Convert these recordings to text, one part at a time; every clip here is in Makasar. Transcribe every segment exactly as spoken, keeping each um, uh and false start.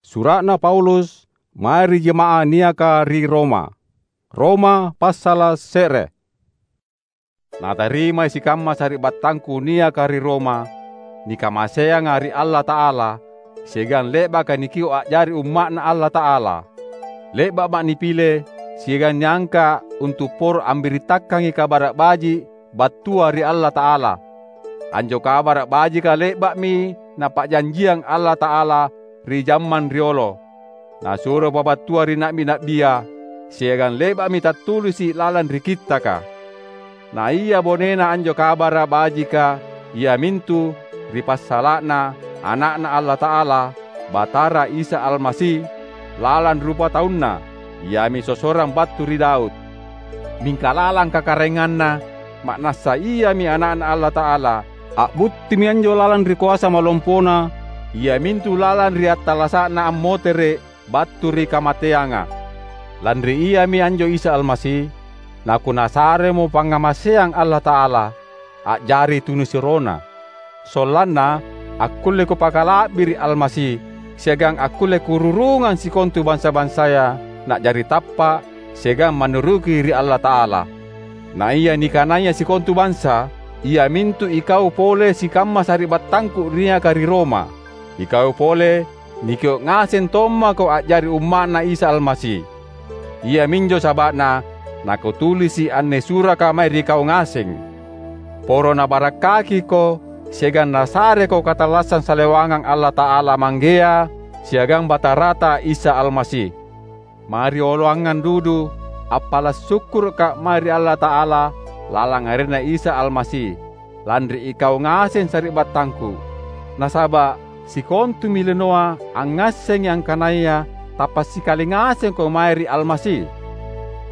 Sura'na Paulus mae ri jama'ah niaka ri Roma. Roma passala’ se're. Natarimai sikamma sari'battangku niaka ri Roma, nikamaseanga ri Allata'ala, siagang le'baka nikio’ a'jari umma'Na Allata'ala. Le'ba'ma’ nipile siagang niangka’ untu’ poro ambirittakangi Kabara’ Baji’ battua ri Allata'ala. Anjo Kabara’ Bajika le'ba'mi Napa'janjiang Allata'ala ri jammang riolo. Nasuro pabattua ri na'bi-na'bia, siagang le'ba'mi tattulisi’ lalang ri Kittaka. Na ia bonena anjo Kabara’ Bajika, iamintu ri passala'na Ana'Na Allata'ala, Batara Isa Almasi, lalang rupataunNa, iami sossorang battu ri Daud. Mingka lalang kakaraenganNa, ma'nassa Iami Ana'Na Allata'ala, a'buttimi anjo lalang ri koasa malompona, iamintu lalang ri attallasa'Na ammotere’ battu ri kamateanga. Lanri Iami anjo Isa Almasi, naKunasaremo pangngamaseang Allata'ala, a'jari tunisuroNa. Sollanna akkulle kupakala'biri’ Almasi, siagang akkulle kururungang sikontu bansa-bansaya na'jari tappa’ siagang mannuruki ri Allata'ala. Na ia nikanaya sikontu bansa, iamintu ikau pole sikamma sari'battangku niaka ri Roma. Ikau pole nikio’ ngaseng tommako a'jari umma'Na Isa Almasi. Iaminjo saba'na nakutulisi’ anne suraka mae ri kau ngaseng. Poro nabarakkakiko siagang nasareko katallassang salewangang Allata'ala Manggea siagang Batarata Isa Almasi. Marioloangang dudu appala’ sukkuruka mae ri Allata'ala lalang arenNa Isa Almasi, lanri ikau ngaseng sari'battangku. Nasaba’ sikontumi linoa angngassengi angkanaya tappa’ sikali ngasengko mae ri Almasi.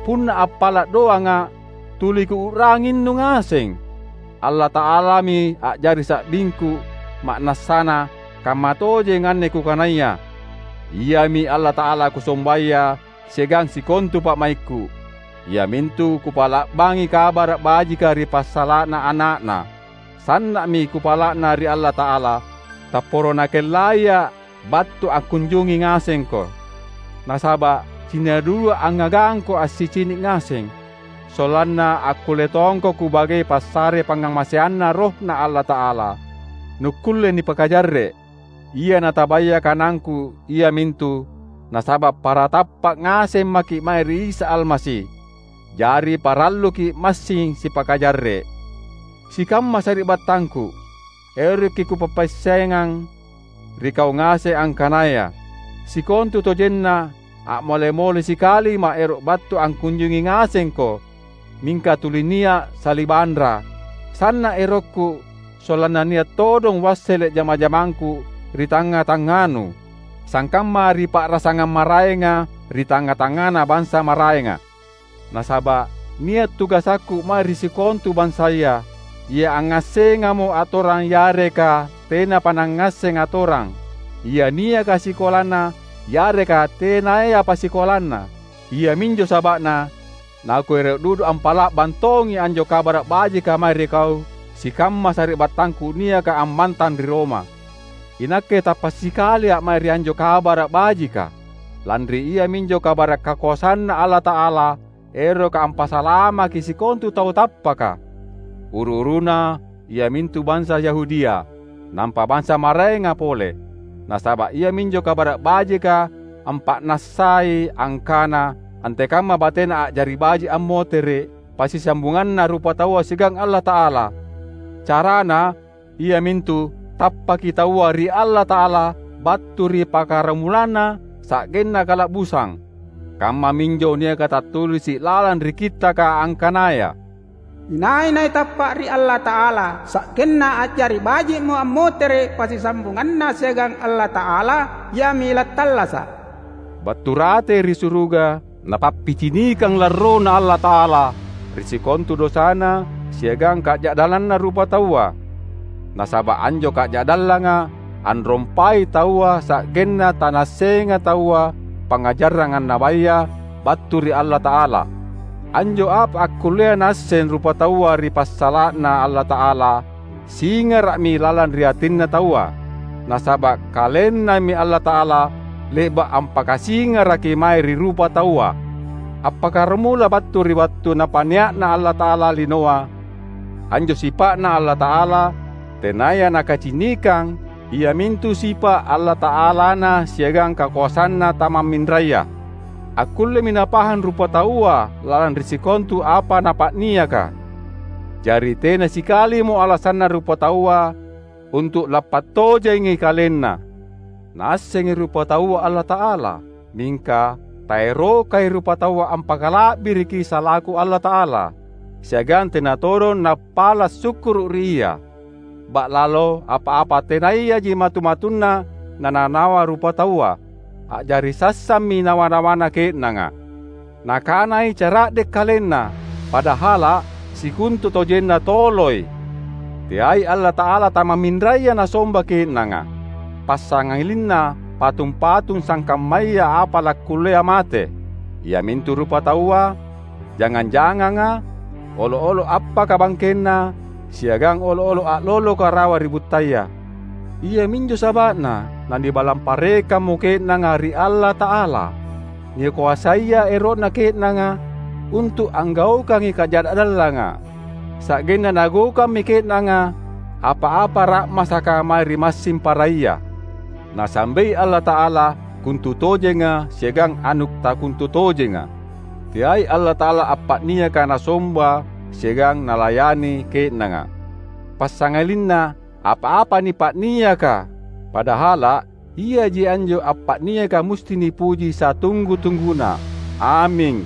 Punna appala’ doanga’, tuli kuu'ranginnu ngaseng. Allata'alami a'jari sa'bingku, ma'nassana kamma tojeng anne kukanaya. Iami Allata'ala kusombaya siagang sikontu pa'maikku, iamintu kupa'la'bangi Kabara’ Bajika ri passala'na Ana'Na. Sanna'mi kupala'na ri Allata'ala, tapporo Nakellaia’ battu angkunjungi ngasengko. Nasaba’ cinna dudua angngagangko assicini’ ngaseng, sollanna akkulle tongko kubagei passare pangngamaseanNa RohNa Allata'ala, nukkulle nipakajarre’. Ia natabaya kanangku iamintu nasaba’ para tappa’ ngaseng maki’ mae ri Isa Almasi. Jari paralluki’ massing sipakajarre’. Sikamma sari'battangku, eroki’ kupappaissengang ri kau ngaseng angkanaya sikontutojenna a'mole-mole sikalima’ ero’ battu angkunjungi ngasengko, mingka tuli nia’ salibanra. Sanna’ erokku, sollanna nia’ todong uassele’ jama-jamangku ri tangnga-tangnganu, sangkamma ri pa'rasangang maraenga ri tangnga-tangngana bansa maraenga. Nasaba’ nia’ tugasakku mae ri sikontu bansaya, ia angngassengamo atorang yareka tenapa nangngasseng atorang, ia niaka sikolanna yareka tenayapa sikolanna. Iaminjo saba'na nakuero’ dudu ampa'la'bang tongi anjo Kabara’ Bajika mae ri kau sikamma sari'battangku niaka ammantang ri Roma. Inakke tappa’ sikalia’ mae ri anjo Kabara’ Bajika, lanri iaminjo kabara’ kakoasanNa Allata'ala eroka ampasalamaki sikontu tau tappaka, uru-uruna iamintu bansa Yahudia, nampa bansa maraenga pole. Nasaba’ iaminjo Kabara’ Bajika ampa'nassai angkana antekamma batena a'jari baji’ ammotere’ passisambunganna rupataua siagang Allata'ala. Carana iamintu tappaki taua ri Allata'ala battu ri pakkaramulana sa'genna kala'busang. Kammaminjo niaka tattulisi’ lalang ri Kittaka angkanaya, "Inai-nai tappa’ ri Allata'ala, sa'genna a'jari baji'mo ammotere’ passisambunganna siagang Allata'ala, iami lattallasa’." Battu rate ri suruga, Napappicinikang larrona Allata'ala ri sikontu dosana siagang kaja'dallanna rupataua. Nasaba’ anjo kaja'dallanga anrompai taua sa'genna tanaassenga taua pangngajarang annabaya battu ri Allata'ala. Anjo apa akkullea naasseng rupataua ri passala'na Allata'ala, singara'mi lalang ri atinna taua. Nasaba’ KalenNami Allata'ala le'ba’ ampakasingaraki mae ri rupataua. Appakkaramula battu ri wattu Napa'nia'na Allata'ala linoa, anjo sipa'Na Allata'ala tenaya nakacinikang, iamintu sipa’ Allata'alana siagang kakoasanNa tamamminraya. Akkullemi napahang rupataua lalang ri sikontu apa napa'niaka. Jari tena sikalimo alasanna rupataua untu’ lappattojengi kalenna. Naassengi rupataua Allata'ala, mingka taerokai rupataua ampakala'biriki salaku Allata'ala, siagang tena todong nappala’ sukkuru’ ri Ia. Ba'lalo apa-apa tenayaji matu-matunna nananawa rupataua, a'jari sassammi nawa-nawana ke'nanga. Nakanai cara'de’ kalenna, padahala’ sikontutojenna toloi. Teai Allata'ala tamamminraya nasomba ke'nanga, passangalinna patung-patung sangkammaya apa lakkullea mate, iamintu rupataua, jangang-janganga, olo’-olo’ appaka bangkenna, siagang olo’-olo’ a'loloka rawa ri buttaya. Iaminjo saba'na nanibalang parekammo ke'nanga ri Allata'ala. Nikoasaya ero'na ke'nanga untu’ anggaukangi kaja'dallanga, sa'genna nagaukammi ke'nanga apa-apa ra'masaka mae ri massing paraya. Nasambei Allata'ala kontutojenga siagang anu’ takontutojenga. Teai Allata'ala appa'niaka nasomba siagang nalayani ke'nanga, passangalinna apa-apa nipa'niaka, padahala’ Iaji anjo appa'niaka musti nipuji satunggu-tungguna. Aming!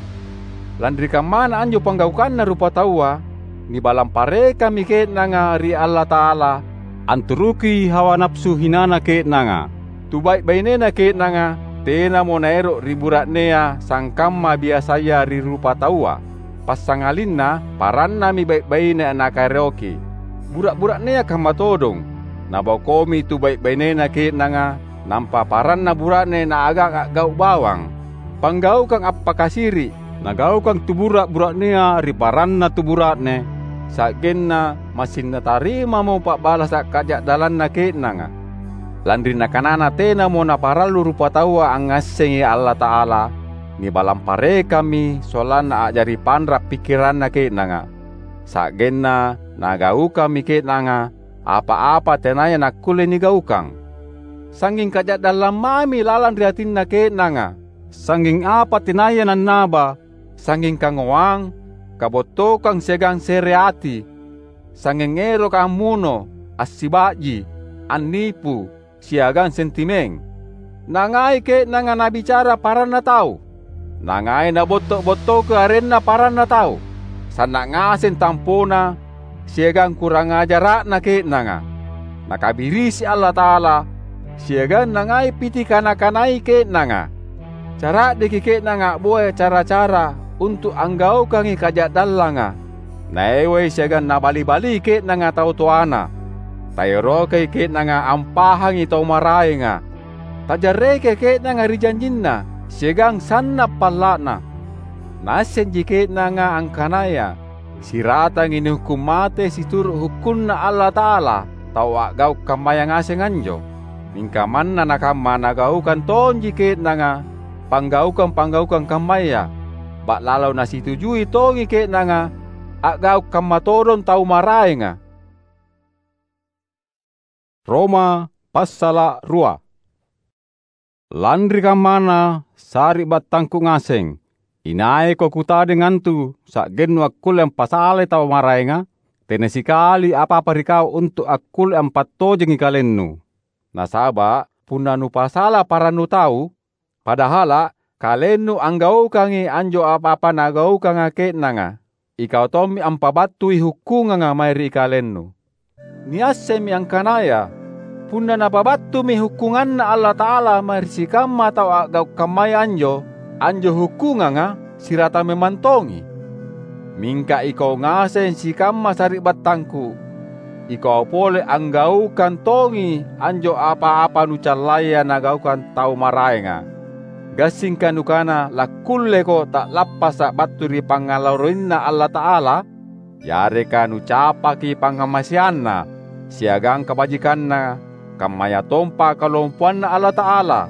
Lanri kammana anjo panggaukanna rupataua, nibalang parekammi ke'nanga ri Allata'ala, anturuki hawa napsu hinana ke'nanga. Tu bai’-bainena ke'nanga tenamo naero’ ri bura'nea sangkamma biasaya ri rupataua. Passangalinna parannami bai’-baine nakaeroki. Bura’-bura'nea kamma todong. Nabokomi tu bai’-bainena ke'nanga, nampa paranna bura'ne naagang a'gau’ bawang. Panggaukang appakasiri’, nagaukang tu bura’-bura'nea ri paranna tu bura'ne, sa'genna massing natarimamo pa'balasa’ kaja'dallanna ke'nanga. Lanri nakanana tenamo naparallu rupataua angngassengi Allata'ala, nibalang parekammi sollanna a'jari panra’ pikkiranna ke'nanga. Sa'genna nagaukammi ke'nanga apa-apa tenaya nakkulle nigaukang. Sangnging kaja'dallang mami lalang ri atinna ke'nanga, sangnging apa tenaya nannaba, sangnging kangoang, kabottokang siagang se're ati, sangnging eroka ammuno, assiba'ji, annipu, siagang sentimeng. Nangai ke'nanga nabicara paranna tau. Nangai nabotto’-bottoki arenna paranna tau. Sanna’ ngaseng tampona siagang kurang ajara'na ke'nanga. Nakabirisi Allata'ala, siagang nangai piti kana-kanai ke'nanga. Cara'deki ke'nanga a'boya cara-cara untu’ anggaukangi kaja'dallanga. Naewai siagang nabali-balii ke'nanga tau toana. Taerokai ke'nanga ampahangi tau maraenga. Tajarrekei ke'nanga ri janjinna siagang sanna’ palla'na. Naassenji ke'nanga angkanaya siratangi nihukkung mate situru’ hukkunNa Allata'ala tau a'gau’ kammaya ngaseng anjo. Mingka manna nakamma nagaukang tonji ke'nanga panggaukang-panggaukang kammaya, ba'lalo nasitujui tongi ke'nanga a'gau’ kamma todong tau maraenga. Roma passala’ rua. Lanri kammana, sari'battangku ngaseng, inaiko kutadeng antu sa'gennu akkulle ampasalai tau maraenga, tena sikali apa-apa ri kau untu’ akkulle ampattojengi kalennu. Nasaba’ punna nupasala parannu tau, padahala’ kalennu anggaukangi anjo apa-apa nagaukanga ke'nanga, ikau tommi ampabattui hukkunganga mae ri kalennu. Niassemmi angkanaya punna Napabattumi hukkunganNa Allata'ala mae ri sikamma tau a'gau’ kammaya anjo, anjo hukkunganga sirata memang tongi. Mingka ikau ngaseng sikamma sari'battangku, ikau pole anggaukang tongi anjo apa-apa nucallaya nagaukang tau maraenga. Gassingka nukana lakkulleko ta'lappasa’ battu ri pangngalarroinNa Allata'ala? Yareka nucapaki pangngamaseanNa siagang kabajikanNa, kammayatompa kalompoanNa Allata'ala?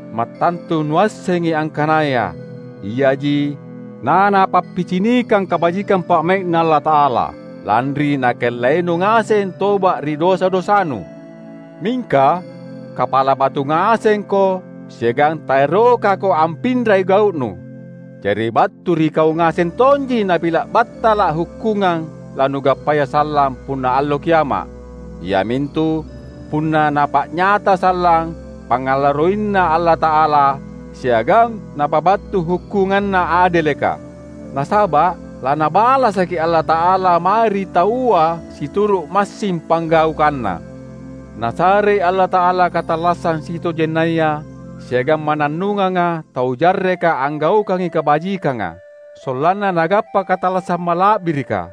Mattantu nuassengi angkanaya iaji nanapappicinikang kabajikang pa'mai'Na Allata'ala, lanri Nakellainu ngaseng toba’ ri dosa-dosanu. Mingka kapala batu ngasengko siagang taerokako ampinrai gau'nu. Jari battu ri kau ngaseng tonji napila’ battala’ hukkungang lanugappaya sallang punna Allo Kiama’, iamintu punna Napa'nyata sallang pangngalarroinNa Allata'ala siagang Napabattu hukkunganNa adeleka. Nasaba’ laNabalasaki Allata'ala mae ri taua situru’ massing panggaukanNa. Nasarei Allata'ala katallassang sitojennaya siagang mannannunganga tau jarreka anggaukangi kabajikanga, sollanna nagappa katallassang mala'birika,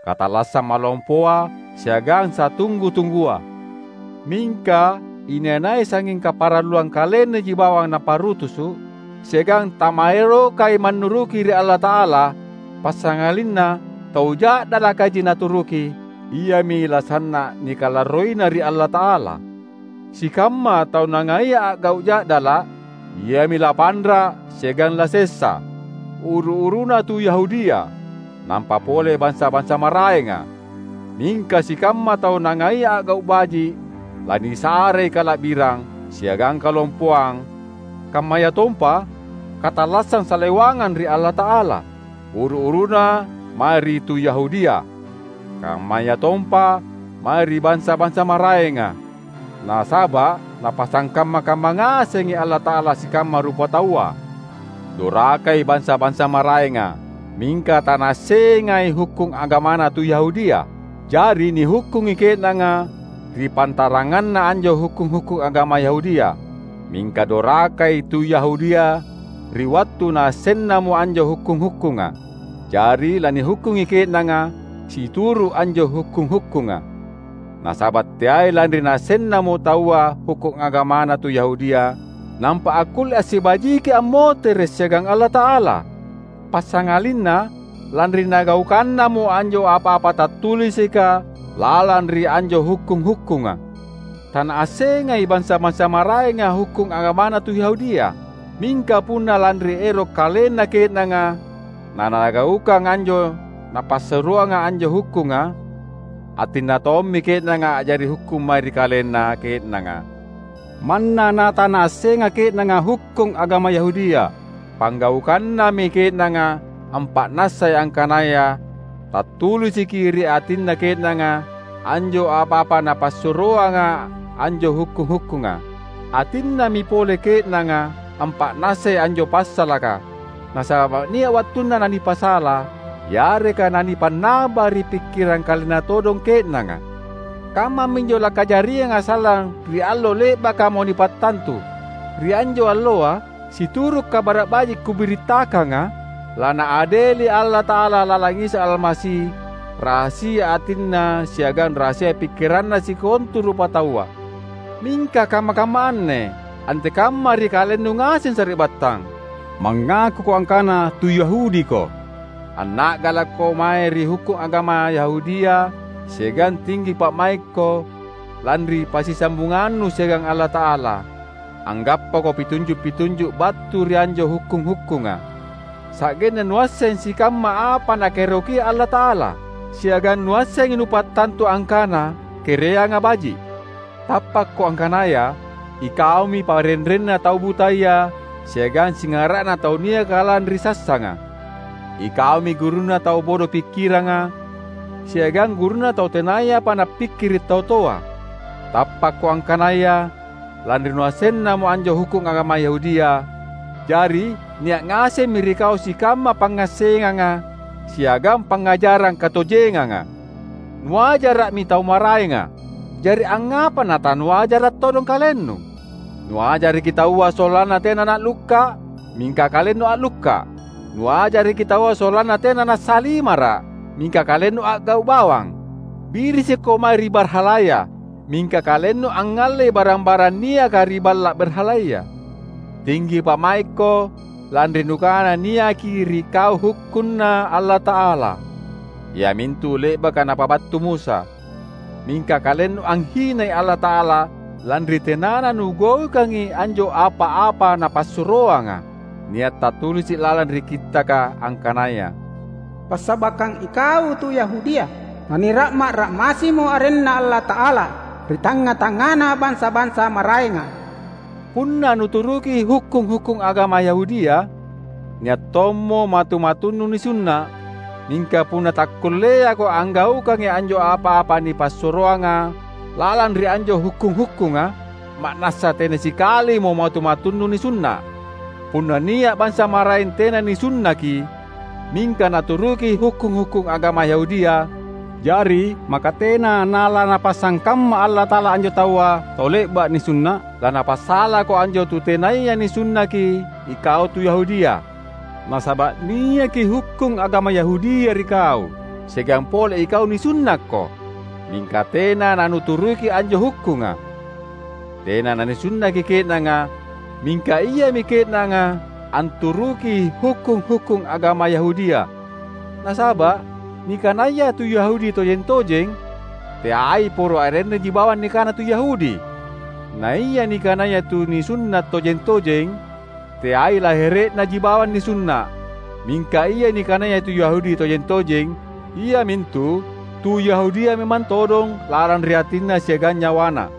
katallassang malompoa siagang satunggu-tunggua. Mingka inai-nai sangnging kaparalluang kalennaji bawang naparutusu’, siagang tamaerokai mannuruki ri Allata'ala, passangalinna tau ja'dalakaji naturuki, iami lasanna’ nikalarroina ri Allata'ala. Sikamma tau nangaia a'gau’ ja'dala’, iami lapanra’ siagang lasessa, uru-uruna tu Yahudia, nampa pole bansa-bansa maraenga. Mingka sikamma tau nangaia a'gau’ baji’, lanisarei kala'birang siagang kalompoang, kammayatompa katallassang salewangang ri Allata'ala, uru-uruna mae ri tu Yahudia, kammayatompa mae ri bansa-bansa maraenga. Nasaba’ Napasangkamma-kamma ngasengi Allata'ala sikamma rupataua. Dorakai bansa-bansa maraenga, mingka tanaassengai hukkung agamana tu Yahudia. Jari nihukkungi ke'nanga ri pantaranganna anjo hukkung-hukkung agama Yahudia, mingka dorakai tu Yahudia ri wattu naassennamo anjo hukkung-hukkunga. Jari lanihukkungi ke'nanga situru’ anjo hukkung-hukkunga. Nasaba’ teai lanri naassennamo taua hukkung agamana tu Yahudia, nampa akkulle assibajiki ammotere’ siagang Allata'ala. Passangalinna lanri nagaukannamo anjo apa-apa tattulisika lalang ri anjo hukkung-hukkunga. Tanaassengai bansa-bansa maraenga hukkung agamana tu Yahudia, mingka punna lanri ero’ kalenna ke'nanga nanagaukang anjo napassuroanga anjo hukkunga, atinna tommi ke'nanga a'jari hukkung mae ri kalenna ke'nanga. Manna natanaassenga ke'nanga hukkung agama Yahudia, panggaukannami ke'nanga ampa'nassai angkanaya tattulisiki ri atinna ke'nanga anjo apa-apa napassuroanga anjo hukkung-hukkunga. Atinnami pole ke'nanga ampa'nassai anjo passalaka, nasaba’ nia’ wattunna nanipasala, yareka nanipannaba ri pikkirang kalenna todong ke'nanga. Kammaminjo lakajarianga sallang ri allo le'bakamo nipattantu. Ri anjo alloa, situru’ Kabara’ Baji’ kubirittakanga, lanaadeli Allata'ala lalang Isa Almasi rahasia atinna siagang rahasia pikkiranna sikontu rupataua. Mingka kamma-kamma anne antekamma ri kalennu ngaseng sari'battang? Mangakuko angkana tu Yahudiko, anna'galakko mae ri hukkung agama Yahudia siagang tinggi pa'maikko lanri passisambungannu siagang Allata'ala. Anggappako pitunju’-pitunju’ battu ri anjo hukkung-hukkunga, sa'genna nuasseng sikamma apa Nakaerokia Allata'ala, siagang nuassengi nupattantu angkana kereanga baji’. Tappakko angkanaya ikaumi parenrenna tau butaya siagang singara'na tau niaka lalang ri sassanga. Ikaumi gurunna tau bodo pikkiranga siagang gurunna tau tenayapa nappikkiri’ tau toa. Tappakko angkanaya lanri nuassennamo anjo hukkung agama Yahudia, jari nia’ ngasemmi ri kau sikamma pangngassenganga siagang pangngajarang katojenganga. Nuajara'mi tau maraenga, jari angngapa natanuajara’ todong kalennu? Nuajaraki taua sollanna tena na'lukka’, mingka kalennu a'lukka’. Nuajaraki taua sollanna tena nassalimara’, mingka kalennu a'gau’ bawang. Birisikko mae ri barhalaya, mingka kalennu angngallei barang-barang niaka ri balla’ barhalaya. Tinggi pa'maikko, lanri nukana niaki ri kau hukkunNa Allata'ala, iamintu le'baka Napabattu Musa. Mingka kalennu anghinai Allata'ala lanri tenana nugaukangi anjo apa-apa Napassuroanga. Nia’ tattulisi’ lalang ri Kittaka angkanaya, "Passabakang ikau tu Yahudia, nanira'ma’-ra'masimo arenNa Allata'ala ri tangnga-tangngana bansa-bansa maraenga." Punna nuturuki hukkung-hukkung agama Yahudia, nia’ tommo matu-matunnu nisunna’. Mingka punna takkulleako anggaukangi anjo apa-apa nipassuroanga lalang ri anjo hukkung-hukkunga, ma'nassa tena sikalimo matu-matunnu nisunna’. Punna nia’ bansa maraeng tena nisunnaki, mingka naturuki hukkung-hukkung agama Yahudia, jari maka tena nalanapassangkamma Allata'ala anjo taua tau le'ba’ nisunna’? Lanapassalako anjo tu tenaya nisunnaki ikau tu Yahudia. Nasaba’ niaki hukkung agama Yahudia ri kau, siagang pole ikau nisunnakko, mingka tena nanuturuki anjo hukkunga. Tena nanisunnaki ke'nanga, mingka iami ke'nanga anturuki hukkung-hukkung agama Yahudia. Nasaba’ nikanaya tu Yahudi tojeng-tojeng, teai poro arennaji bawang nikana tu Yahudi. Na ia nikanaya tu nisunna’ tojeng-tojeng, teai lahere'naji bawang nisunna’. Mingka ia nikanaya tu Yahudi tojeng-tojeng, iamintu tu Yahudia memang todong lalang ri atinna siagang nyawana.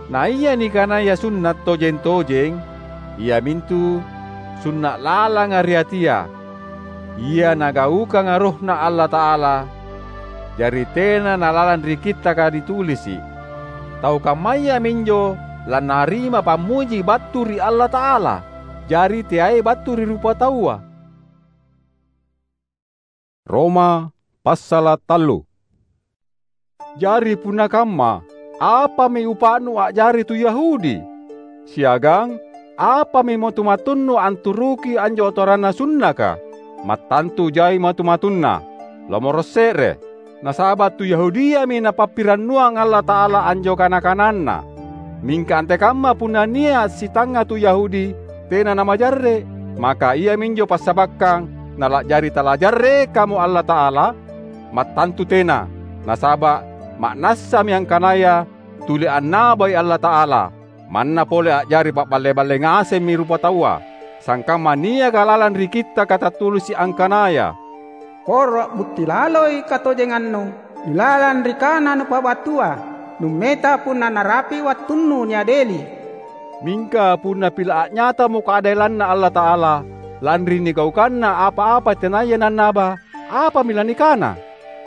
Na ia nikanaya sunna’ tojeng-tojeng, iamintu sunna’ lalanga ri atia, ia Nagaukanga RohNa Allata'ala, jari tena nalalang ri Kittaka nitulisi’. Tau kammaya minjo lanarima pammuji battu ri Allata'ala, jari teai battu ri rupataua. Roma passala’ tallu. Jari punna kamma, apami upa'nu a'jari tu Yahudi? Siagang apami matu-matunnu anturuki anjo atoranna sunnaka? Mattantu jai matu-matunna! Lomoro’ se're! Nasaba’ tu Yahudiami Napappirannuang Allata'ala anjo kana-kananNa. Mingka antekamma punna nia’ sitangnga tu Yahudi tena namajarre’, maka iaminjo passabakkang nala'jari talajarrekamo Allata'ala? Mattantu tena! Nasaba’ ma'nassami angkanaya tuli annabai Allata'ala, manna pole a'jari pa'balle-balle ngasemmi rupataua, sangkamma niaka lalang ri Kittaka tattulisi’ angkanaya, "Poro a'butti laloi katojengannu ilalang ri kana nupabattua, nummeta punna narapi’ wattunnu niadeli." Mingka punna pila’ a'nyatamo kaadelanNa Allata'ala lanri nigaukanna apa-apa tenaya nannaba, apami lanikana?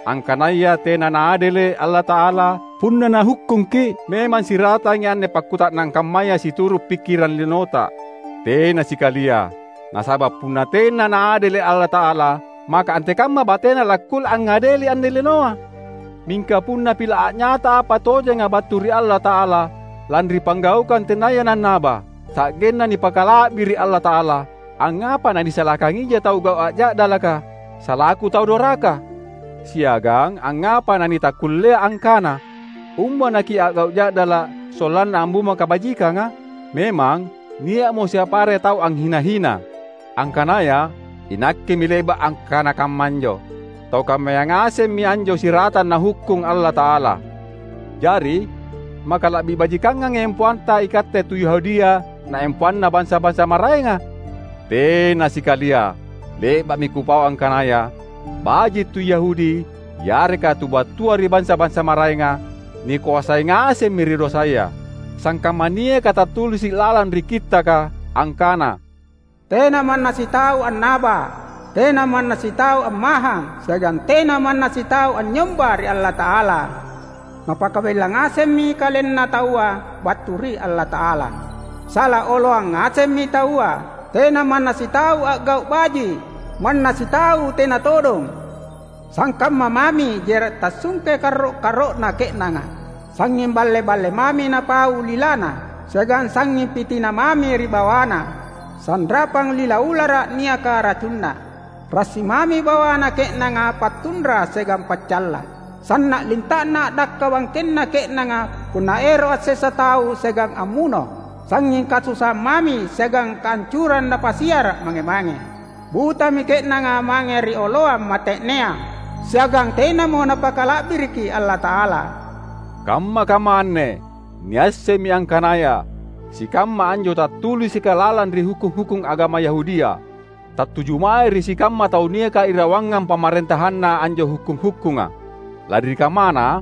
Angkanaya tena naadele’ Allata'ala? Punna Nahukkungki’, memang siratangi anne pakkuta'nang kammaya situru’ pikkirang linota? Tena sikalia! Nasaba’ punna tena naadele’ Allata'ala, maka antekamma batena lakkulle angngadeli anne linoa? Mingka punna pila’ a'nyata apa tojenga battu ri Allata'ala lanri panggaukang tenaya nannaba, sa'genna nipakala'biri’ Allata'ala, angngapa nanisalakangija tau gau’ a'ja'dalaka salaku tau doraka? Siagang angngapa nanitakkullea angkana, "Umba nakia'gau’ ja'dala’ sollanna ambunga kabajikanga?" Memang, nia'mo siapare tau anghina-hina, angkanaya, "Inakkemi le'ba’ angkana kammanjo." Tau kammaya ngasemmi anjo siratang Nahukkung Allata'ala. Jari, maka la'bi bajikangangi empoanta ikatte tu Yahudia naempoanna bansa-bansa maraenga? Tena sikalia! Le'ba'mi kupau angkanaya, baji’ tu Yahudi yareka tu battua ri bansa-bansa maraenga, nikoasai ngasemmi ri dosaya. Sangkamma niaka tattulisi’ lalang ri Kittaka angkana, "Tena manna sitau annaba, tena manna sitau ammahang, siagang tena manna sitau anynyomba ri Allata'ala." Napakabella ngasemmi kalenna taua battu ri Allata'ala. Sala oloang ngasemmi taua, tena manna sitau a'gau’ baji’, manna sitau tena todong. Sangkamma mami jera’ tassungke karro’-karro'na ke'nanga, sangnging balle-balle mami napau lilana, siagang sangnging pitina mami ri bawana, sanrapang lila ulara’ niaka racunna. Rassi mami bawana ke'nanga pattunra siagang paccalla. Sanna’ linta'na a'dakka bangkenna ke'nanga punna ero’ assessa tau siagang ammuno. Sangnging kasusaang mami siagang kahancurang napasiara’ mange-mange. Butami ke'nanga mange ri oloang mate'nea, siagang tenamo Napakala'biriki Allata'ala. Kamma-kamma anne Niassemmi angkanaya sikamma anjo tattulisika lalang ri hukkung-hukkung agama Yahudia, tattuju mae ri sikamma tau niaka irawangang pamarentahanna anjo hukkung-hukkunga. Lanri kammana,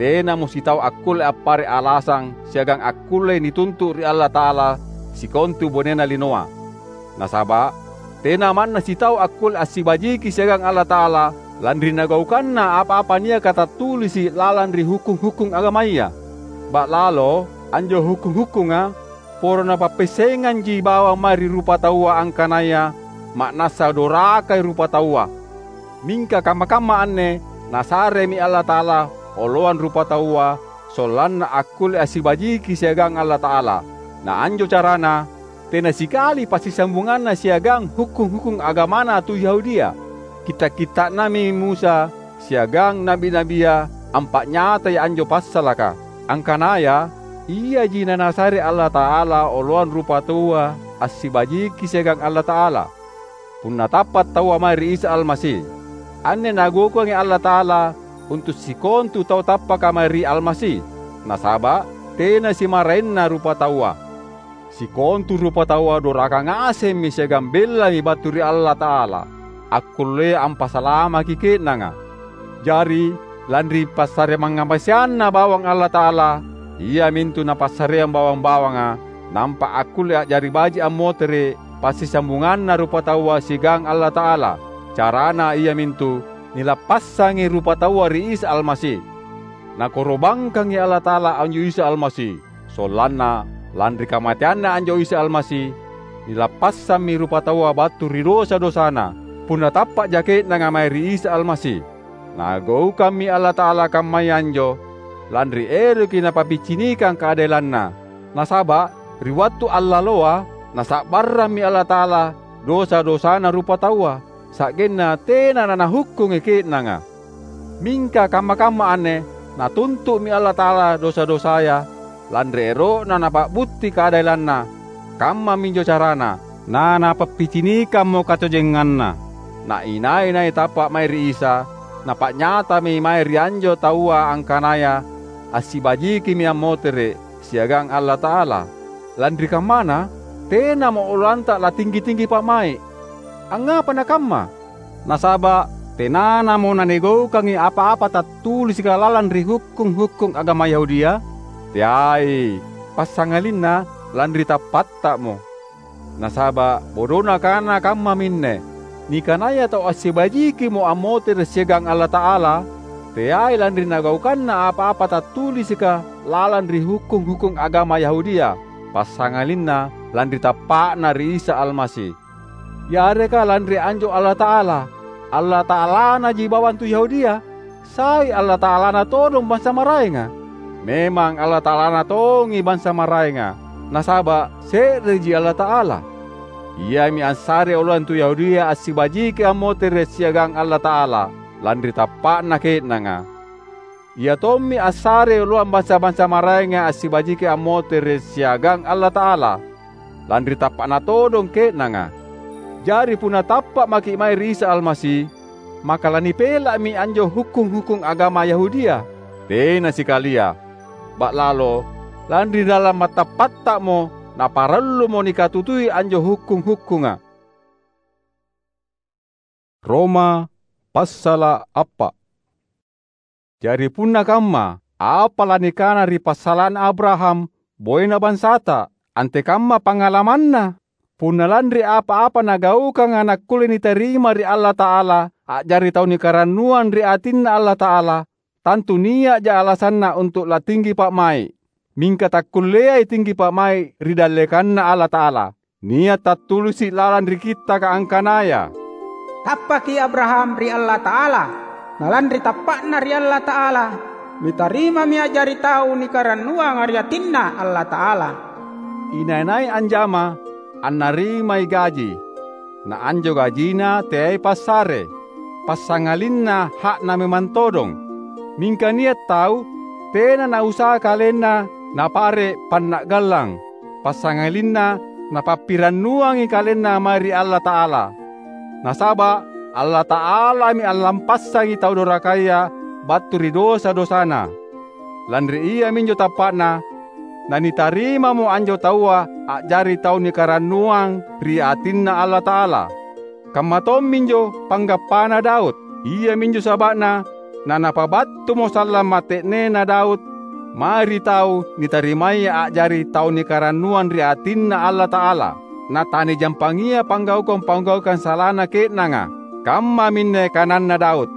tenamo sitau akkulle appare’ alasang siagang akkullei nituntu’ ri Allata'ala sikontu bonena linoa. Nasaba’ tena manna sitau akkulle assibajiki siagang Allata'ala lanri nagaukanna apa-apa niaka tattulisi’ lalang ri hukkung-hukkung agamaya. Ba'lalo anjo hukkung-hukkunga poro napappessenganji bawang mae ri rupataua angkanaya ma'nassa dorakai rupataua. Mingka kamma-kamma anne Nasaremi Allata'ala oloang rupataua sollanna akkulle assibajiki siagang Allata'ala. Na anjo carana tena sikali passisambunganna siagang hukkung-hukkung agamana tu Yahudia. Kitta’-kitta'nami Musa siagang na'bi-na'bia ampa'nyatai anjo passalaka, angkanaya Iaji naNasare Allata'ala oloang rupataua assibajiki siagang Allata'ala. Punna tappa’ taua mae ri Isa Almasi, anne Nagaukangi Allata'ala untu’ sikontu tau tappaka mae ri Almasi, nasaba’ tena simaraenna rupataua. Sikontu rupataua doraka ngasemmi siagang bellami battu ri Allata'ala, akkullea ampasalamaki ke'nanga. Jari, lanri passare mangngamaseanNa bawang Allata'ala, iamintu Napassareang bawang-bawanga, nampa akkulle a'jari baji’ ammotere’ passisambunganna rupataua siagang Allata'ala, carana iamintu nilappassangi rupataua ri Isa Almasi. Nakoro'bangkangi Allata'ala anjo Isa Almasi, sollanna lanri kamateanNa anjo Isa Almasi, nilappassammi rupataua battu ri dosa-dosana, punna tappa'ja ke'nanga mae ri Isa Almasi. Nagaukammi Allata'ala kammaya anjo, lanri eroki Napappicinikang kaadelanNa. Nasaba’ ri wattu allaloa, Nasa'barrammi Allata'ala dosa-dosana rupataua, sa'genna tena naNahukkungi ke'nanga. Mingka kamma-kamma anne Natuntu'mi Allata'ala dosa-dosaya, lanri ero'Na Napa'butti kaadelanNa. Kammaminjo carana, naNapappicinikammo katojenganNa. Na inai-nai tappa’ mae ri Isa, napa'nyatami mae ri anjo taua angkanaya assibajikimi ammotere’ siagang Allata'ala. Lanri kammana, tenamo oloanta latinggi-tinggi pa'mai’. Angngapa nakamma? Nasaba’ tenanamo nanigaukangi apa-apa tattulisika lalang ri hukkung-hukkung agama Yahudia? Teai, passangalinna lanri tappatta'mo. Nasaba’ bodona kana kammaminne, nikanaya tau assibajikimo ammotere’ siagang Allata'ala, teai lanri nagaukanna apa-apa tattulisika lalang ri hukkung-hukkung agama Yahudia, passangalinna lanri tappa'na ri Isa Almasi. Yareka lanri anjo Allata'ala, Allata'alanaji bawang tu Yahudia? Sai Allata'alana todong bansa maraenga? Memang Allata'alana tongi bansa maraenga, nasaba’ se'reji Allata'ala. Iami assarei oloang tu Yahudia assibajiki ammotere’ siagang Allata'ala, lanri tappa'na ke'nanga. Ia tommi assarei oloang bansa-bansa maraenga assibajiki ammotere’ siagang Allata'ala, lanri tappa'na todong ke'nanga. Jari punna tappa’ maki’ mae ri Isa Almasi, maka lanipela'mi anjo hukkung-hukkung agama Yahudia? Tena sikalia! Ba'lalo, lanri lalang mattappatta'mo naparallumo nikatutui anjo hukkung-hukkunga. Roma passala’ appa’. Jari punna kamma, apa lanikana ri passala'na Abraham, boena bansata? Antekamma pangalamanna? Punna lanri apa-apa nagaukanga nakkulle nitarima ri Allata'ala a'jari tau nikarannuang ri atinNa Allata'ala, tantu nia'ja alasanna untu’ latinggi pa'mai’. Mingka takkulleai tinggi pa'mai’ ri dallekanNa Allata'ala. Nia’ tattulisi’ lalang ri Kittaka angkanaya, "Tappaki Abraham ri Allata'ala, na lanri tappa'na ri Allata'ala, nitarimami a'jari tau nikarannuanga ri atinNa Allata'ala." Inai-nai anjama, annarimai gaji. Na anjo gajina teai passare, passangalinna ha'na memang todong. Mingka nia’ tau tena nausaha kalenna napare’ panna'gallang, passangalinna napappirannuangi kalenna mae ri Allata'ala. Nasaba’ Allata'alami allampassangi tau dorakaya battu ri dosa-dosana. Lanri iaminjo tappa'na, nanitarimamo anjo taua a'jari tau nikarannuang ri atinNa Allata'ala. Kamma tomminjo panggappana Daud. Iaminjo saba'na nanapabattumo sallang mate'nena Daud mae ri tau nitarimaya a'jari tau nikarannuang ri atinNa Allata'ala. Natanijampangia panggaukang-panggaukang salana ke'nanga. Kammaminne kananna Daud,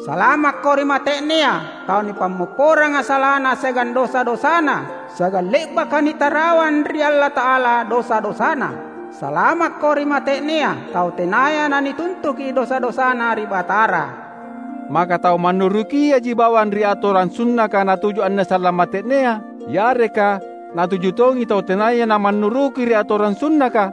"Salamakko ri mate'nea, tau nipammopporanga salana siagang dosa-dosana, siagang le'baka nitarawang ri Allata'ala dosa-dosana. Salamakko ri mate'nea, tau tenaya nanituntuki dosa-dosana ri Batara." Maka tau mannurukiaji bawang ri atorang sunnaka natuju anne sallang mate'nea, yareka natuju tongi tau tenaya namannuruki ri atorang sunnaka?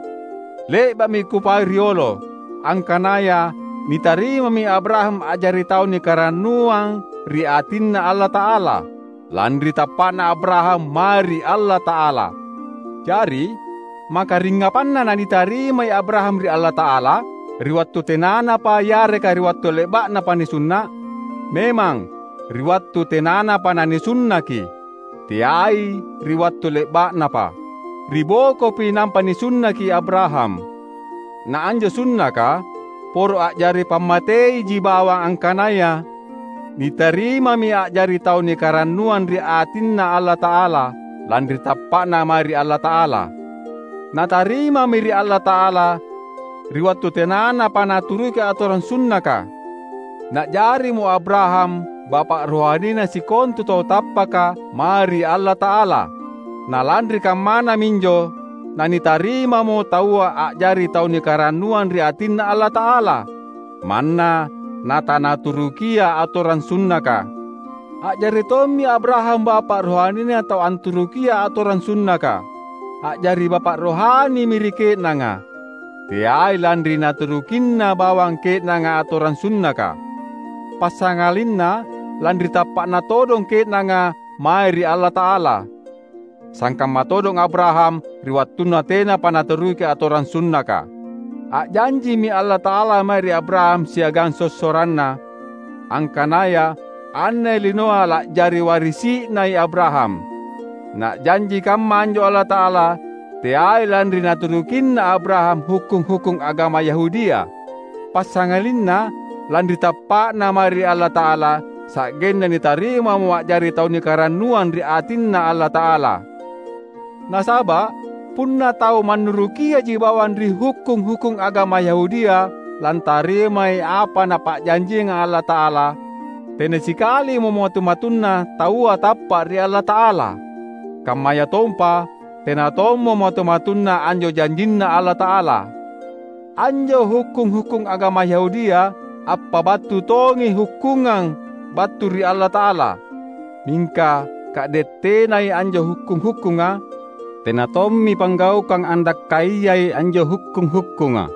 Le'ba'mi kupau riolo, angkanaya nitarimami Abraham a'jari tau nikarannuang ri atinNa Allata'ala, lanri tappa'na Abraham mae ri Allata'ala. Jari, makaringngapanna nanitarimai Abraham ri Allata'ala? Ri wattu tenanapa yareka ri wattu le'ba'napa nisunna'? Memang, ri wattu tenanapa nanisunnaki, teai ri wattu le'ba'napa. Ri bokopi nampa nisunnaki Abraham. Na anjo sunnaka poro a'jari pammateiji bawang angkanaya nitarimami a'jari tau nikarannuang ri atinNa Allata'ala lanri tappa'na mae ri Allata'ala. Natarimami ri Allata'ala ri wattu tenanapa naturuki atorang sunnaka. Na'jarimo Abraham bapa' rohanina sikontu tau tappaka mae ri Allata'ala. Na lanri kammana minjo nanitarimamo taua a'jari tau nikarannuang ri atinNa Allata'ala, manna natanaturukia atorang sunnaka. A'jari tommi Abraham bapa' rohanina tau anturukia atorang sunnaka. A'jari bapa' rohanimi ri ke'nanga, teai lanri naturukinna bawang ke'nanga atorang sunnaka. Passangalinna lanri tappa'na todong ke'nanga mae ri Allata'ala. Sangkamma todong Abraham ri wattunna tenapa naturuki atorang sunnaka. A'janjimi Allata'ala mae ri Abraham siagang sossoranna, angkanaya anne linoa la'jari warisi'nai Abraham. Na'janji kamma anjo Allata'ala teai lanri naturukinna Abraham hukkung-hukkung agama Yahudia. Passangalinna, lanri tappa'na mae ri Allata'ala, sa'genna nitarimamo a'jari tau nikarannuang ri atinNa Allata'ala. Nasaba' punna tau mannurukiaji bawang ri hukkung-hukkung agama Yahudia lantarimai apa Napa'janjianga Allata'ala, tena sikalimo matu-matunna taua tappa' ri Allata'ala. Kammayatompa, tena tommo matu-matunna anjo janjinNa Allata'ala. Anjo hukkung-hukkung agama Yahudia appabattu tongi hukkungang battu ri Allata'ala. Mingka ka'de' tenai anjo hukkung-hukkunga, tena tommi panggaukang andakkaiai anjo hukkung-hukkunga.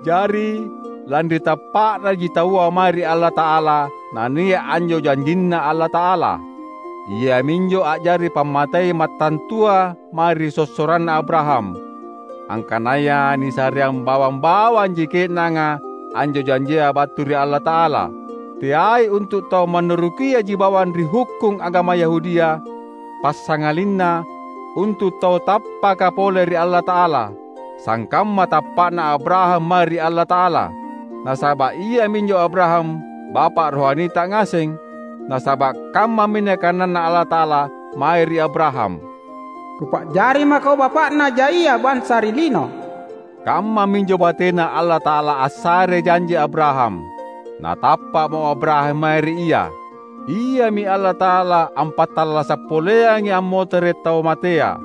Jari, lanri tappa'naji taua mae ri Allata'ala, nania' anjo janjinNa Allata'ala, iaminjo a'jari pammatei mattantua mae ri sossoranna Abraham, angkanaya nisareang bawang-bawanji ke'nanga anjo janjia battu ri Allata'ala, teai untu' tau mannurukiaji bawang ri hukkung agama Yahudia, passangalinna untu' tau tappaka pole ri Allata'ala, sangkamma tappa'na Abraham mae ri Allata'ala. Nasaba' iaminjo Abraham bapa' rohanita ngaseng, nasaba' kammaminne kananNa Allata'ala mae ri Abraham, "Kupa'jari mako bapa'na jaia bansa ri lino." Kammaminjo batena Allata'ala assare janji Abraham. Natappa'mo Abraham mae ri Ia. Iami Allata'ala ampattallasa' poleangi ammotere' tau matea.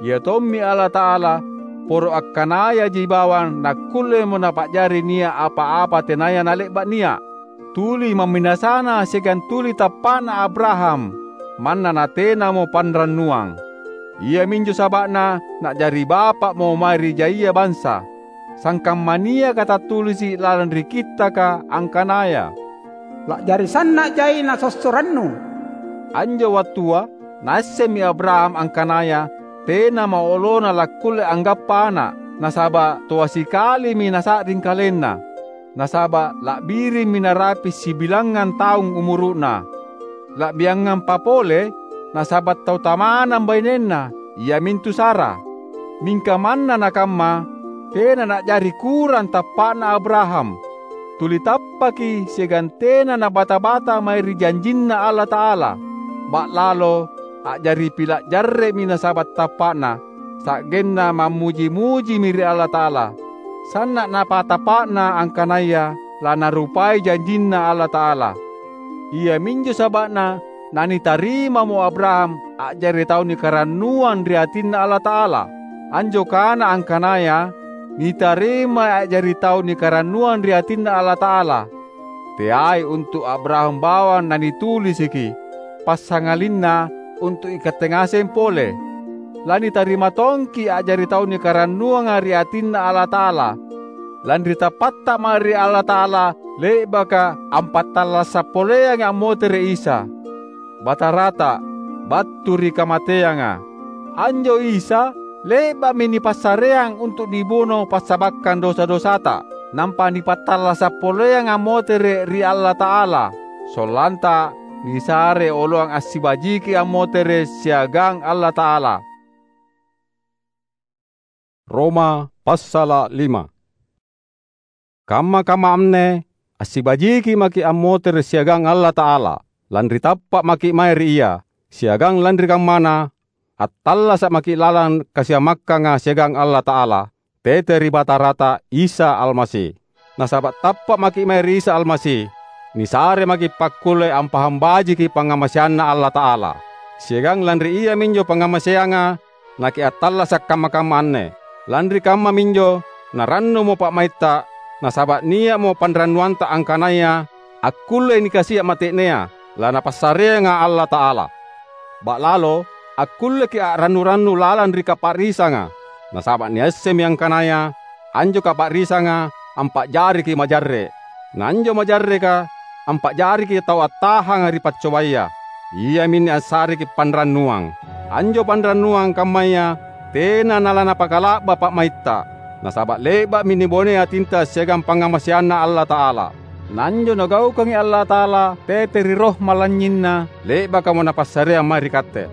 Ia tommi Allata'ala poro akkanayaji bawang nakkullemo Napa'jari nia' apa-apa tenaya nale'ba' nia'. Tuli mamminasana siagang tuli tappa'na Abraham, manna natenamo panrannuang. Iaminjo saba'na na'jari bapa'mo mae ri jaia bansa, sangkamma niaka tattulisi' lalang ri Kittaka angkanaya, "La'jari sanna' jai nasossorannu." Anjo wattua, naassemmi Abraham angkanaya tenamo olona lakkulle anggappa ana', nasaba' toa sikalimi nasa'ring kalenna. Nasaba' la'birimmi narapi' sibilangngang taung umuru'na. La'biangampa pole, nasaba’ tau tamanang bainenna, iamintu Sara. Mingka manna nakamma, tena na'jari kurang tappa'na Abraham. Tuli tappaki siagang tena nabata-bata mae ri janjinNa Allata'ala. Ba'lalo a'jari pila’ jarre'mi nasaba’ tappa'na, sa'genna mammuji-mujimi ri Allata'ala. Sanna’ napatappa'na angkanaya lanarupai janjinNa Allata'ala. Iaminjo saba'na nanitarimamo Abraham a'jari tau nikarannuang ri atinNa Allata'ala. Anjo kana angkanaya nitarimai a'jari tau nikarannuang ri atinNa Allata'ala, teai untu’ Abraham bawang nanitulisiki, passangalinna untu’ ikatte ngaseng pole. Lanitarima tongki’ a'jari tau nikarannuanga ri atinNa Allata'ala, lanri tappatta mae ri Allata'ala le'baka ampattallasa’ poleangi ammotere’ Isa, Batarata, battu ri kamateanga. Anjo Isa le'ba'mi nipassareang untu’ nibuno passabakkang dosa-dosata, nampa nipattallasa’ poleang ammotere’ ri Allata'ala, sollanta nisare oloang assibajiki ammotere’ siagang Allata'ala. Roma passala’ lima. Kamma-kamma anne assibajiki maki’ ammotere’ siagang Allata'ala, lanri tappa’ maki’ mae ri Ia, siagang lanri kammana, attallasa’ maki’ lalang kasiamakkanga siagang Allata'ala, tete ri Batarata Isa Almasi. Nasaba’ tappa’ maki’ mae ri Isa Almasi, nisare maki’ pakkulle ampahang bajiki pangngamaseanNa Allata'ala. Siagang lanri iaminjo pangngamaseanga, nakiattallasa’ kamma-kamma anne. Lanri kammaminjo narannumo pa'maitta, nasaba’ nia'mo panrannuanta angkanaya akkullei nikasia’ mate'nea, laNapassareanga Allata'ala. Ba'lalo akkulleki’ a'rannu-rannu lalang ri kapa'risanga, nasaba’ niassemmi angkanaya anjo kapa'risanga ampa'jariki’ majarre’. Na anjo majarreka ampa'jariki’ tau attahanga ri paccobaya, iaminne assareki’ panrannuang. Anjo panrannuang kammaya tena nalanapakala'ba pa'maitta, nasaba’ le'ba'mi nibonei atinta siagang pangngamaseanNa Allata'ala. Na anjo Nagaukangi Allata'ala tete ri Roh mallanynyinNa, le'bakamo Napassareang mae ri katte.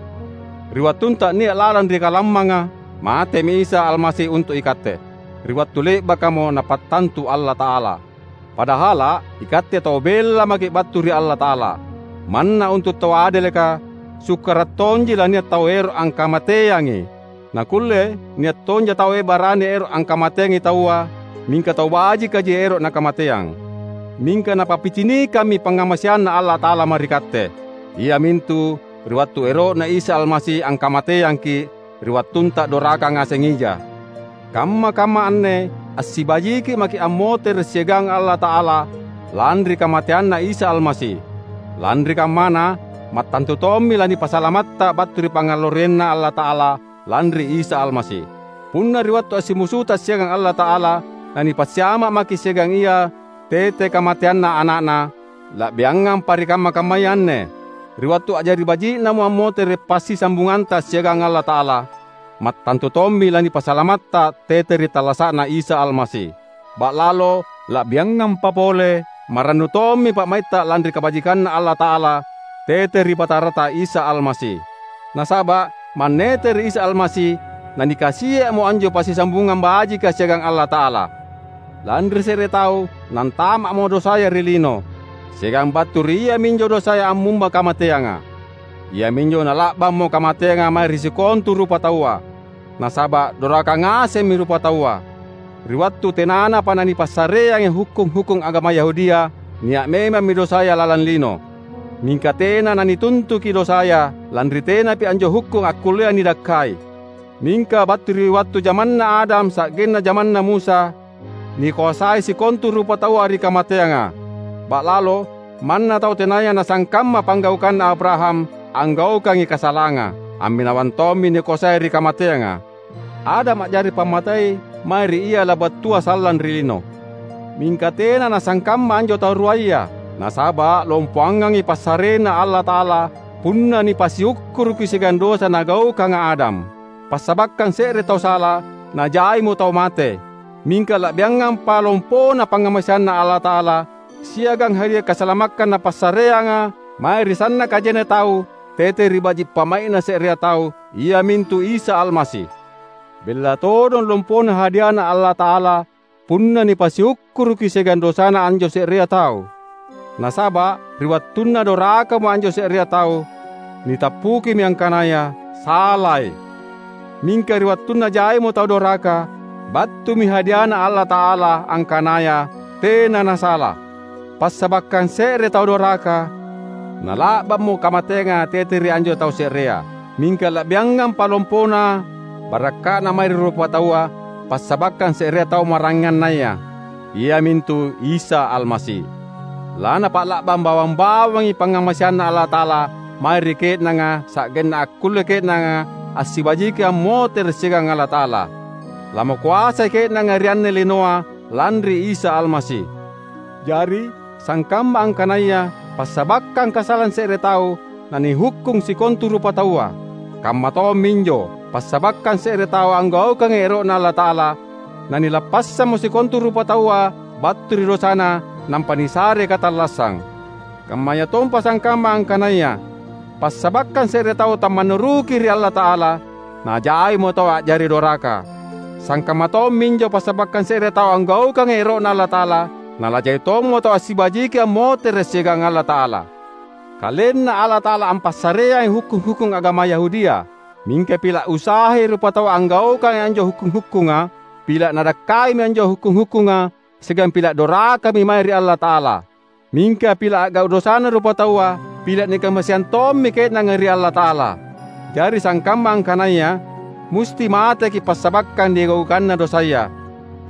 Ri wattunta nia’ lalang ri kalammanga, matemi Isa Almasi untu’ ikatte, ri wattu le'bakamo Napattantu Allata'ala. Padahala’ ikatte tau bella maki’ battu ri Allata'ala. Manna untu’ tau adeleka, sukkara’ tonji lania’ tau ero’ angkamateangi. Nakkulle nia’ tonja tau barani ero’ angkamateangi taua, mingka tau bajikaji ero’ nakamateang. Mingka Napappicinikammi pangngamaseanNa Allata'ala mae ri katte, iamintu ri wattu ero'Na Isa Almasi angkamateangki’ ri wattunta doraka ngaseng ija. Kamma-kamma anne assibajiki’ maki’ ammotere’ siagang Allata'ala lanri kamateanNa Isa Almasi. Lanri kammana, mattantu tommi lanipasalamatta battu ri pangngallorianNa Allata'ala lanri Isa Almasi. Punna ri wattu assimusuta siagang Allata'ala, nanipassiama’ maki’ siagang Ia tete kamateanna Ana'Na, la'biangampa ri kamma-kammaya anne. Ri wattu a'jari baji'namo ammotere’ passisambunganta siagang Allata'ala, mattantu tommi lanipasalamatta tete ri tallasa'Na Isa Almasi. Ba'lalo la'biangampa pole marannu tommi pa'maitta lanri kabajikanNa Allata'ala tete ri Batarata Isa Almasi. Nasaba’ mannete ri Isa Almasi, nanikasia'mo anjo passisambungang bajika siagang Allata'ala. Lanri se're tau nantama'mo dosaya ri lino, siagang battu ri iaminjo dosaya ammumba kamateanga. Iaminjo nala'bammo kamateanga mae ri sikontu rupataua, nasaba’ doraka ngasemmi rupataua. Ri wattu tenanapa nanipassareangi hukkung-hukkung agama Yahudia, nia’ memammi dosaya lalang lino. Mingka tena nanituntuki dosaya, lanri tenapi anjo hukkung akkullea nidakkai. Mingka battu ri wattu jamanna Adam sa'genna jamanna Musa, nikoasai sikontu rupataua ri kamateanga. Ba'lalo, manna tau tenaya nasangkamma panggaukanna Abraham, anggaukangi kasalanga, amminawang tommi nikoasai ri kamateanga. Adam a'jari pammatei mae ri ia labattua sallang ri lino. Mingka tena nasangkamma anjo tau ruaya, nasaba’ lompoangangi passarena Allata'ala punna nipasiukkuruki siagang dosa nagaukanga Adam. Passabakkang se're tau sala, najaimo tau mate. Mingka la'biangampa lompona pangngamaseanNa Allata'ala, siagang hadia kasalamakkang Napassareanga mae ri sanna’ kajenna tau, tete ri baji’ pa'mai'na se'rea tau, iamintu Isa Almasi. Bella todong lompona hadiaNa Allata'ala punna nipasiukkuruki siagang dosana anjo se'rea tau. Nasaba’ ri wattunna dorakamo anjo se'rea tau, nitappukimi angkanaya salai. Mingka ri wattunna jaimo tau doraka, battumi hadiaNa Allata'ala angkanaya tena nasala. Passabakkang se're tau doraka, nala'bammo kamateanga tete ri anjo tau se'rea. Mingka la'biangampa lompona barakka'na mae ri rupataua, passabakkang se'rea tau maraengannaya, iamintu Isa Almasi. Lanapa'la'bang bawang-bawangi pangngamaseanNa Allata'ala mae ri ke'nanga, sa'genna akkulle ke'nanga assibajiki ammotere’ siagang Allata'ala. Lamokoasai ke'nanga ri anne linoa lanri Isa Almasi. Jari, sangkamma angkanaya passabakkang kasalang se're tau nanihukkung sikontu rupataua, kamma tomminjo passabakkang se're tau anggaukangi ero'Na Allata'ala, nanilappassammo sikontu rupataua battu ri dosana nampa nisare katallassang. Kammayatompa sangkamma angkanaya passabakkang se're tau tammannuruki ri Allata'ala, najaimo tau a'jari doraka. Sangkamma tomminjo passabakkang se're tau anggaukangi ero'Na Allata'ala, nalajai tommo tau assibajiki ammotere’ siagang Allata'ala. KalenNa Allata'ala ampassareangi hukkung-hukkung agama Yahudia. Mingka pila’ usahai rupataua anggaukangi anjo hukkung-hukkunga, pila’ nadakkaimi anjo hukkung-hukkunga, siagang pila’ dorakami mae ri Allata'ala. Mingka pila’ a'gau’ dosana rupataua, pila’ nikamaseang tommi ke'nanga ri Allata'ala. Jari sangkamma angkanaya musti mateki’ passabakkang nigaukanna dosaya.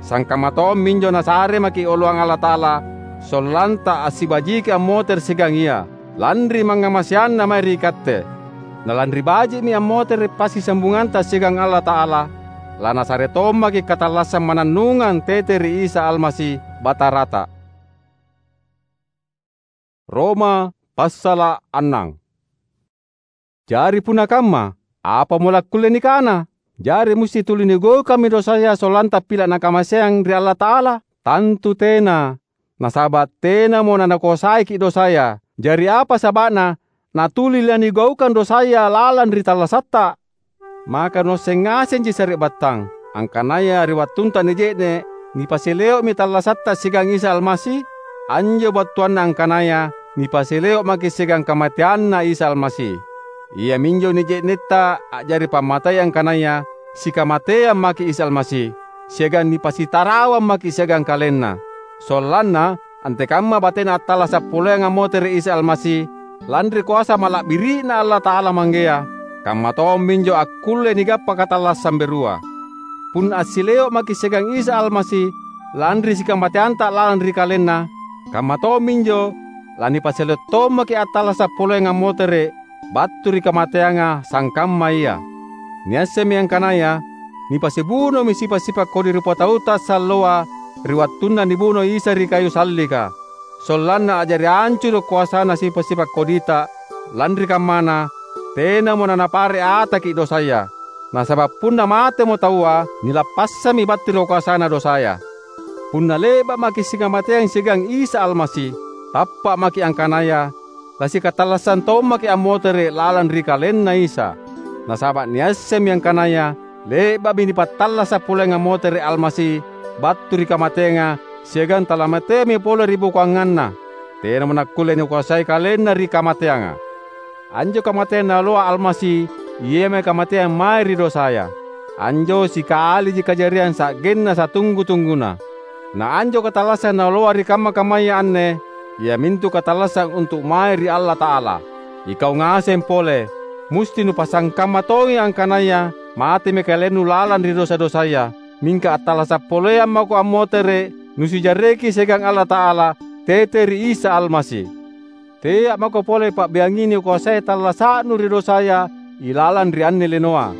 Sangkamma tomminjo Nasare maki’ oloang Allata'ala, sollanta assibajiki ammotere’ siagang Ia, lanri mangngamaseanNa mae ri ikatte. Na lanri baji'mi ammotere’ passisambunganta siagang Allata'ala, laNasare tommaki’ katallassang mannannungang tete ri Isa Almasi, Batarata. Roma passala’ annang. Jari punna kamma, apamo lakkulle nikana? Jari musti tuli nigaukammi dosaya sollanta pila’ nakamaseang ri Allata'ala? Tantu tena! Nasaba’ tenamo nanakoasaiki’ dosaya. Jari apa saba'na natuli lanigaukang dosaya lalang ri tallasatta? Maka nuasseng ngasenji sari'battang, angkanaya ri wattunta nije'ne’, nipasileo'mi tallasatta siagang Isa Almasi? Anjo battuanna angkanaya nipasileo’ maki’ siagang kamateanNa Isa Almasi. Iaminjo nije'netta a'jari pammatei angkanaya sikamateang maki’ Isa Almasi, siagang nipasitarawang maki’ siagang KalenNa. Sollanna antekamma batena attallasa’ poleang ammotere’ Isa Almasi, lanri koasa mala'biri'Na Allata'ala Manggea, kamma tomminjo akkulle nigappa katallassang berua. Punna assileo’ maki’ siagang Isa Almasi lanri sikamateanta lalang ri KalenNa, kamma tomminjo lanipasileo’ tommaki’ attallasa’ poleang ammotere’ battu ri kamateanga sangkamma Ia. Niassemmi angkanaya nipasibunomi sipa’-sipa’ kodi rupatauta salloa ri wattunna nibuno Isa ri kayu sallika, sollanna a'jari ancuru’ koasana sipa’-sipa’ kodita, lanri kammana, tenamo nanapare’ ataki’ dosaya. Nasaba’ punna matemo taua, nilappassammi battu ri koasana dosaya. Punna le'ba’ maki’ sikamateang siagang Isa Almasi, tappa’ maki’ angkanaya lasikatallassang tommaki’ ammotere’ lalang ri KalenNa Isa. Nasaba’ niassemmi angkanaya le'ba'mi nipattallasa’ poleang ammotere’ Almasi battu ri kamateanga, siagang talamateami pole ribokoanganna. Tenamo nakkulle nikoasai KalenNa ri kamateanga. Anjo kamateang Naoloa Almasi, iami kamateang mae ri dosaya. Anjo sikaliji kajariang sa'genna satunggu-tungguna. Na anjo katallassang Naoloa ri kamma-kammaya anne, iamintu katallassang untu’ mae ri Allata'ala. Ikau ngaseng pole, musti nupasangkamma tongi angkanaya matemi kalennu lalang ri dosa-dosaya, mingka attallasa’ poleang mako ammotere’ nusijarreki siagang Allata'ala tete ri Isa Almasi. Tea’ mako pole pa'biangi nikoasai tallasa'nu ri dosaya ilalang ri anne linoa,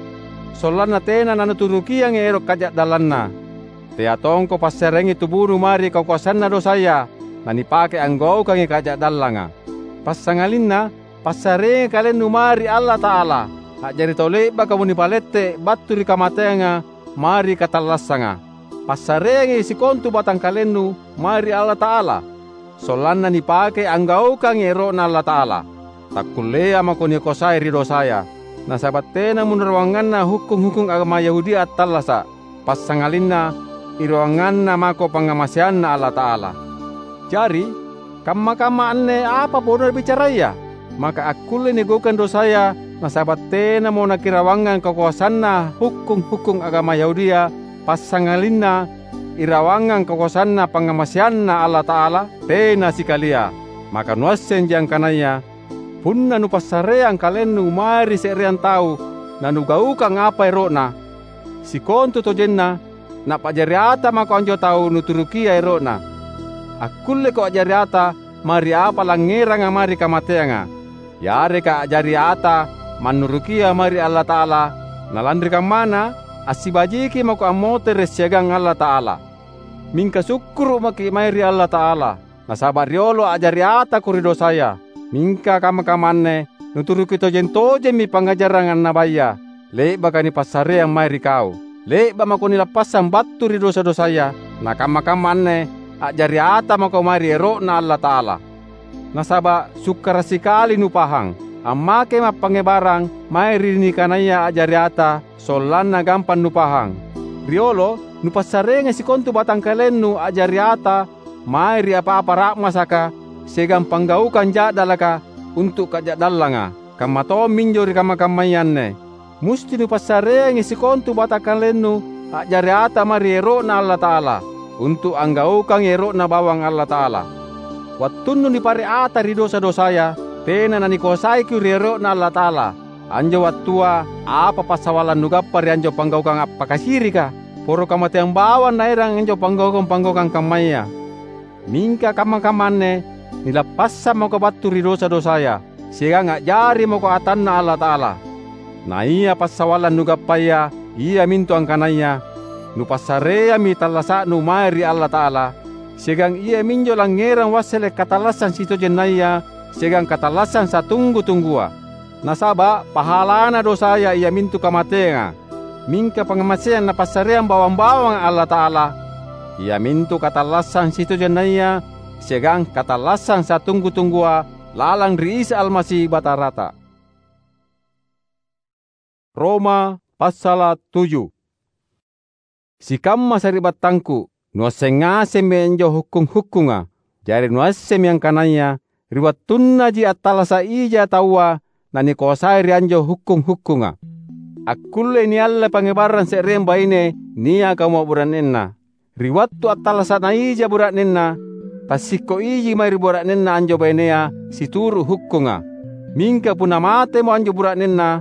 sollanna tena nanuturukiangi ero’ kaja'dallanna. Tea tongko passareangi tubunu mae ri kakoasanna dosaya, nanipake anggaukangi kaja'dallanga. Passangalinna passareangi kalennu mae ri Allata'ala, a'jari tau le'bakamo nipalette’ battu ri kamateanga mae ri katallassanga. Passareangi sikontu batangkalennu mae ri Allata'ala, sollanna nipake anggaukangi ero'Na Allata'ala. takkulleai mako nikoasai ri dosaya. Nasaba’ tenamo irawanganna hukkung-hukkung agama Yahudia attallasa’, passangalinna irawanganna mako pangngamaseanNa Allata'ala. Jari, kamma-kamma anne apa ponna bicaraya? Maka akkullei nigaukang dosaya nasaba’ tenamo nakirawangang kakoasanna hukkung-hukkung agama Yahudia, passangalinna irawangang kakoasanna pangngamaseanNa Allata'ala? Tena sikalia! Maka nuassenji angkanaya punna nupassareang kalennu mae ri se'reang tau nanugaukang apa ero'na, sikontutojenna, na'pa'jari ata mako anjo tau nuturukia ero'na. Akkulleko a'jari ata mae ri apa langngeranga mae ri kamateanga, yareka a'jari ata mannurukia mae ri Allata'ala, na lanri kammana, assibajiki mako ammotere’ siagang Allata'ala. Mingka sukkuru’ maki’ mae ri Allata'ala, nasaba’ riolo a'jari atako ri dosaya. Mingka kamma-kamma anne nuturuki tojeng-tojemmi pangngajarang annabaya, le'baka nipassareang mae ri kau. Le'ba’ mako nilappassang battu ri dosa-dosaya, na kamma-kamma anne a'jari ata mako mae ri ero'Na Allata'ala. Nasaba’ sukkara’ sikali nupahang, ammakemi appangngebarang mae ri nikanaya a'jari ata, sollanna gampang nupahang. Riolo, nupassareangi sikontu batangkalennu a'jari ata mae ri apa-apa ra'masaka siagang panggaukang ja'dalaka untu’ kaja'dallanga. Kamma tomminjo ri kamma-kammaya anne. Musti nupassareangi sikontu batangkalennu a'jari ata mae ri ero'Na Allata'ala, untu’ anggaukangi ero'Na bawang Allata'ala. Wattunnu nipare’ ata ri dosa-dosaya, tena nanikoasaiko ri ero'Na Allata'ala. Anjo wattua, apa passawallang nugappa ri anjo panggaukang appakasirika? Poro kamateang bawang naerang anjo panggaukang-panggaukang kammaya. Mingka kamma-kamma anne nilappassang mako battu ri dosa-dosaya, siagang a'jari mako atanNa Allata'ala. Na ia passawallang nugappaya iamintu angkanaya nupassareammi tallasa'nu mae ri Allata'ala, siagang iaminjo langngerang wassele’ katallassang sitojennaya siagang katallassang satunggu-tunggua. Nasaba’ pahalana dosaya iamintu kamateanga. Mingka pangngamaseang Napassareang bawang-bawanga Allata'ala, iamintu katallassang sitojennaya siagang katallassang satunggu-tunggua lalang ri Isa Almasi Batarata. Roma passala’ tuju. Sikamma sari'battangku, nuasseng ngasemmi anjo hukkung-hukkunga. Jari nuassemmi angkanaya ri wattunnaji attallasa’ ija taua nanikoasai ri anjo hukkung-hukkunga. Akkullei nialle pangngebarang se'reang baine niaka umma’ bura'nenna. Ri wattu attallasa'na ija bura'nenna, tassikko iji mae ri bura'nenna anjo bainea situru’ hukkunga. Mingka punna matemo anjo bura'nenna,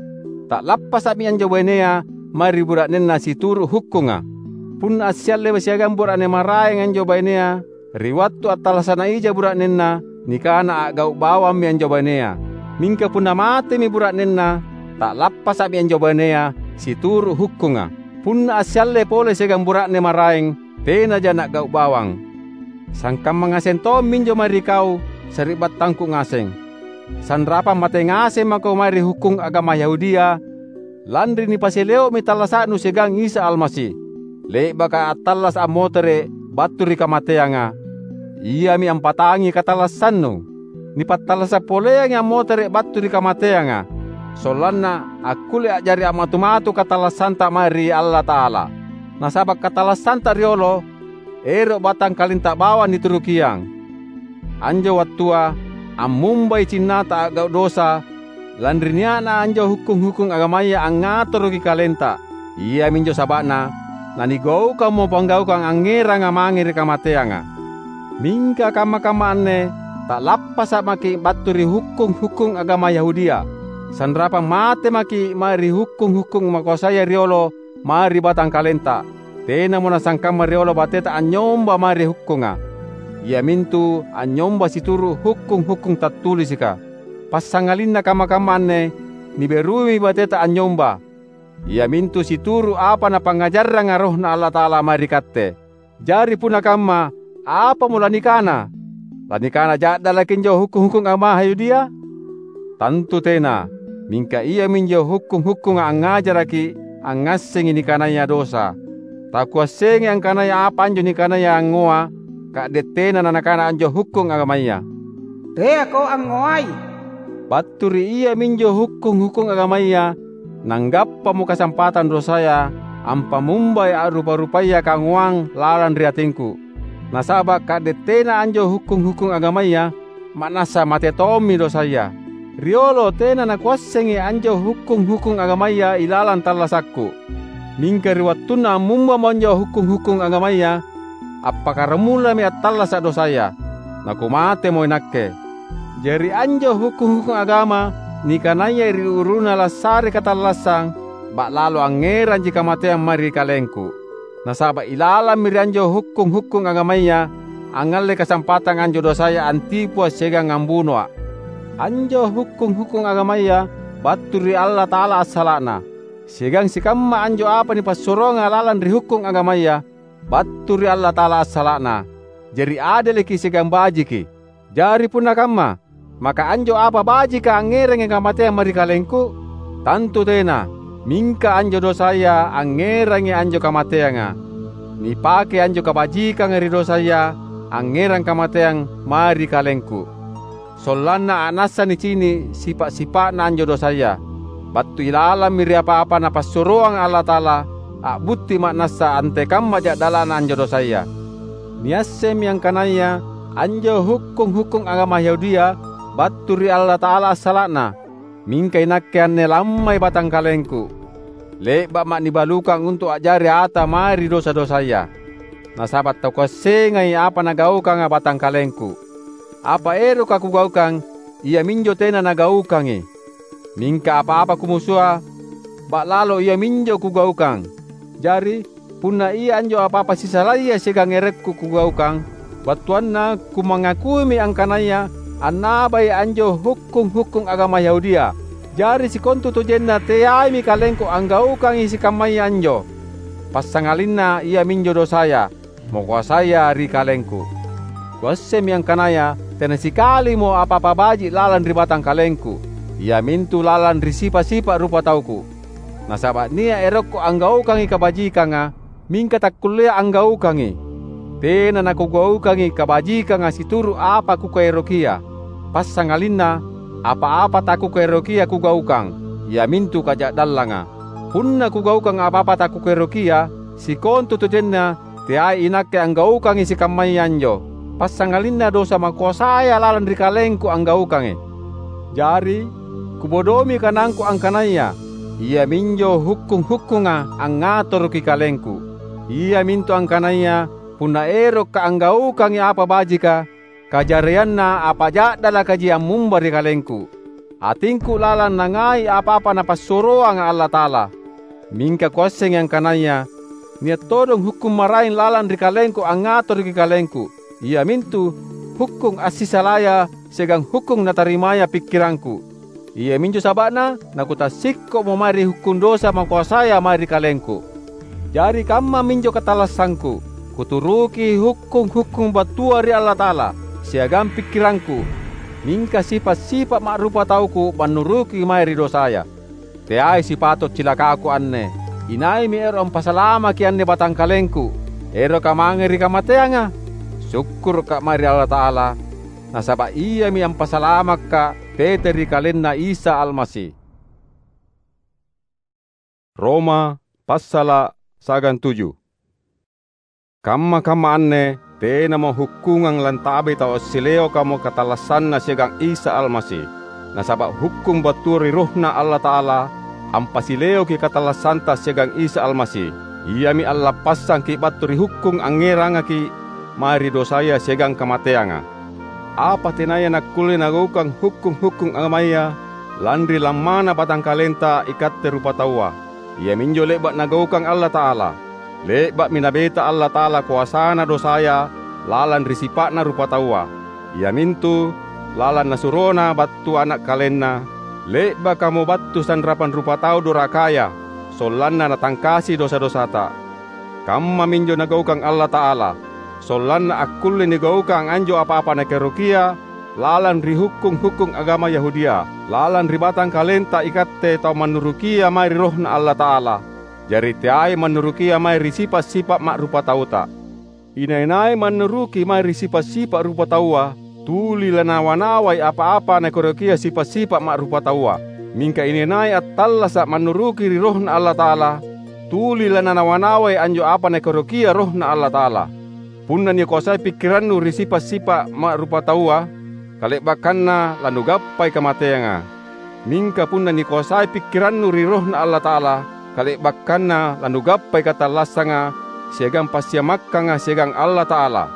ta'lappasa'mi anjo bainea mae ri bura'nenna situru’ hukkunga. Punna assiallema siagang bura'ne maraeng anjo bainea, ri wattu attallasa'na ija bura'nenna, nikana a'gau’ bawammi anjo bainea. Mingka punna matemi bura'nenna, ta'lappasa'mi anjo bainea situru’ hukkunga. Punna assiallei pole siagang bura'ne maraeng, tenaja na'gau’ bawang. Sangkamma ngaseng tomminjo mae ri kau, sari'battangku ngaseng. Sanrapang mate ngaseng mako mae ri hukkung agama Yahudia, lanri nipasileo'mi tallasa'nu siagang Isa Almasi. Le'baka attallasa’ ammotere’ battu ri kamateanga, iami ampatangi katallassannu. Nipattallasa’ poleangi ammotere’ battu ri kamateanga, sollanna akkulle a'jari a'matu-matu katallassanta mae ri Allata'ala. Nasaba’ katallassanta riolo, ero’ batangkalenta bawang niturukiang. Anjo wattua, ammumbai cinnata a'gau’ dosa, lanri nia'na anjo hukkung-hukkung agamaya angngatoroki kalenta. Iaminjo saba'na nanigaukammo panggaukang angngeranga mange ri kamateanga. Mingka kamma-kamma anne ta'lappasa’ maki’ battu ri hukkung-hukkung agama Yahudia. Sanrapang mate maki’ mae ri hukkung-hukkung makoasaya riolo mae ri batangkalenta. Tenamo nasangkamma riolo bateta anynyomba mae ri hukkunga, iamintu anynyomba situru’ hukkung-hukkung tattulisika. Passangalinna kamma-kamma anne, niberuimi bateta anynyomba, iamintu situru’ apa Napangngajarranga RohNa Allata'ala mae ri katte. Jari punna kamma, apamo lanikana? Lanikana ja'dalaki anjo hukkung-hukkung agama Yahudia? Tantu tena! Mingka iaminjo hukkung-hukkunga angngajaraki angngassengi nikanaya dosa. Takuassengi angkanaya apa anjo nikanaya angngoa, ka'de’ tena nanakana anjo hukkung agamaya, "Teako angngoai." Battu ri iaminjo hukkung-hukkung agamaya, nanggappamo kasampatang dosaya ampamumbai a'rupa-rupaya kangoang lalang ri atingku. Nasaba' ka'de’ tena anjo hukkung-hukkung agamaya, ma'nassa mate tommi dosaya. Riolo tena nakuassengi anjo hukkung-hukkung agamaya ilalang tallasakku. Mingka ri wattunna ammumbamo anjo hukkung-hukkung agamaya, appakkaramulami attallasa’ dosaya, nakumatemo inakke. Jari anjo hukkung-hukkung agama nikanaya ri uruna lassare katallassang, ba'lalo angngeranji kamateang mae ri kalengku. Nasaba’ ilalammi ri anjo hukkung-hukkung agamaya, angngallei kasampatang anjo dosaya antipua siagang ambunoa’. Anjo hukkung-hukkung agamaya battu ri Allata'ala assala'na, siagang sikamma anjo apa nipassuroanga lalang ri hukkung agamaya, battu ri Allata'ala assala'na. Jari adeleki siagang bajiki. Jari punna kamma, maka anjo apa bajika angngerangi kamateang mae ri kalengku? Tantu tena! Mingka anjo dosaya angngerangi anjo kamateanga. Nipake anjo kabajikanga ri dosaya angngerang kamateang mae ri kalengku, sollanna a'nassa nicini’ sipa’-sipa'na anjo dosaya. Battu ilalammi ri apa-apa Napassuroanga Allata'ala, a'butti ma'nassa antekamma ja'dala'na anjo dosaya. Niassemmi angkanaya anjo hukkung-hukkung agama Yahudia battu ri Allata'ala assala'na, mingka inakke anne lammai batangkalengku. Le'ba'ma’ nibalukang untu’ a'jari ata mae ri dosa-dosaya. Nasaba’ takuassengai apa nagaukanga batangkalengku. Apa eroka kugaukang, iaminjo tena nagaukangi. Mingka apa-apa kumusua, ba'lalo iaminjo kugaukang. Jari, punna ia anjo apa-apa sisalaya siagang erekku kugaukang, battuanna kumangakuimi angkanaya annabai anjo hukkung-hukkung agama Yahudia. Jari sikontutojenna teaimi kalengku anggaukangi sikammaya anjo, passangalinna iaminjo dosaya, makoasaya ri kalengku. Kuassemmi angkanaya tena sikalimo apa-apa baji’ lalang ri batangkalengku, iamintu lalang ri sipa’-sipa’ rupatauku. Nasaba’ nia’ erokku anggaukangi kabajikanga, mingka takkulleai anggaukangi. Tena nakugaukangi kabajikanga situru’ apa kukaerokia, passangalinna apa-apa takukaerokia kugaukang, iamintu kaja'dallanga. Punna kugaukang apa-apa takukaerokia, sikontutojenna teai inakke anggaukangi sikammaya anjo, passangalinna dosa makoasaya lalang ri kalengku anggaukangi. Jari, kubodoimi kanangku angkanaya iaminjo hukkung-hukkunga angngatoroki kalengku. Iamintu angkanaya punna erokka’ anggaukangi apa bajika, kajarianna apa ja'dalakaji ammumba ri kalengku. Atingku lalang nangai apa-apa Napassuroanga Allata'ala. Mingka kuassengi angkanaya nia’ todong hukkung maraeng lalang ri kalengku angngatoroki kalengku, iamintu hukkung assisalaya siagang hukkung natarimaya pikkirangku. Iaminjo saba'na nakutassikko'mo mae ri hukkung dosa makoasaya mae ri kalengku. Jari kammaminjo katallassangku: Kuturuki hukkung-hukkung battua ri Allata'ala siagang pikkirangku, mingka sipa’-sipa’ ma'rupatauku mannuruki mae ri dosaya. Teai sipato’ cilakaku anne! Inaimi ero’ ampasalamaki anne batangkalengku? Eroka mange ri kamateanga? Sukkuruka’ mae ri Allata'ala, nasaba’ Iami ampasalamakka’ tete ri KalenNa Isa Almasi. Roma passala’ siagang tuju. Kamma-kamma anne tenamo hukkungang lantabai tau assileokamo katallassanna siagang Isa Almasi. Nasaba’ hukkung battua ri RohNa Allata'ala ampasileoki katallassanta siagang Isa Almasi. Iami allappassangki’ battu ri hukkung angngerangaki’ mae ri dosaya siagang kamateanga. Apa tenaya nakkulle nagaukang hukkung-hukkung agamaya lanri lammana batangkalenta ikatte rupataua, iaminjo le'ba’ Nagaukang Allata'ala. Le'ba'mi Nabeta Allata'ala koasaNa dosaya lalang ri sipa'na rupataua, iamintu lalang NasuroNa battu Ana’ KalenNa, le'bakamo battu sanrapang rupatau dorakaya, sollanna Natangkasi dosa-dosata. Kammaminjo Nagaukang Allata'ala, sollanna akkulle nigaukang anjo apa-apa Nakaerokia lalang ri hukkung-hukkung agama Yahudia, lalang ri batangkalenta ikatte tau mannurukia mae ri RohNa Allata'ala. Jari teai mannurukia mae ri sipa’-sipa’ ma'rupatauta. Inai-nai mannuruki mae ri sipa’-sipa’ rupataua, tuli lanawa-nawai apa-apa nakaerokia sipa’-sipa’ ma'rupataua. Mingka inai-nai attallasa’ mannuruki ri RohNa Allata'ala, tuli lananawa-nawai anjo apa nakaerokia RohNa Allata'ala. Punna nikoasai pikkirannu ri sipa’-sipa’ ma'rupataua, kale'bakkanna lanugappai kamateanga. Mingka punna nikoasai pikkirannu ri RohNa Allata'ala, kale'bakkanna lanugappai katallassanga siagang passiamakkanga siagang Allata'ala.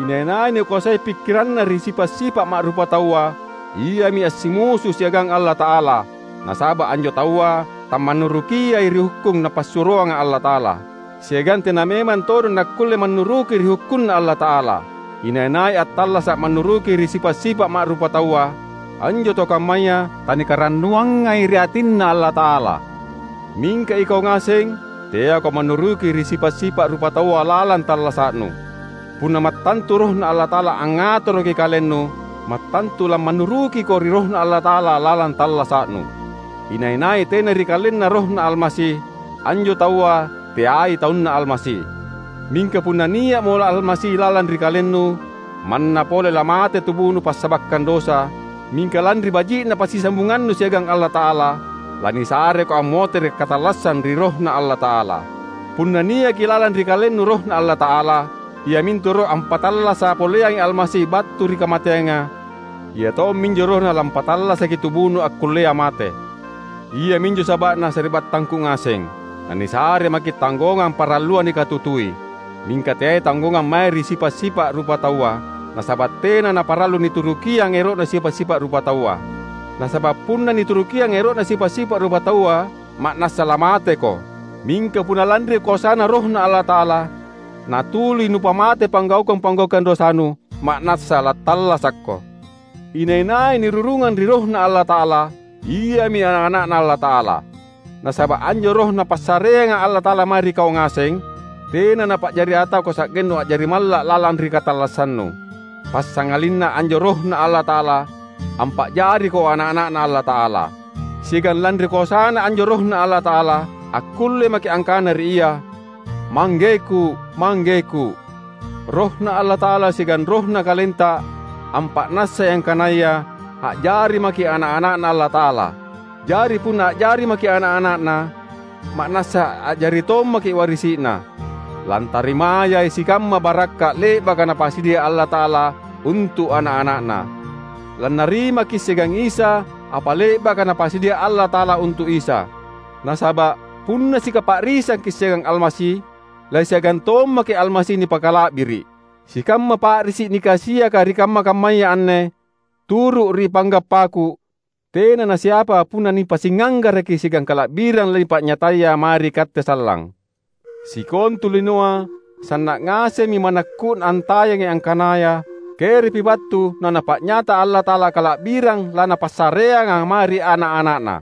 Inai-nai nikoasai pikkiranna ri sipa’-sipa’ ma'rupataua, iami assimusu siagang Allata'ala, nasaba’ anjo taua tammannurukiai ri hukkung Napassuroanga Allata'ala. Siagang tena memang todong nakkulle mannuruki ri hukkunNa Allata'ala. Inai-nai attallasa’ mannuruki ri sipa’-sipa’ ma'rupataua, anjo tau kammaya tanikarannuangai ri atinNa Allata'ala. Mingka ikau ngaseng, teako mannuruki ri sipa’-sipa’ rupataua lalang tallasa'nu. Punna mattantu RohNa Allata'ala angngatoroki kalennu, mattantu lammannurukiko ri RohNa Allata'ala lalang tallasa'nu. Inai-nai tena ri kalenna RohNa Almasi, anjo taua teai taunNa Almasi. Mingka punna nia'mo Almasi lalang ri kalennu, manna pole lamate tubunu passabakkang dosa, mingka lanri baji'na passisambungannu siagang Allata'ala, lanisareko ammotere’ katallassang ri RohNa Allata'ala. Punna niaki lalang ri kalennu RohNa Allata'ala, iamintu Roh ampatallasa’ poleangi Almasi battu ri kamateanga, Ia tomminjo RohNa lampatallasaki tubunu akkullea mate. Iaminjo saba'na sari'battangku ngaseng, nanisare maki’ tanggongang paralluang nikatutui, mingka teai tanggongang mae ri sipa’-sipa’ rupataua, nasaba’ tena naparallu niturukiang ero'na sipa’-sipa’ rupataua. Nasaba’ punna niturukiang ero'na sipa’-sipa’ rupataua, ma'nassa lamateko. Mingka punna lanri koasaNa RohNa Allata'ala, natuli nupamate panggaukang-panggaukang dosanu, ma'nassa lattallasakko. Inai-nai nirurungang ri RohNa Allata'ala, iami ana’-ana'Na Allata'ala. Nasaba’ anjo Roh Napassareanga Allata'ala mae ri kau ngaseng, tena napa'jari atako sa'gennu a'jari malla’ lalang ri katallassannu. Passangalinna anjo RohNa Allata'ala, ampa'jariko ana’-ana'Na Allata'ala. Siagang lanri koasaNa anjo RohNa Allata'ala, akkulle maki’ angkana ri Ia, "ManggeKu, ManggeKu." RohNa Allata'ala siagang rohna kalenta ampa'nassai angkanaya a'jari maki’ ana’-ana'Na Allata'ala. Jari punna a'jari maki’ ana’-ana'Na, ma'nassa a'jari tommaki’ warisi'Na. Lantarimayai sikamma barakka’ le'baka Napasadia Allata'ala untu’ ana’-ana'Na. Lannarimaki’ siagang Isa apa le'baka Napasadia Allata'ala untu’ Isa. Nasaba’ punna sikapa'risangki’ siagang Almasi, lasiagang tommaki’ Almasi nipakala'biri’. Sikamma pa'risi’ nikasiaka ri kamma-kammaya anne, turu’ ri panggappaku, tena nasiapa punna nipasinganggaraki siagang kala'birang lanipa'nyataya mae ri katte sallang. Sikontu linoa sanna’ ngasemmi manakku'na antayangi angkanaya kerepi battu naNapa'nyata Allata'ala kala'birang laNapassareanga mae ri ana’-ana'Na.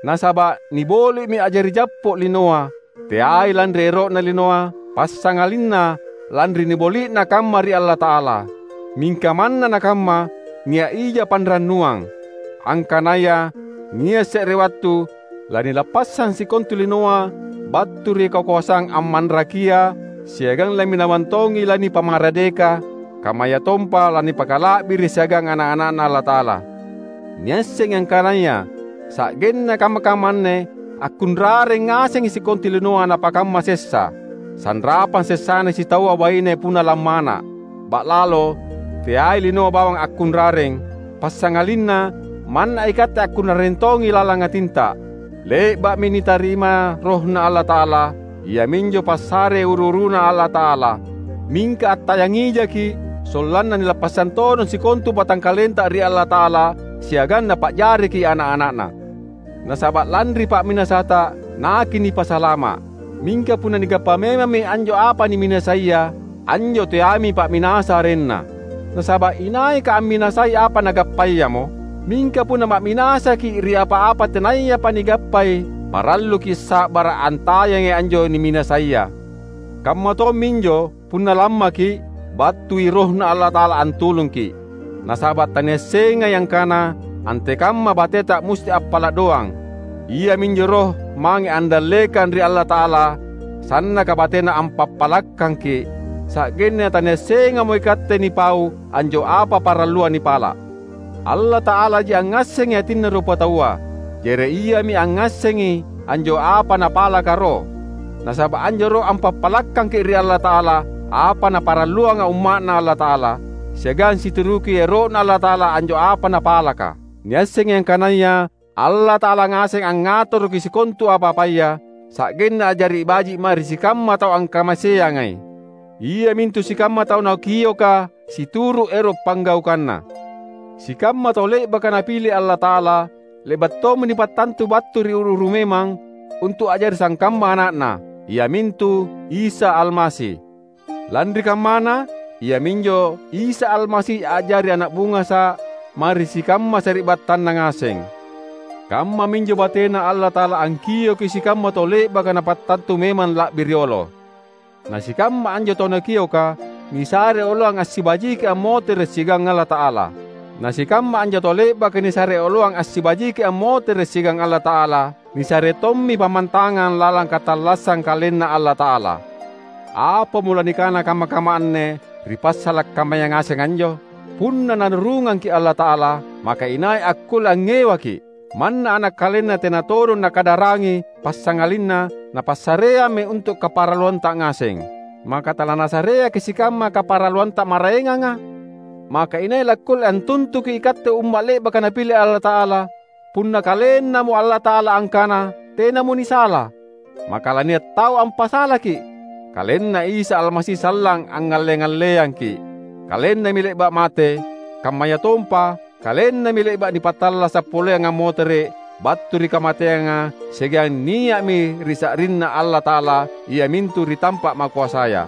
Nasaba’ niboli'mi a'jari jappo’ linoa, teai lanri ero'na linoa, passangalinna lanri niboli'na kamma ri Allata'ala. Mingka manna nakamma, nia’ ija panrannuang, angkanaya nia’ se're wattu lanilappassang sikontu linoa battu ri kakoasang ammanrakia siagang laminawang tongi lanipamaradeka, kammayatompa lanipakala'biri’ siagang ana’-ana'Na Allata'ala. Niassengi angkanaya sa'genna kamma-kamma anne akkunrareng ngasengi sikontu linoa napakamma sessa, sanrapang sessana sitaua baine punna lammana’. Ba'lalo, teai linoa bawang akkunrareng, passangalinna manna ikatte akkunrareng tongi lalang atinta. Le'ba'mi nitarima RohNa Allata'ala, iaminjo passare uru-uruNa Allata'ala. Mingka attayangijaki’, sollanna nilappassang todong sikontu batangkalenta ri Allata'ala siagang Napa'jariki’ ana’-ana'Na. Nasaba’ lanri pa'minasata, naki’ nipasalama’. Mingka punna nigappa memammi anjo apa niminasaia, anjo teami pa'minasa arenna. Nasaba’ inaika amminasai apa nagappayamo, mingka punna ma'minasaki’ ri apa-apa tenayapa nigappai, paralluki’ sa'bara’ antayangi anjo niminasaia. Kamma tomminjo, punna lammaki’, battui RohNa Allata'ala antulungki’. Nasaba’ taniassengai angkana antekamma bateta musti appala’ doang. Iaminjo Roh mange andallekang ri Allata'ala, sannaka batena ampappalakkangki’, sa'genna taniassengamo ikatte nipau anjo apa paralluang nipala’. Allata'alaji angngassengi atinna rupataua, jari Iami angngassengi anjo apa napalaka Roh. Nasaba’ anjo Roh ampappalakkangki’ ri Allata'ala apa naparalluanga umma'Na Allata'ala, siagang situruki ero'Na Allata'ala anjo apa napalaka. Niassengi angkanaya Allata'ala ngaseng angngatoroki sikontu apa-apaya, sa'genna a'jari baji’ mae ri sikamma tau angkamaseangai. Iamintu sikamma tau Nakioka situru’ ero’ panggaukanNa. Sikamma tau le'baka Napile Allata'ala, le'ba’ tommi nipattantu battu ri uru-uru memang untu’ a'jari sangkamma Ana'Na, iamintu Isa Almasi. Lanri kammana, iaminjo Isa Almasi a'jari ana’ bungasa’ mae ri sikamma sari'battanNa ngaseng. Kammaminjo batena Allata'ala angkioki sikamma tau le'baka Napattantu memang la'bi riolo. Na sikamma anjo tau Nakioka nisare oloang assibajiki ammotere’ siagang Allata'ala. Na sikamma anjo tau le'baka nisare oloang assibajiki ammotere’ siagang Allata'ala, nisare tommi pammantangang lalang katallassang KalenNa Allata'ala. Apamo lanikana kamma-kamma anne ri passala’ kammaya ngaseng anjo? Punna Nanurungangki’ Allata'ala, maka inai akkulle angngewaki’? Manna ana’ kalenna tena todong Nakadarangi passangalinna Napassareammi untu’ kaparalluanta ngaseng, maka talanasareaki’ sikamma kaparalluanta maraenganga? Maka inai lakkulle antuntuki ikatte umma’ le'baka Napile Allata'ala, punna KalenNamo Allata'ala angkana tenamo nisala? Maka lania’ tau ampasalaki’. KalenNa Isa Almasi sallang angngalle-ngalleangki’. KalenNami le'ba’ mate, kammayatompa KalenNami le'ba’ nipattallasa’ poleang ammotere’ battu ri kamateanga siagang nia'mi ri sa'rinNa Allata'ala, iamintu ri tampa’ makoasaya.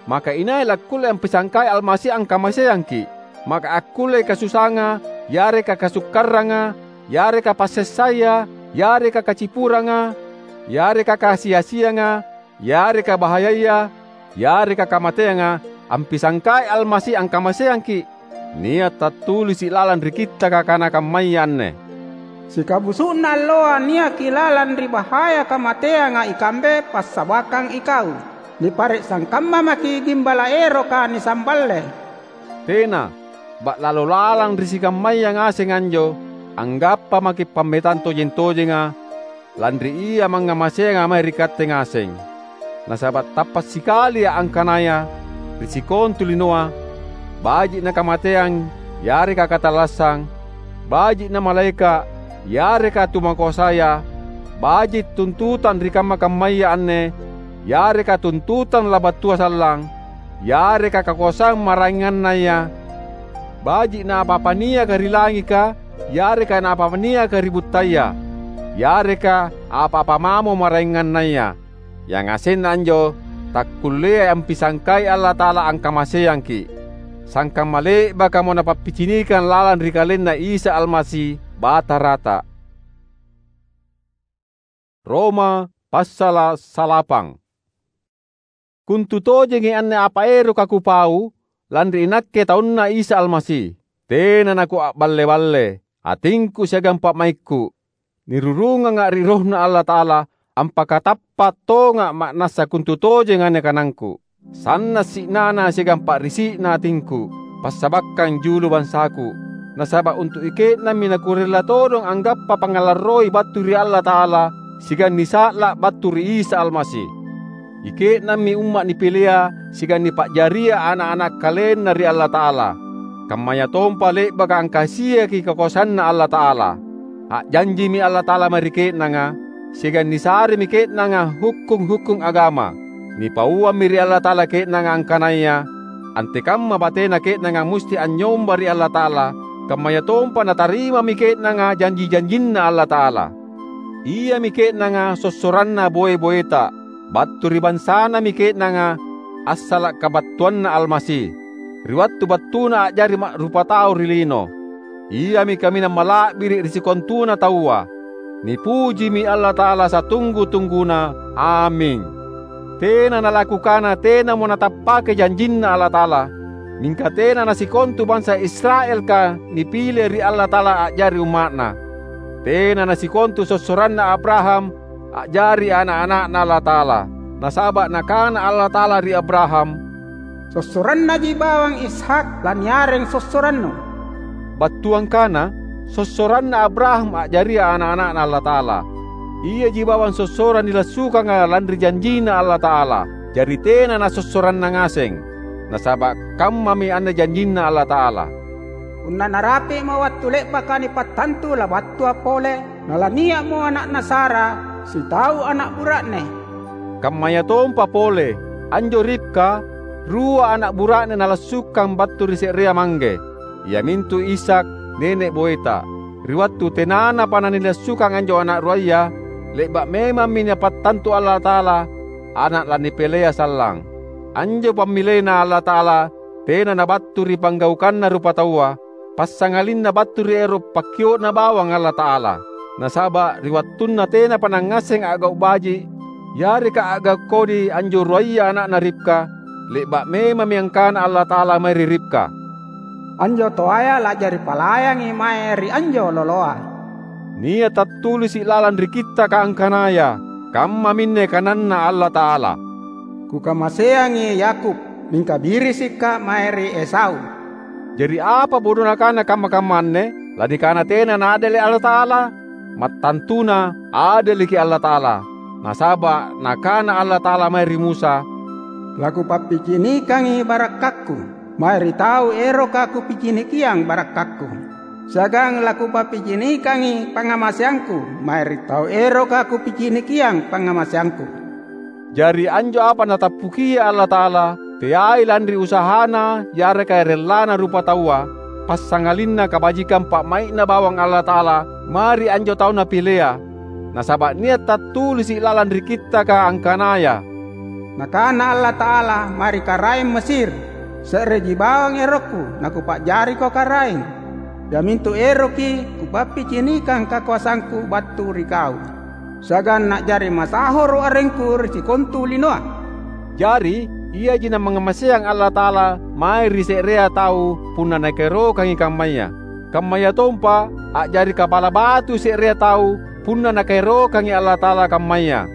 Maka inai lakkulle ampisangkai Almasi angkamaseangki’? Maka akkullei kasusanga, yareka kasukkaranga, yareka passessaya, yareka kacipuranga, yareka kasi-asianga, yareka bahayaya, yareka kamateanga, ampisangkai Almasi angkamaseangki’? Nia’ tattulisi’ lalang ri Kittaka kana kammaya anne, "Sikabusu'na alloa niaki lalang ri bahaya kamateanga ikambe passabakang ikau. Nipare’ sangkamma maki’ gimbala’ eroka nisamballe." Tena! Ba'lalo lalang ri sikammaya ngaseng anjo, anggappa maki’ pammetang tojeng-tojenga, lanri Ia mangngamaseanga mae ri katte ngaseng. Nasaba’ tappa’ sikalia’ angkanaya ri sikontu linoa, baji’ na kamateang yareka katallassang, baji’ na malaeka’ yareka tumakoasaya, baji’ tuntutang ri kamma-kammaya anne yareka tuntutang labattua sallang, yareka kakoasang maraengannaya, baji’ na apa-apa niaka ri langika yareka na apa-apa niaka ri buttaya, yareka apa-apa mamo maraengannaya. Yangasenna anjo takkulleai ampisangkai Allata'ala angkamaseangki’, sangkamma le'bakamo Napappicinikang lalang ri KalenNa Isa Almasi, Batarata. Roma passala’ salapang. Kontu tojengi anne apa eroka kupau, lanri inakke taunNa Isa Almasi. Tena nakua'balle-balle, atingku siagang pa'maikku. Nirurunganga’ ri RohNa Allata'ala, ampakatappa’ tonga’ ma'nassa kontu tojeng anne kanangku. Sanna’ si'nana siagang pa'risi'na atingku, passabakkang julu bansaku. Nasaba’ untu’ ike'nammi nakurella todong anggappa pangngalarroi battu ri Allata'ala siagang nisa'la’ battu ri Isa Almasi. Ike'nammi umma’ nipilea siagang nipa'jaria ana’-ana’ KalenNa ri Allata'ala, kammayatompa le'baka angkasiaki kakoasanNa Allata'ala. A'janjimi Allata'ala mae ri ke'nanga, siagang nisaremi ke'nanga hukkung-hukkung agama. Nipauammi ri Allata'ala ke'nanga angkanaya antekamma batena ke'nanga musti anynyomba ri Allata'ala, kammayatompa natarimami ke'nanga janji-janjinNa Allata'ala. Iami ke'nanga sossoranna boe-boeta. Battu ri bansanami ke'nanga assala’ kabattuanNa Almasi, ri wattu battuna a'jari ma'rupatau ri lino. Iami kaminang mala'biri’ ri sikontuna taua. Nipujimi Allata'ala satunggu-tungguna! Aming. Tena nalakukana tenamo natappake janjinNa Allata'ala, mingka tena nasikontu bansa Israelka nipile ri Allata'ala a'jari umma'Na. Tena nasikontu sossoranna Abraham a'jari ana’-ana'Na Allata'ala. Nasaba’ Nakana Allata'ala ri Abraham, "Sossorannaji bawang Ishak laniareng sossorannu." Battuangkana, sossoranna Abraham a'jaria ana'-ana'Na Allata'ala. Iaji bawang sossorang nilassukanga lanri janjinNa Allata'ala, jari tena nasossoranna ngaseng. Nasaba' kammami anne janjinNa Allata'ala, "Punna narapi'mo wattu le'baka nipattantu labattua pole, nalania'mo ana'na Sara, sitau ana' bura'ne." Kammayatompa pole, anjo Ribka, rua ana' bura'ne nalassukang battu ri se'rea mangge, iamintu Ishak, nene' boeta. Ri wattu tenanapa nanilassukang anjo ana' ruaya, le'ba' memammi Napattantu Allata'ala ana' lanipilea sallang. Anjo pammilena Allata'ala tena nabattu ri panggaukanna rupataua, passangalinna battu ri ero' pakkio'na bawang Allata'ala. Nasaba' ri wattunna tenapa nangngasseng a'gau' baji', yareka a'gau' kodi anjo ruaya ana'na Ribka, le'ba' memammi angkana Allata'ala mae ri Ribka, "Anjo toaya la'jari palayangi mae ri anjo loloa." Nia' tattulisi' lalang ri Kittaka angkanaya, kammaminne kananNa Allata'ala, "Kukamaseangi Yakub, mingka birisikka' mae ri Esau." Jari apa bodona kana kamma-kamma anne? Lanikana tena naadele' Allata'ala? Mattantuna, adeleki Allata'ala! Nasaba' Nakana Allata'ala mae ri Musa, "LaKupappicinikangi barakkakKu mae ri tau eroka Kupicinikiang barakkakKu, siagang laKupappicinikangi pangngamaseangKu mae ri tau eroka Kupicinikiang pangngamaseangKu." Jari anjo apa Natappukia Allata'ala, teai lanri usahana yareka rellana rupataua, passangalinna kabajikang pa'mai'na bawang Allata'ala mae ri anjo tau Napilea. Nasaba' nia' tattulisi' lalang ri Kittaka angkanaya, "Nakana Allata'ala mae ri karaeng Mesir, 'Se'reji bawang erokKu naKupa'jariko karaeng, iamintu eroki Kupappicinikang kakoasangKu battu ri kau, siagang na'jari masahoro' arengKu ri sikontu linoa.'" Jari, iaji Napangngamaseang Allata'ala mae ri se'rea tau punna Nakaerokangi kammaya. Kammayatompa a'jari kapala batui se'rea tau punna Nakaerokangi Allata'ala kammaya.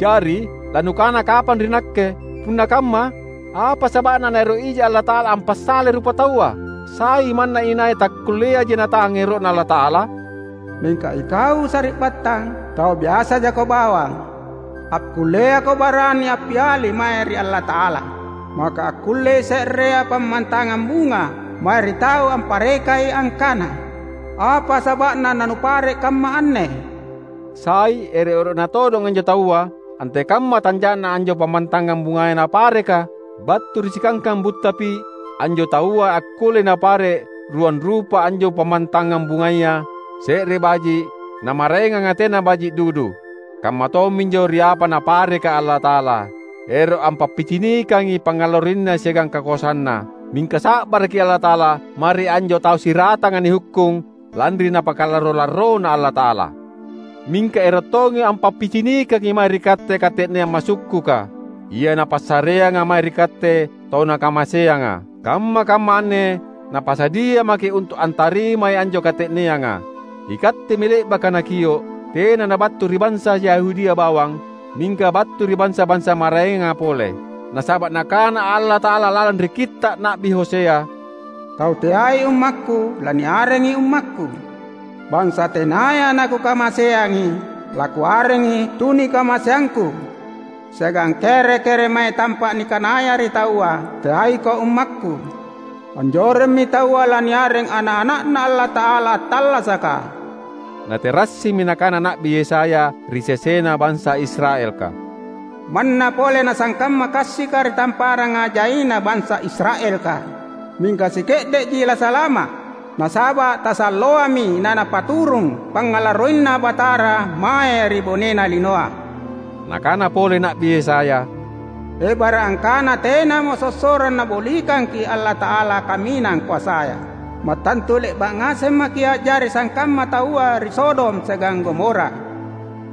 Jari, lanukana kapang ri nakke, "Punna kamma, apa saba'na Naero' ija Allata'ala ampassalai rupataua? Sai manna inai takkulleaji natang ero'Na Allata'ala?" Mingka ikau sari'battang, tau biasa jako bawang. Akkulleako barani appiali mae ri Allata'ala. Maka akkullei se'rea pammantangang bunga mae ri tau amparekai angkana, "Apa saba'na nanupare' kamma anne?" Sai, ero'-ero'na todong anjo taua, antekamma tanja'na anjo pammantangang bungaya napareka, battu ri sikangkang buttapi, anjo taua akkullei napare' ruang rupa anjo pammantangang bungaya, se're baji', namaraenganga tena baji' dudu. Kamma tomminjo ri apa Napareka Allata'ala, ero' ampappicinikangi pangngalarroinNa siagang kakoasanNa. Mingka sa'baraki Allata'ala mae ri anjo tau siratanga nihukkung, lanri Napakalarro-larrona Allata'ala. Mingka ero' tongi ampappicinikangi mae ri katte kate'neang masukkuka, Ia Napassareanga mae ri katte tau Nakamaseanga. Kamma-kamma anne Napasadia maki' untu' antarimai anjo kate'neanga. Ikattemi le'baka Nakio', tena nabattu ri bansa Yahudia bawang, mingka battu ri bansa-bansa maraenga pole. Nasaba' Nakana Allata'ala lalang ri Kitta' Na'bi Hosea, "Tau teai ummakKu, laniarengi ummakKu. Bansa tenaya naKukamaseangi, laKuarengi tunikamaseangKu. Siagang kere-kere mae tampa' nikanaya ri taua, 'Teaiko ummakKu.' Anjoremmi taua laniareng ana'-ana'Na Allata'ala attallasaka." Naterassimi nakana Na'bi Yesaya ri sesena bansa Israelka, "Manna pole nasangkamma kassika ri tamparanga jaina bansa Israelka, mingka sike'de'ji lasalama', nasaba' tasalloami nanapaturung pangngalarroinNa Batara mae ri bonena linoa." Nakana pole Na'bi Yesaya, "Ebara' angkana tenamo sossorang Nabolikangki' Allata'ala Kaminang Koasaya. Mattantu le'ba' ngaseng maki' a'jari sangkamma taua ri Sodom siagang Gomora."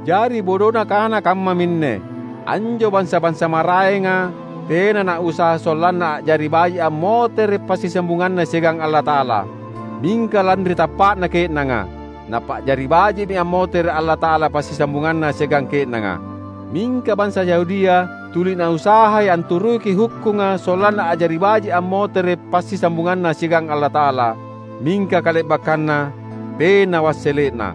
Jari bodona kana kammaminne, anjo bansa-bansa maraenga tena nausaha sollanna a'jari baji' ammotere' passisambunganna siagang Allata'ala. Mingka lanri tappa'na ke'nanga, napa'jari baji'mi ammotere' Allata'ala passisambunganna siagang ke'nanga. Mingka bansa Yahudia Tuli nausahai anturuki hukkunga sollanna a'jari baji’ ammotere’ passisambunganna siagang Allata'ala, mingka kale'bakkanna tena wassele'na.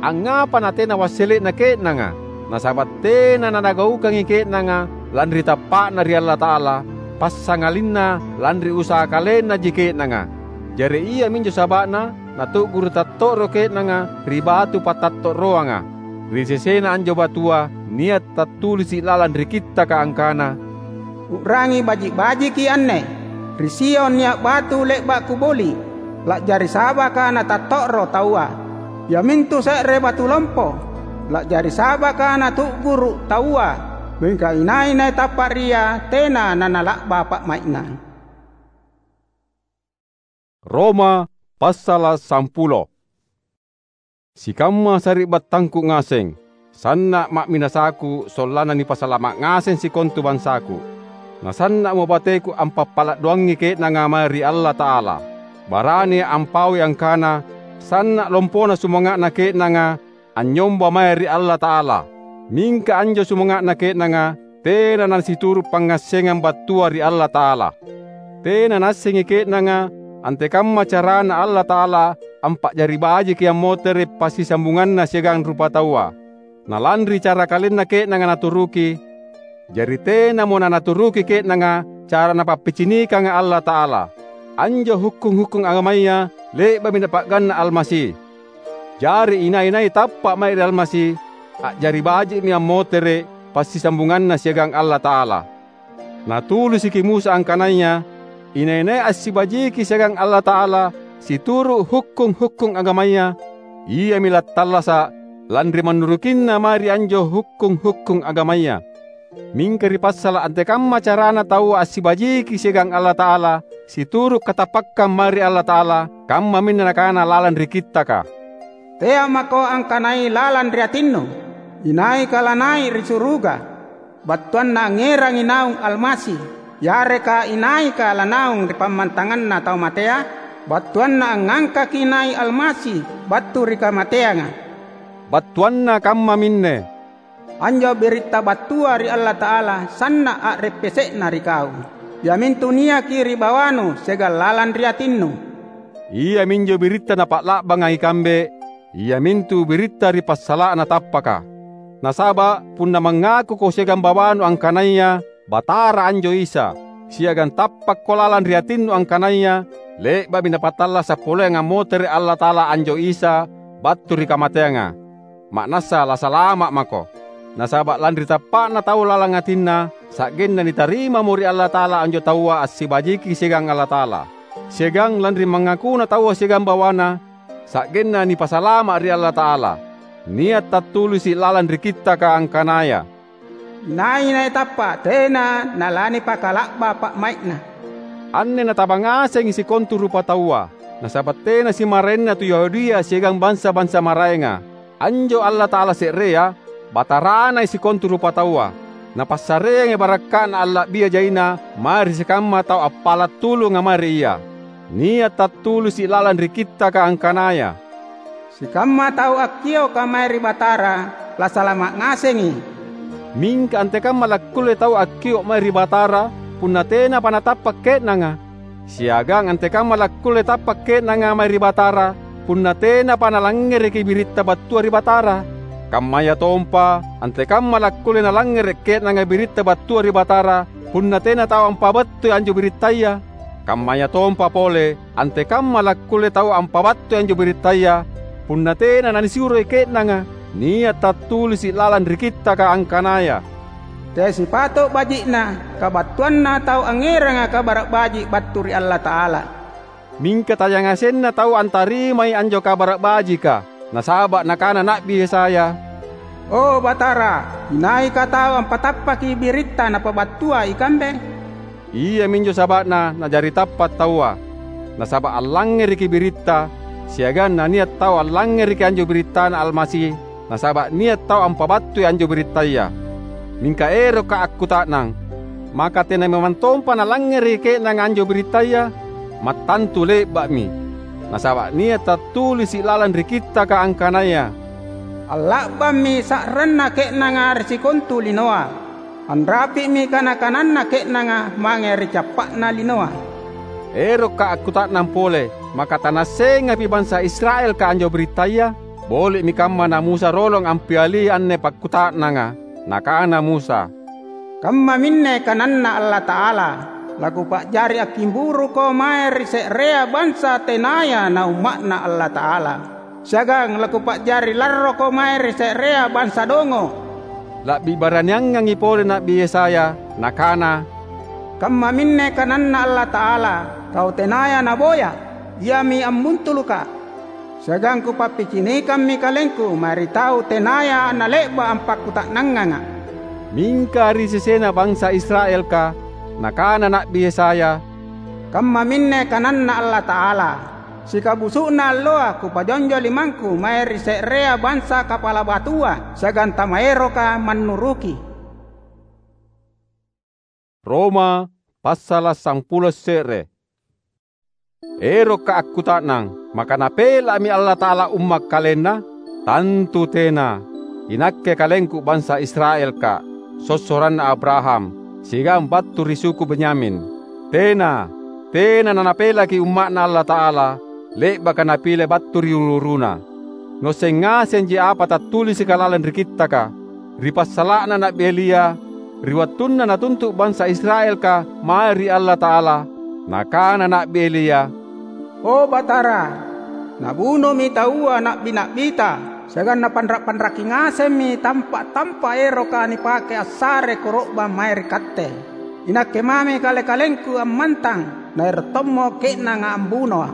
Angngapa natena wassele'na ke'nanga? Nasaba’ tena nanagaukangi ke'nanga lanri tappa'na ri Allata'ala, passangalinna lanri usaha kalennaji ke'nanga. Jari iaminjo saba'na natu'guru’ tatto'ro ke'nanga ri batu patatto'roanga. Ri sesena anjo batua nia’ tattulisi’ lalang ri Kittaka angkana, "U'rangi baji’-bajiki anne! Ri Sion nia’ batu le'ba’ Kuboli’, la'jari sa'baka natatto'ro taua. Iamintu se're batu lompo, la'jari sa'baka natu'guru’ taua, mingka inai-nai tappa’ ri Ia tena nanala'ba pa'mai'na." Roma passala’ sampulo. Sikamma sari'battangku ngaseng, sanna’ ma'minasaku sollanna nipasalama’ ngaseng sikontu bansaku. Nasanna'mo bateku ampappala’ doangi ke'nanga mae ri Allata'ala. Barani ampaui angkana sanna’ lompona sumanga'na ke'nanga anynyomba mae ri Allata'ala. Mingka anjo sumanga'na ke'nanga tena nasituru’ pangngassengang battua ri Allata'ala. Tena naassengi ke'nanga antekamma carana Allata'ala ampa'jari bajiki ammotere’ passisambunganna siagang rupataua. Na lanri cara kalenna ke'nanga naturuki, jari tenamo nanaturuki ke'nanga cara Napappicinikanga Allata'ala. Anjo hukkung-hukkung agamaya le'ba'mi Napa'ganna Almasi. Jari inai-nai tappa’ mae ri Almasi, a'jari baji'mi ammotere’ passisambunganna siagang Allata'ala. Natulisiki Musa angkanaya, "Inai-nai assibajiki siagang Allata'ala situru’ hukkung-hukkung agamaya, iami lattallasa’ lanri mannurukinna mae ri anjo hukkung-hukkung agamaya." Mingka ri passala’ antekamma carana taua assibajiki siagang Allata'ala situru’ katappakkang mae ri Allata'ala, kammaminne nakana lalang ri Kittaka, "Tea’ mako angkanai lalang ri atinnu, inaika lanai’ ri suruga, battuanna angngerangi naung Almasi, yareka inaika lanaung ri pammantanganna tau matea, battuanna angngangkaki nai’ Almasi battu ri kamateanga." Battuanna kammaminne. Anjo biritta battua ri Allata'ala sanna’ a'reppese'na ri kau, iamintu niaki ri bawanu siagang lalang ri atinnu. Iaminjo biritta napa'la'banga ikambe, iamintu biritta ri passala'na tappaka. Nasaba’ punna mangakuko siagang bawanu angkanaya Batara anjo Isa, siagang tappakko lalang ri atinnu angkanaya le'ba'mi Napatallasa’ poleang ammotere’ Allata'ala anjo Isa battu ri kamateanga, ma'nassa lasalama’ mako. Nasaba’ lanri tappa'na tau lalang atinna, sa'genna nitarimamo ri Allata'ala anjo taua assibajiki siagang Allata'ala. Siagang lanri mangakuna taua siagang bawana, sa'genna nipasalama’ ri Allata'ala. Nia’ tattulisi’ lalang ri Kittaka angkanaya, "Inai-nai tappa’ tena nalanipakala'ba pa'mai'na." Anne nataba ngasengi sikontu rupataua, nasaba’ tena simaraenna tu Yahudia siagang bansa-bansa maraenga. Anjo Allata'ala se'rea, Bataranai sikontu rupataua. Napassareangi barakka'na alla'bia jaina mae ri sikamma tau appala’ tulunga mae ri Ia. Nia’ tattulisi’ lalang ri Kittaka angkanaya, "Sikamma tau akkioka mae ri Batara, lasalama’ ngasengi." Mingka antekamma lakkulle tau akkio’ mae ri Batara, punna tenapa natappa’ ke'nanga? Siagang antekamma lakkulle tappa’ ke'nanga mae ri Batara, punna tenapa nalangngereki biritta battua ri Batara? Kammayatompa, antekamma lakkulle nalangngere’ ke'nanga biritta battua ri Batara, punna tena tau ampabattui anjo birittaya? Kammayatompa pole, antekamma lakkulle tau ampabattui anjo birittaya, punna tena nanisuroi ke'nanga? Nia’ tattulisi’ lalang ri Kittaka angkanaya, "Teai sipato’ baji'na kabattuanna tau angngeranga Kabara’ Baji’ battu ri Allata'ala." Mingka tayangasenna tau antarimai anjo Kabara’ Bajika, nasaba’ nakana Na'bi Yesaya, "O Batara, inaika tau ampatappaki biritta napabattua ikambe?" Iaminjo saba'na najari tappa’ taua, nasaba’ allangngereki biritta, siagang nania’ tau allangngereki anjo birittana Almasi, nasaba’ nia’ tau ampabattui anjo birittaya. Mingka erokka’ akkuta'nang, maka tena memang tompa nalangngereki ke'nanga anjo birittaya? Mattantu le'ba'mi! Nasaba’ nia’ tattulisi’ lalang ri Kittaka angkanaya, "Alla'bammi sa'ranna ke'nanga ri sikontu linoa." Anrapi'mi kana-kananna ke'nanga mange ri cappa'na linoa." Erokka' akkuta'nang pole, maka tanaassengapi bansa Israelka anjo birittaya? Boli'mi kamma na Musa rolong ampiali anne pakkuta'nanga. Nakana Musa, "Kammaminne kananNa Allata'ala, 'Lakupa'jari akkimburuko mae ri se'rea bansa tenaya naumma'Na Allata'ala, siagang lakupa'jari larroko mae ri se'rea bansa dongo'.'" La'bi baraniangangi pole Na'bi Yesaya, nakana, "Kammaminne kananNa Allata'ala, 'Kau tenaya naboya, Iami ambuntuluka'. Siagang Kupappicinikammi KalengKu mae ri tau tenaya nale'ba' ampakkuta'nangnganga'.'" Mingka ri sesena bansa Israelka, nakana Na'bi Yesaya, "Kammaminne kananNa Allata'ala, 'Sikabusu'na alloa Kupajonjo limangKu mae ri se'rea bansa kapala batua siagang tamaeroka mannuruki.'" Roma, passala' sampulo se're. Erokka' akkuta'nang, maka Napela'mi Allata'ala umma' KalenNa? Tantu tena! Inakke kalengku bansa Israelka', sossoranna Abraham, siagang battu ri suku Benyamin. Tena, tena naNapelaki umma'Na Allata'ala, le'baka Napile battu ri uru-uruna. Nuasseng ngasenji apa tattulisika lalang ri Kittaka, ri passala'na Na'bi Elia, ri wattunna natuntu' bansa Israelka mae ri Allata'ala, nakana Na'bi Elia, "O Batara, nabunomi taua na'bi-na'bita, siagang napanra'-panraki ngasemmi tampa’-tampa’ eroka nipake assare koro'bang mae ri Katte. Inakke mami kale-kalengku ammantang, naero’ tommo ke'nanga ambunoa’."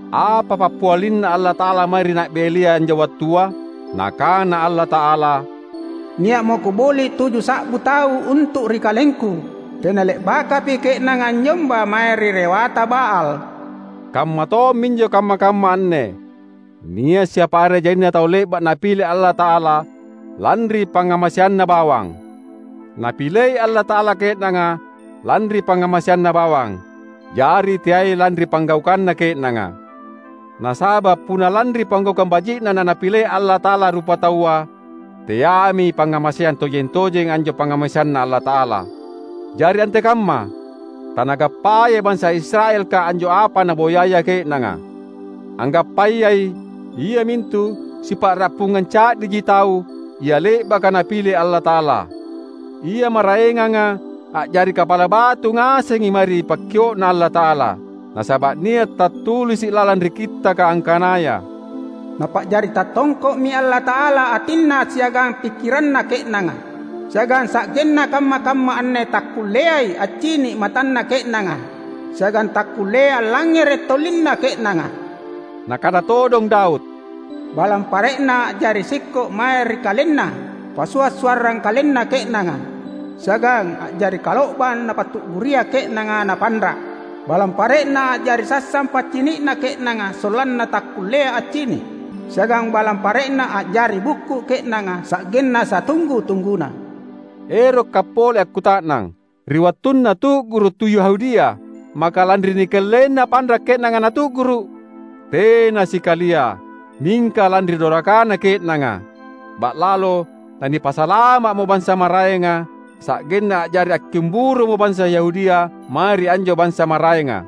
Apa pappialinNa Allata'ala mae ri Na'bi Elia anjo wattua? Nakana Allata'ala, "Nia'mo Kuboli’ tuju sa'bu tau untu’ ri KalengKu. Tena le'bakapi ke'nanga anynyomba mae ri rewata Baal." Kamma tomminjo kamma-kamma anne. Nia’ siapa are jaina tau le'ba’ Napile Allata'ala lanri pangngamaseanna bawang. Napilei Allata'ala ke'nanga lanri pangngamaseanna bawang, jari teai lanri panggaukanna ke'nanga. Nasaba’ punna lanri panggaukang baji'na naNapilei Allata'ala rupataua, teami pangngamaseang tojeng-tojeng anjo pangngamaseanNa Allata'ala. Jari antekamma, tanagappayai bansa Israelka anjo apa naboyaya ke'nanga. Anggappayai, iamintu sipa'rappungang ca'diji tau ia le'baka Napile Allata'ala. Ia maraenganga a'jari kapala batu ngasengi mae ri pakkio'Na Allata'ala, nasaba’ nia’ tattulisi’ lalang ri Kittaka angkanaya, "Napa'jari tattongko'mi Allata'ala atinna siagang pikkiranna ke'nanga, siagang sa'genna kamma-kamma anne takkulleai accini’ matanna ke'nanga, siagang takkulleai allangngere’ tolinna ke'nanga." Nakana todong Daud, "Balang pare'na a'jari sikko’ mae ri kalenna, pasua’-suarrang kalenna ke'nanga, siagang a'jari kalo'bang napatu'guria ke'nanga napanra’. Balang pare'na a'jari sassang paccini'na ke'nanga sollanna takkulleai accini’, siagang balang pare'na a'jari bukku ke'nanga sa'genna satunggu-tungguna." Erokka’ pole akkuta'nang, ri wattunna tu'guru’ tu Yahudia, maka lanri nikellenna panra’ ke'nanga natu'guru’? Tena sikalia, mingka lanri dorakana ke'nanga. Ba'lalo nanipasalama'mo bansa maraenga, sa'genna a'jari akkimburumo bansa Yahudia mae ri anjo bansa maraenga.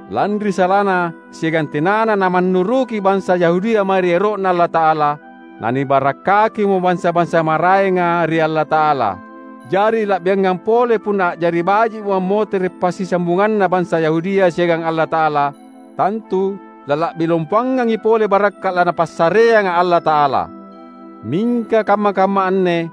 Lanri salana siagang tenana namannuruki bansa Yahudia mae ri ero'Na Allata'ala, nanibarakkakimo bansa-bansa maraenga ri Allata'ala. Jari, la'biangang pole punna a'jari baji'mo ammotere’ passisambunganna bansa Yahudia siagang Allata'ala, tantu lala'bi lompoangangi pole barakka’ laNapassareanga Allata'ala. Mingka kamma-kamma anne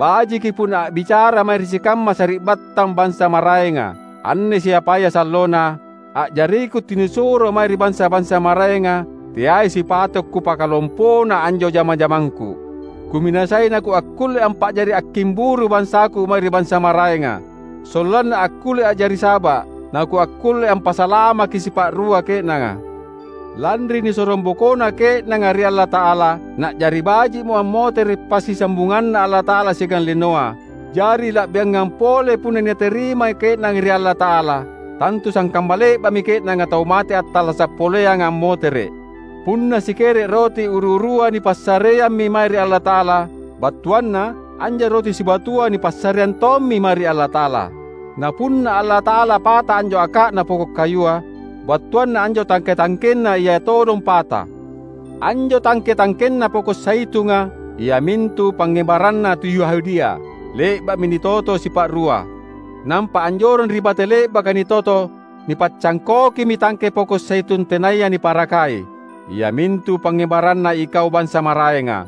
bajiki punna a'bicara mae ri sikamma sari'battang bansa maraenga. Anne siapaya sallona, a'jariku tunisuro mae ri bansa-bansa maraenga, teai sipato’ kupakalompona anjo jama-jamangku. Kuminasai nakuakkulle ampa'jari akkimburu bansaku mae ri bansa maraenga, sollanna akkulle a'jari saba’, nakuakkulle ampasalamaki sipa'rua ke'nanga. Lanri nisorong bokona ke'nanga ri Allata'ala, na'jari baji'mo ammotere’ passisambunganNa Allata'ala siagang linoa. Jari, la'biangang pole punna niaterimai ke'nanga ri Allata'ala, tantu sangkamma le'ba'mi ke'nanga tau mate attallasa’ poleanga ammotere’. Punna sikere’ roti uru-urua nipassareammi mae ri Allata'ala, battuanna, Anjo roti sibatua nipassareang tommi mae ri Allata'ala. Na punna Allata'ala pata anjo aka'na poko’ kayua, battuanna anjo tangke-tangkenna ia todong pata. Anjo tangke-tangkenna poko’ zaitunga, iamintu pangngebaranna tu Yahudia, le'ba'mi nitoto sipa'rua. Nampa anjoreng ri bate le'baka nitoto, nipaccangkokimi tangke poko’ zaitun tenaya niparakai, iamintu pangngebaranna ikau bansa maraenga.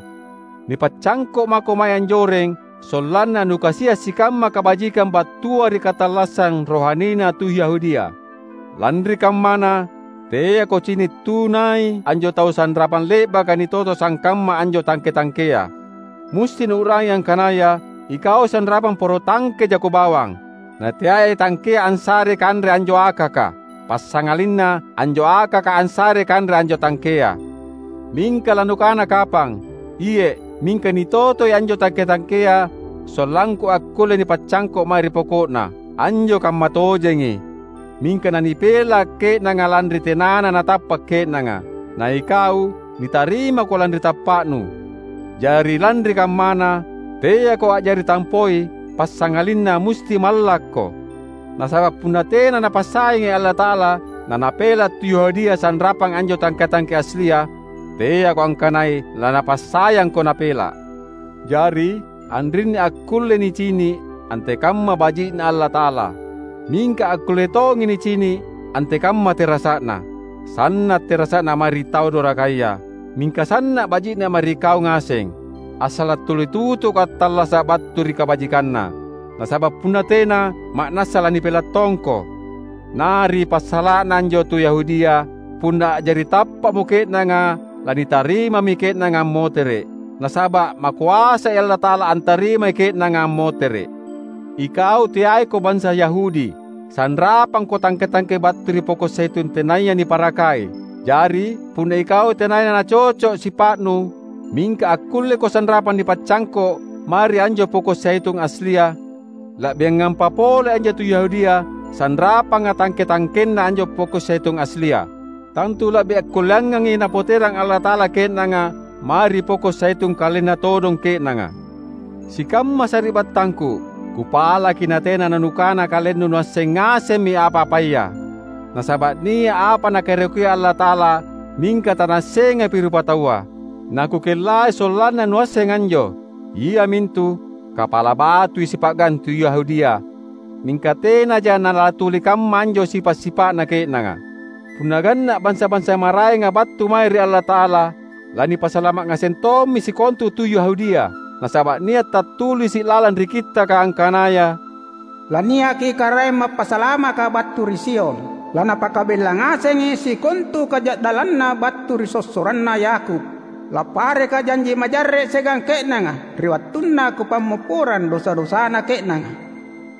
Nipaccangko’ mako mae anjoreng, sollanna nukasia’ sikamma kabajikang battua ri katallassang rohanina tu Yahudia. Lanri kammana, teako cini’ tunai anjo tau sanrapang le'baka nitoto sangkamma anjo tangke-tangkea. Musti nuu'rangi angkanaya ikau sanrapang poro tangke jako bawang, nateai tangkea ansare kanre anjo akaka, passangalinna anjo akaka ansare kanre anjo tangkea. Mingka lanukana kapang, "Iye’, mingka nitotoi anjo tangke-tangkea sollangku akkulle nipaccangko’ mae ri poko'na." Anjo kammatojengi. Mingka nanipela’ ke'nanga lanri tenana natappa’ ke'nanga, na ikau nitarimako lanri tappa'nu. Jari lanri kammana, teako a'jari tampoi, passangalinna musti mallakko. Nasaba’ punna tena Napassayangi Allata'ala, naNapela’ tu Yahudia sanrapang anjo tangke-tangke aslia, teako angkanai laNapassayangko Napela’. Jari, anrinni akkulle nicini’ antekamma baji'Na Allata'ala, mingka akkulle tongi nicini’ antekamma terasa'Na. Sanna’ terasa'Na mae ri tau dorakaya, mingka sanna’ baji'Na mae ri kau ngaseng. Assala’ tuli tutuko attallasa’ battu ri kabajikanNa, nasaba’ punna tena, ma'nassa lanipela’ tongko. Na ri passala'na anjo tu Yahudia, punna a'jari tappa'mo ke'nanga, lanitarimami ke'nanga ammotere’, nasaba’ makoasai Allata'ala antarimai ke'nanga ammotere’. Ikau teaiko bansa Yahudi, sanrapangko tangke-tangke battu ri poko’ zaitun tenaya niparakai. Jari, punna ikau tenaya nacoco’ sipa'nu, mingka akkulleko sanrapang nipaccangko’ mae ri anjo poko’ zaitun aslia, la'biangampa pole anjo tu Yahudia sanrapanga tangke-tangkenna anjo poko’ zaitun aslia. Tantu la'bi akkulleangangi Napoterang Allata'ala ke'nanga mae ri poko’ zaitun kalenna todong ke'nanga. Sikamma sari'battangku, kupalaki natena nanukana kalennu nuasseng ngasemmi apa-apaya. Nasaba’ nia’ apa Nakaerokia Allata'ala, mingka tanaassengapi rupataua. Nakukellai sollanna nuasseng anjo, iamintu: Kapala batui sipa'gang tu Yahudia, mingka tenaja nalatuli kamma anjo sipa’-sipa'na ke'nanga. Punna ganna’ bansa-bansa maraenga battu mae ri Allata'ala, lanipasalama’ ngaseng tommi sikontu tu Yahudia, nasaba’ nia’ tattulisi’ lalang ri Kittaka angkanaya, "Lania'ki Karaeng Mappasalamaka battu ri Sion. Lanapakabella ngasengi sikontu kaja'dallanna battu ri sossoranna Yakub. Lappareka janji majarre’ siagang ke'nanga ri wattunna Kupammopporang dosa-dosana ke'nanga."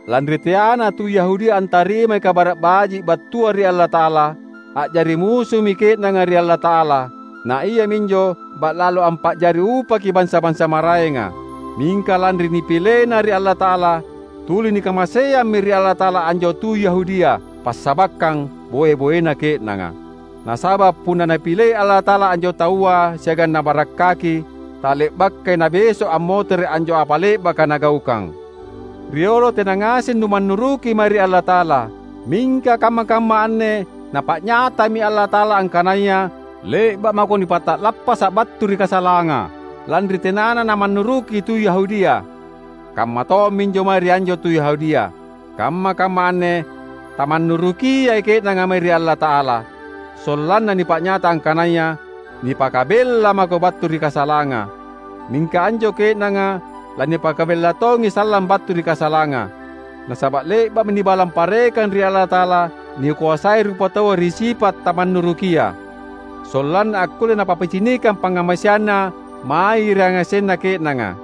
Lanri teana tu Yahudia antarimai Kabara’ Baji’ battua ri Allata'ala, a'jari musumi ke'nanga ri Allata'ala, na iaminjo ba'lalo ampa'jari upaki bansa-bansa maraenga. Mingka lanri nipilena ri Allata'ala, tuli nikamaseammi ri Allata'ala anjo tu Yahudia, passabakkang boe-boena ke'nanga. Nasaba’ punna Napilei Allata'ala anjo taua siagang Nabarakkaki, tale'bakai Nabeso’ ammotere’ anjo apa le'baka Nagaukang. Riolo tena ngaseng numannuruki mae ri Allata'ala, mingka kamma-kamma anne Napa'nyatami Allata'ala angkanaya le'ba’ mako nipata'lappasa’ battu ri kasalanga, lanri tenana namannuruki tu Yahudia. Kamma tomminjo mae ri anjo tu Yahudia. Kamma-kamma anne tamannurukiai ke'nanga mae ri Allata'ala, sollanna nipa'nyata angkanaya nipakabella mako battu ri kasalanga. Mingka anjo ke'nanga lanipakabella tongi sallang battu ri kasalanga. Nasaba’ le'ba'mi nibalang parekang ri Allata'ala nikoasai rupataua ri sipa’ tamannurukia, sollanna akkulle Napapicinikang pangngamaseanNa mae ri yangasenna ke'nanga.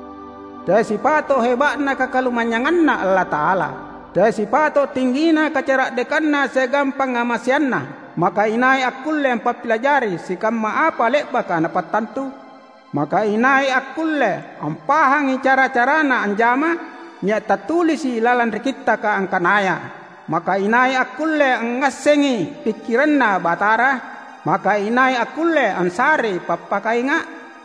Teai sipato’ heba'na kakalumanynyanganNa Allata'ala. Teai sipato’ tinggina kacara'dekanNa siagang pangngamaseanNa. Maka inai akkulle ampappilajari sikamma apa le'baka Napattantu? Maka inai akkulle ampahangi cara-caraNa anjama? Nia’ tattulisi’ lalang ri Kittaka angkanaya, "Maka inai akkulle angngassengi pikkiranNa Batara? Maka inai akkulle ansarei pappakainga’?"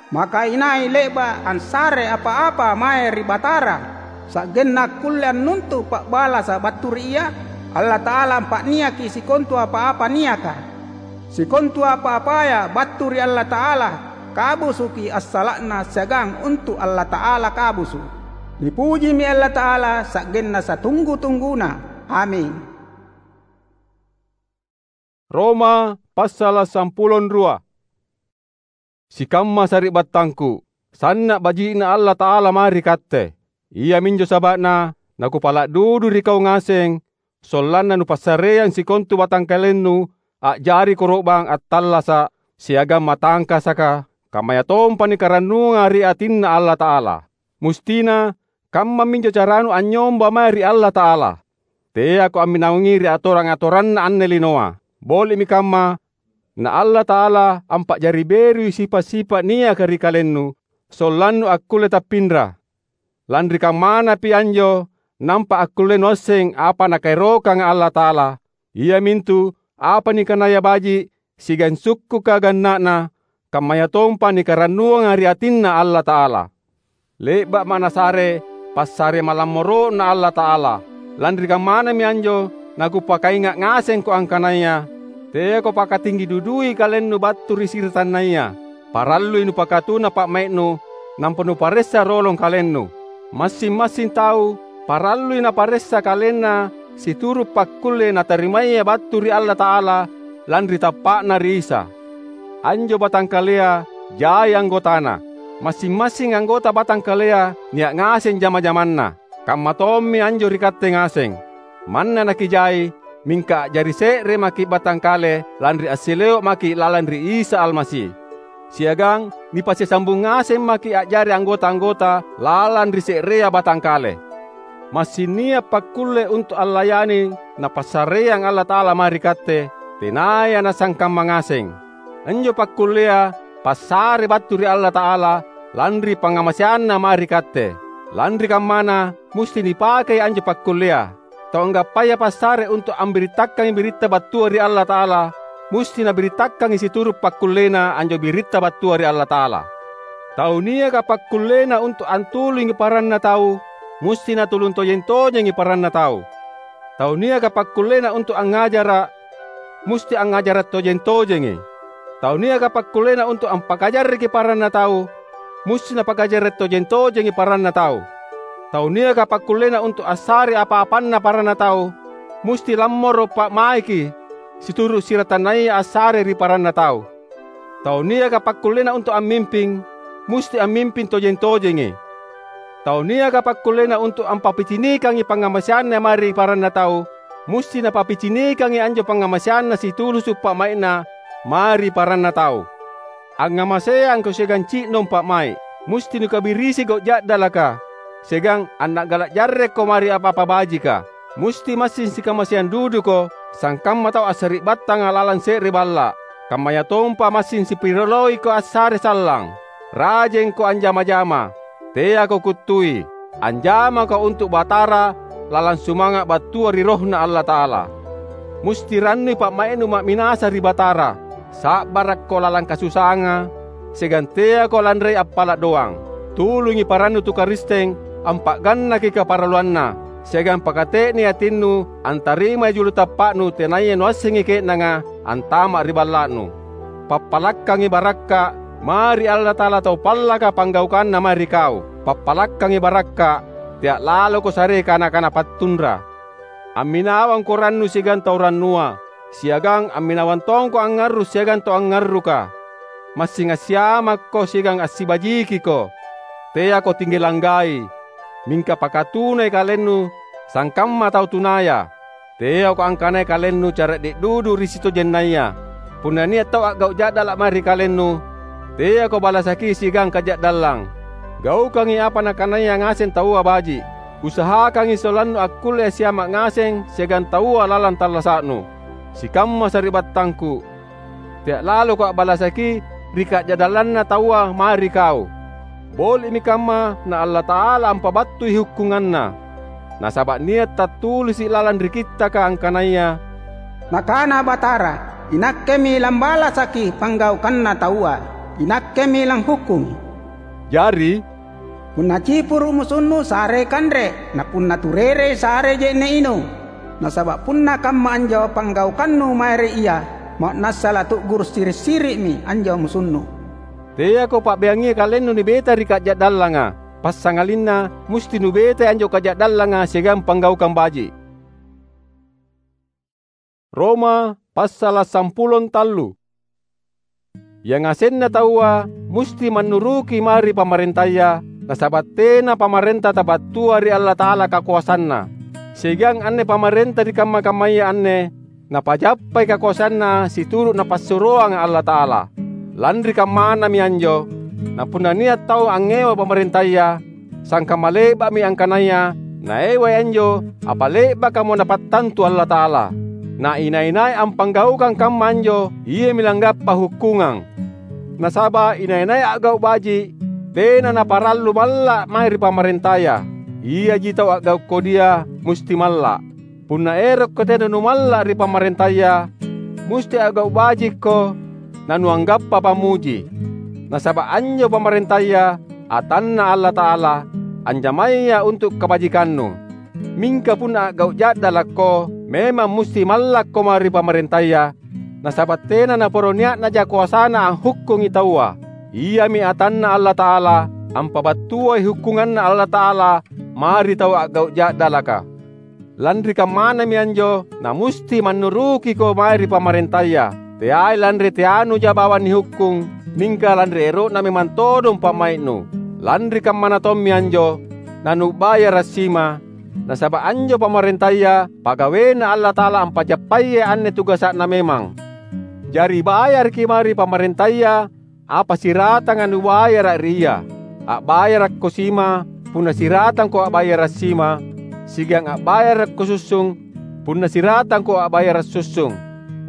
Maka inai le'ba’ ansare apa-apa mae ri Batara, sa'genna akkulle annuntu’ pa'balasa’ battu ri Ia? Allata'ala ampa'niaki sikontu apa-apa niaka. Sikontu apa-apaya battu ri Allata'ala kabusuki assala'na siagang untu’ Allata'ala kabusu’. Nipujimi Allata'ala sa'genna satunggu-tungguna. Aming. Roma passala’ sampulo rua. Sikamma sari'battangku, sanna’ baji'Na Allata'ala mae ri katte. Iaminjo saba'na nakupala’ dudu ri kau ngaseng, sollanna nupassareang sikontu batangkalennu a'jari koro'bang attallasa’ siagang matangkasaka, kammayatompa nikarannuanga ri atinNa Allata'ala. Mustina kammaminjo caranu anynyomba mae ri Allata'ala. Teako amminawangi ri atorang-atoranna anne linoa. Boli'mi kamma, na Allata'ala ampa'jari berui sipa’-sipa’ niaka ri kalennu, sollannu akkulle tappinra. Lanri kammanapi anjo nampa akkulle nuasseng apa Nakaerokanga Allata'ala, iamintu apa nikanaya baji’ siagang sukkuka ganna'na, kammayatompa nikarannuanga ri atinNa Allata'ala. Le'ba'ma’ Nasare passare malammoro'Na Allata'ala. Lanri kammanami anjo nakupakainga’ ngasengko angkanaya teako pakatinggi dudui kalennu battu ri siratannaya. Parallui nupakatuna pa'mai'nu, nampa nuparessa rolong kalennu. Massing-massing tau parallui naparessa kalenna situru’ pakkulle natarimaya battu ri Allata'ala lanri tappa'na ri Isa. Anjo batangkalea jai anggotana. Massing-massing anggota batangkalea nia’ ngaseng jama-jamanna. Kamma tommi anjo ri katte ngaseng. Manna nakijai, mingka a'jari se're maki’ batangkale lanri assileo’ maki’ lalang ri Isa Almasi. Siagang nipasisambung ngaseng maki’ a'jari anggota-anggota lalang ri se'rea batangkale. Massing nia’ pakkulle untu’ allayani Napassareang Allata'ala mae ri katte, tenaya nasangkamma ngaseng. Anjo pakkullea passare battu ri Allata'ala lanri pangngamaseanNa mae ri katte. Lanri kammana, musti nipakei anjo pakkullea. Tau anggappaya passare untu’ ambirittakangi biritta battua ri Allata'ala, musti nabirittakangi situru’ pakkullena anjo biritta battua ri Allata'ala. Tau niaka pakkullena untu’ antulungi paranna tau, musti natulung tojeng-tojengi paranna tau. Tau niaka pakkullena untu’ angngajara’, musti angngajara’ tojeng-tojengi. Tau niaka pakkullena untu’ ampakajarreki paranna tau, musti napakajarre’ tojeng-tojengi paranna tau. Tau niaka pakkullena untu’ assare apa-apanna paranna tau, musti lammoro’ pa'maiki situru’ siratannaya assare ri paranna tau. Tau niaka pakkullena untu’ ammimping, musti ammimping tojeng-tojengi. Tau niaka pakkullena untu’ ampappicinikangi pangngamaseanna mae ri paranna tau, musti napappicinikangi anjo pangngamaseanna situlusu’ pa'mai'na mae ri paranna tau. Angngamaseangko siagang ci'nong pa'mai’, musti nukabirisi gau’ ja'dalaka, siagang anna'gala’ jarrekko mae ri apa-apa bajika. Musti massing sikamaseang duduko sangkamma tau assari'battanga lalang se're balla’, kammayatompa massing sipirioloiko assare sallang, rajengko anjama-jama, teako kuttui, anjamako untu’ Batara lalang sumanga’ battua ri RohNa Allata'ala. Musti rannui pa'mai'nu ma'minasa ri Batara, sa'barakko lalang kasusanga, siagang teako lanrei appala’ doang. Tulungi parannu tu Karisteng ampa'gannaki kaparalluanna, siagang pakate'nei atinnu antarimai julu tappa'nu tenaya nuassengi ke'nanga antama’ ri balla'nu. Pappalakkangi barakka’ mae ri Allata'ala tau pallaka panggaukanna mae ri kau. Pappalakkangi barakka’, tea’ laloko sarei kana-kana pattunra. Amminawangko rannu siagang tau rannua, siagang amminawang tongko angngarru’ siagang tau angngarruka. Massing assiamakko siagang assibajikiko. Teako tinggi langgai, mingka pakatunai kalennu sangkamma tau tunaya. Teako angkanai kalennu cara'de’ dudu ri sitojennaya. Punna nia’ tau a'gau’ ja'dala’ mae ri kalennu, teako balasaki siagang kaja'dallang. Gaukangi apa nakanaya ngaseng taua baji’. Usahakangi sollannu akkulle assiama’ ngaseng siagang taua lalang tallasa'nu. Sikamma sari'battangku, tea’ laloko a'balasaki ri kaja'dallanna taua mae ri kau. Boli'mi kamma na Allata'ala ampabattui hukkunganNa. Nasaba’ nia’ tattulisi’ lalang ri Kittaka angkanaya, "Nakana Batara, Inakkemi lambalasaki panggaukanna taua." "INakkemi langhukkungi." Jari, "Punna cipuru' musunnu, sarei kanre, na punna turerei, sarei je'ne' inung. Nasaba' punna kamma anjo panggaukannu mae ri Ia, ma'nassa latu'guru' siri'-siri'mi anjo musunnu." Teako pa'beangia kalennu nibeta ri kaja'dallanga, passangalinna musti nubetai anjo kaja'dallanga siagang panggaukang baji'. Roma passala' sampulo tallu. Yangasenna taua musti mannuruki mae ri pamarentaya, nasaba' tena pamarenta tabattua ri Allata'ala kakoasanna. Siagang anne pamarenta ri kamma-kammaya anne napajappai kakoasanna situru' Napassuroanga Allata'ala. Lanri kammanami anjo, na punna nia' tau angngewa pamarentaya, sangkamma le'ba'mi angkanaya naewai anjo apa le'bakamo Napattantu Allata'ala. Na inai-nai ampanggaukang kamma anjo, iami langgappa hukkungang. Nasaba' inai-nai a'gau' baji', tena naparallu malla' mae ri pamarentaya. Iaji tau a'gau' kodia musti malla'. Punna erokko tena numalla' ri pamarentaya, musti a'gau' bajikko nanuanggappa pammuji. Nasaba' anjo pamarentaya atanNa Allata'ala, anjamaya untu' kabajikannu. Mingka punna a'gau' ja'dalakko, memang musti mallakko mae ri pamarentaya, nasaba' tena naporo nia'naja koasana anghukkungi taua. Iami atanNa Allata'ala, ampabattuai hukkunganNa Allata'ala mae ri tau a'gau' ja'dalaka. Lanri kammanami anjo, namusti mannurukiko mae ri pamarentaya, teai lanri teanuja bawang nihukkung, mingka lanri ero'na memang todong pa'mai'nu. Lanri kammana tommi anjo, nanubayara' sima, nasaba' anjo pamarentaya pagawaiNa Allata'ala ampajappayai anne tugasa'na memang. Jari bayaraki mae ri pamarentaya apa siratanga nubayara' ri ia. A'bayarakko sima, punna siratangko a'bayara' sima, siagang a'bayarakko sussung, punna siratangko a'bayara' sussung.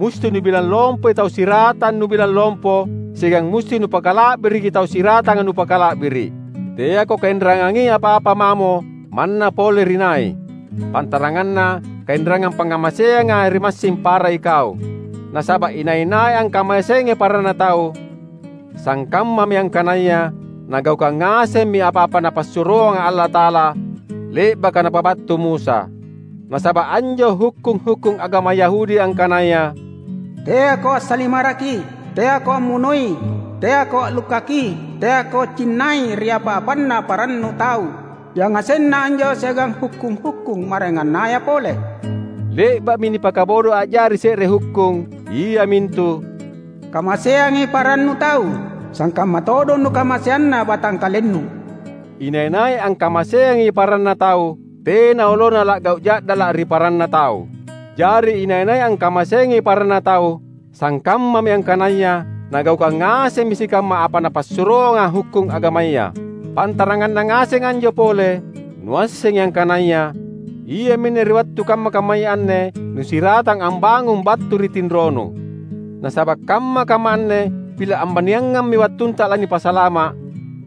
Musti nubilang lompoi tau siratang nubilang lompo, siagang musti nupakala'biriki tau siratanga nupakala'biri'. Teako kainrangangi apa-apa mamo manna pole ri nai, pantaranganna kainrangang pangngamaseanga ri massing para ikau. Nasaba' inai-nai angkamaseangi paranna tau, sangkammami angkanaya nagaukang ngasemmi apa-apa Napassuroanga Allata'ala le'baka Napabattu Musa. Nasaba' anjo hukkung-hukkung agama Yahudi angkanaya, "Teako assalimaraki, teako ammunoi, teako a'lukkaki, teako cinnai ri apa-apanna parannu tau," yangasenna anjo siagang hukkung-hukkung maraengannaya pole. Le'ba'mi nipakabodo a'jari se're hukkung, iamintu, "Kamaseangi parannu tau, sangkamma todong nukamaseanna batangkalennu." Inai-nai angkamaseangi paranna tau, tena olona la'gau' ja'dala' ri paranna tau. Jari inai-nai angkamaseangi paranna tau, sangkammami angkanaya nagaukang ngasemmi sikamma apa napassuroanga hukkung agamaya. Pantaranganna ngaseng anjo pole, nuassengi angkanaya iaminne ri wattu kamma-kammaya anne nusiratang ambangung battu ri tinronu. Nasaba' kamma-kamma anne pila' ambaniangammi wattunta lanipasalama',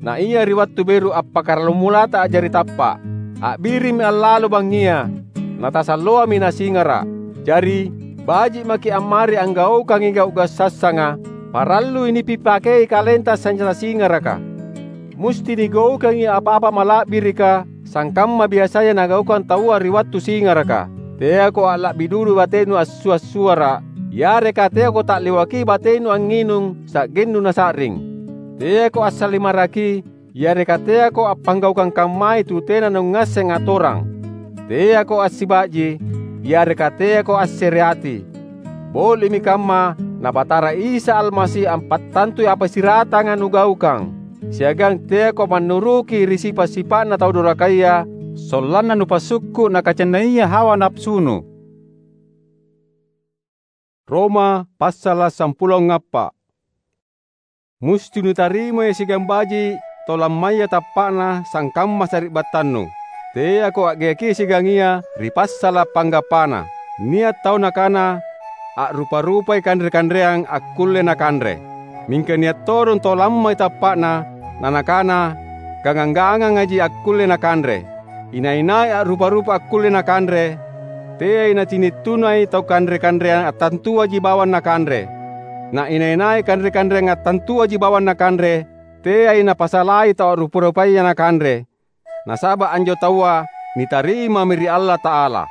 na ia ri wattu beru appakkaramulata a'jari tappa'. A'birimmi allalo bangngia, natasalloami nasingara'. Jari, baji' maki' ammari anggaukangi gau'-gau' sassanga, parallui nipipakei kalenta sanynyata singaraka. Musti nigaukangi apa-apa mala'birika, sangkamma biasaya nagaukang taua ri wattu singaraka. Teako a'la'bi dudu batenu assua'-suara', yareka teako ta'lewaki batenu angnginung sa'gennu nasa'ring. Teako assalimaraki, yareka teako appanggaukang kammai tu tena nungngasseng atorang. Teako assiba'ji, yareka teako assereati. Boli'mi kamma, na Batara Isa Almasi ampattantui apa siratanga nugaukang, siagang teako mannuruki ri sipa'-sipa'na tau dorakaya, sollanna nupassukku' nakacennaia hawa napasunu. Roma passala' sampulo appa'. Musti nutarimai siagang baji' tau lammaya tappa'na sangkamma sari'battannu. Teako a'geaki siagang ia ri passala' panggappana. Nia' tau nakana, "A'rupa-rupai kanre-kanreang akkulle nakanre." Mingka nia' todong tau lammai tappa'na, nanakana, "Gangang-gangangaji akkulle nakanre." Inai-nai a'rupa-rupa akkulle nakanre, teai nacini' tunai tau kanre-kanreang attantuaji bawang nakanre. Na inai-nai kanre-kanreang attantuaji bawang nakanre, teai napasalai tau a'rupa-rupaya nakanre, nasaba’ anjo taua nitarimami ri Allata'ala.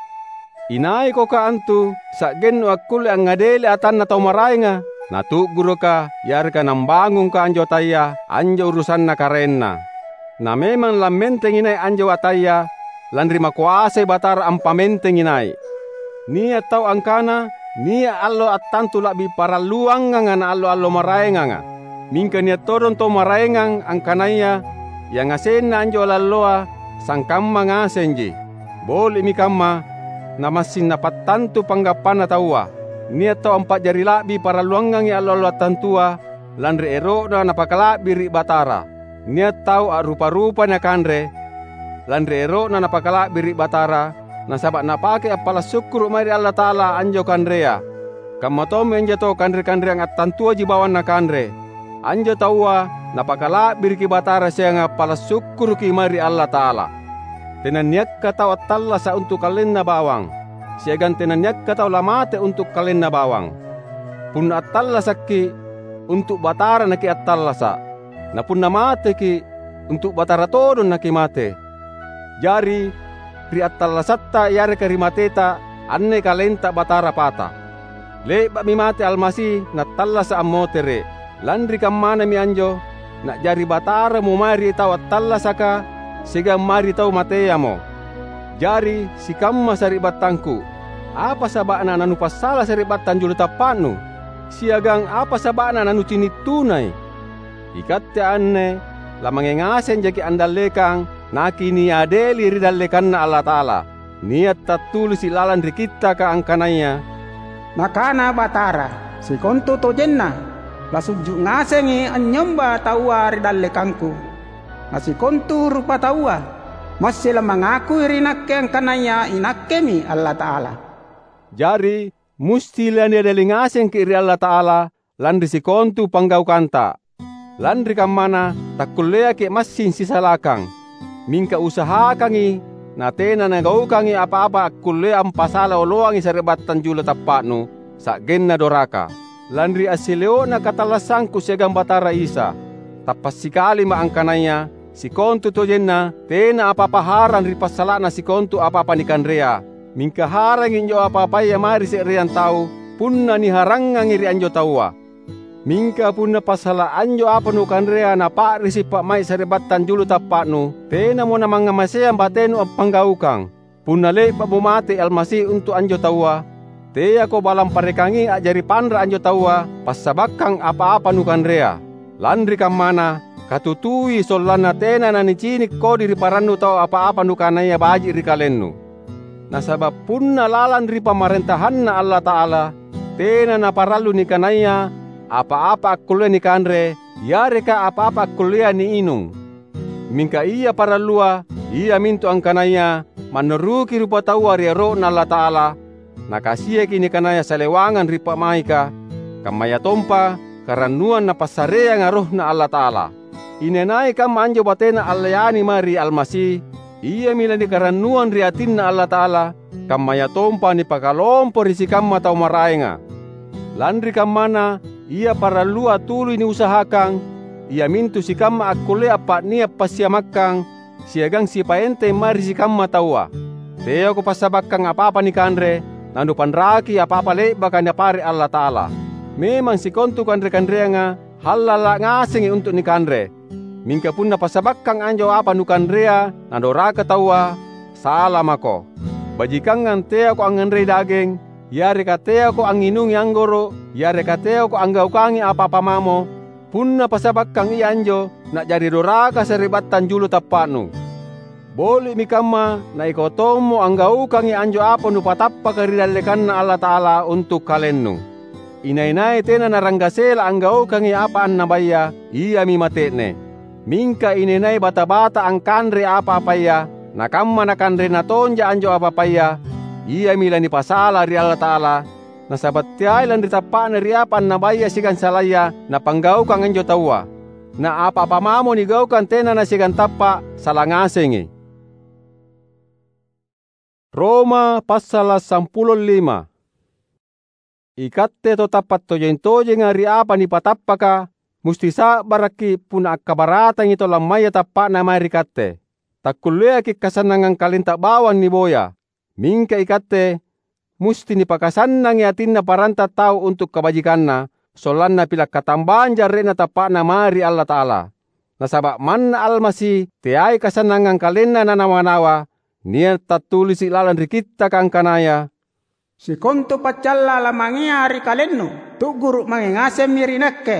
Inaikoka antu sa'gennu akkulle angngadeli atanna tau maraenga, natu'guruka yareka nambangungka anjo ataya anjo urusanna karaenna. Na memang lammentengi nai’ anjo ataya, lanri makoasai Batara ampamentengi nai’. Nia’ tau angkana nia’ allo attantu la'bi paralluanganga na allo-allo maraenganga. Mingka nia’ todong tau maraengang angkanaya yangasenna anjo alalloa sangkamma ngasenji. Boli'mi kamma, namassing napattantu panggappanna taua. Nia’ tau ampa'jari la'bi paralluangangi allo-allo attantua, lanri ero'na napakala'biri’ Batara. Nia’ tau a'rupa-rupai nakanre, lanri ero'na napakala'biri’ Batara, nasaba’ napake appala’ sukkuru’ mae ri Allata'ala anjo kanrea. Kamma tommi anjo tau kanre-kanreang attantuaji bawang nakanre. Anjo taua napakala'biriki Batara siagang appala’ sukkuruki mae ri Allata'ala. Tenanniakka tau attallasa’ untu’ kalenna bawang, siagang tenanniakka tau lamate untu’ kalenna bawang. Punna attallasakki’, untu’ Batara nakiattallasa’, na punna mateki’, untu’ Batara todong nakimate. Jari, ri attallasatta yareka ri mateta, anne kalenta Batara pata. Le'ba'mi mate Almasi nattallasa’ ammotere’. Lanri kammanami anjo, na'jari Bataramo mae ri tau attallasaka siagang mae ri tau mateamo. Jari, sikamma sari'battangku, apa saba'na nanupassala sari'battang julu tappa'nu? Siagang apa saba'na nanucini’ tunai? Ikatte anne lamange ngaseng jaki’ andallekang nakiniadeli ri dallekanNa Allata'ala. Nia’ tattulisi’ lalang ri Kittaka angkanaya, "Nakana Batara, sikontu tojenna lasujju’ ngasengi anynyomba taua ri dallekangKu. Na sikontu rupataua massing lamangakui ri Nakke angkanaya iNakkemi Allata'ala." Jari, musti laniadeli ngasengki’ ri Allata'ala lanri sikontu panggaukanta. Lanri kammana, takkulleaki’ massing sisalakang. Mingka usahakangi natena nagaukangi apa-apa akkullea ampasala oloangi sari'battang julu tappa'nu, sa'genna doraka. Lanri assileo'na katallassangku siagang Batara Isa, tappa’ sikalima’ angkanaya, sikontu tojenna tena apa-apa harang ri passala'na sikontu apa-apa nikanrea. Mingka harangi anjo apa-apaya mae ri se'reang tau, punna niharangangi ri anjo taua. Mingka punna passala’ anjo apa nukanrea napa'risi’ pa'mai’ sari'battang julu tappa'nu, tenamo namangngamaseang batenu appanggaukang. Punna le'ba'mo mate Almasi untu’ anjo taua, teako balang parekangi a'jari panra’ anjo taua passabakkang apa-apa nukanrea. Lanri kammana, katutui sollanna tena nanicini’ kodi ri parannu tau apa-apa nukanaya baji’ ri kalennu. Nasaba’ punna lalang ri PamarentahanNa Allata'ala, tena naparallu nikanaya apa-apa akkullea nikanre yareka apa-apa akkullea niinung. Mingka ia parallua, iamintu angkanaya mannuruki rupataua ri ero'Na Allata'ala, nakasiaki nikanaya salewangang ri pa'maika, kammayatompa karannuang Napassareanga RohNa Allata'ala. Inai-nai kamma anjo batena allayani mae ri Almasi, iami lanikarannuang ri atinNa Allata'ala, kammayatompa nipakalompo ri sikamma tau maraenga. Lanri kammana, ia parallua tuli niusahakang, iamintu sikamma akkullea appa'nia’ passiamakkang siagang sipaenteng mae ri sikamma taua. Teako passabakkang apa-apa nikanre, nanupanraki apa-apa le'baka Napare’ Allata'ala. Memang sikontu kanre-kanreanga hallala’ ngasengi untu’ nikanre. Mingka punna passabakkang anjo apa nukanrea nadoraka taua, sala mako. Bajikangang teako angnganrei dageng, yareka teako angnginungi anggoro’, yareka teako anggaukangi apa-apa mamo, punna passabakkang ia anjo na'jari doraka sari'battang julu tappa'nu. Boli'mi kamma na ikau tommo anggaukangi anjo apa nupatappaka ri dallekanNa Allata'ala untu’ kalennu. Inai-nai tena naranggasela anggaukangi apa annabaya, iami mate'ne. Mingka inai-nai bata-bata angkanrei apa-apaya, nakamma nakanrena tonja anjo apa-apaya, iami lanipasala ri Allata'ala, nasaba’ teai lanri tappa'na ri apa annabaya siagang salaya napanggaukang anjo taua. Na apa-apa mamo nigaukang tena nasiagang tappa’, sala ngasengi. Roma passala’ sampulo lima. Ikatte tau tappa’ tojeng-tojenga ri apa nipatappaka, musti sa'barakki’ punna akkabaratangi tau lammaya tappa'na mae ri katte. Takkulleaki’ kasannangang kalenta bawang niboya. Mingka ikatte musti nipakasannangi atinna paranta tau untu’ kabajikanna, sollanna pila’ katambang jarre'na tappa'na mae ri Allata'ala. Nasaba’ manna Almasi teai kasannangang kalenna nanawa-nawa, nia’ tattulisi’ lalang ri Kittaka angkanaya, "Sikontu paccalla lamangea ri kalennu, tu'guru’ mange ngasemmi ri Nakke."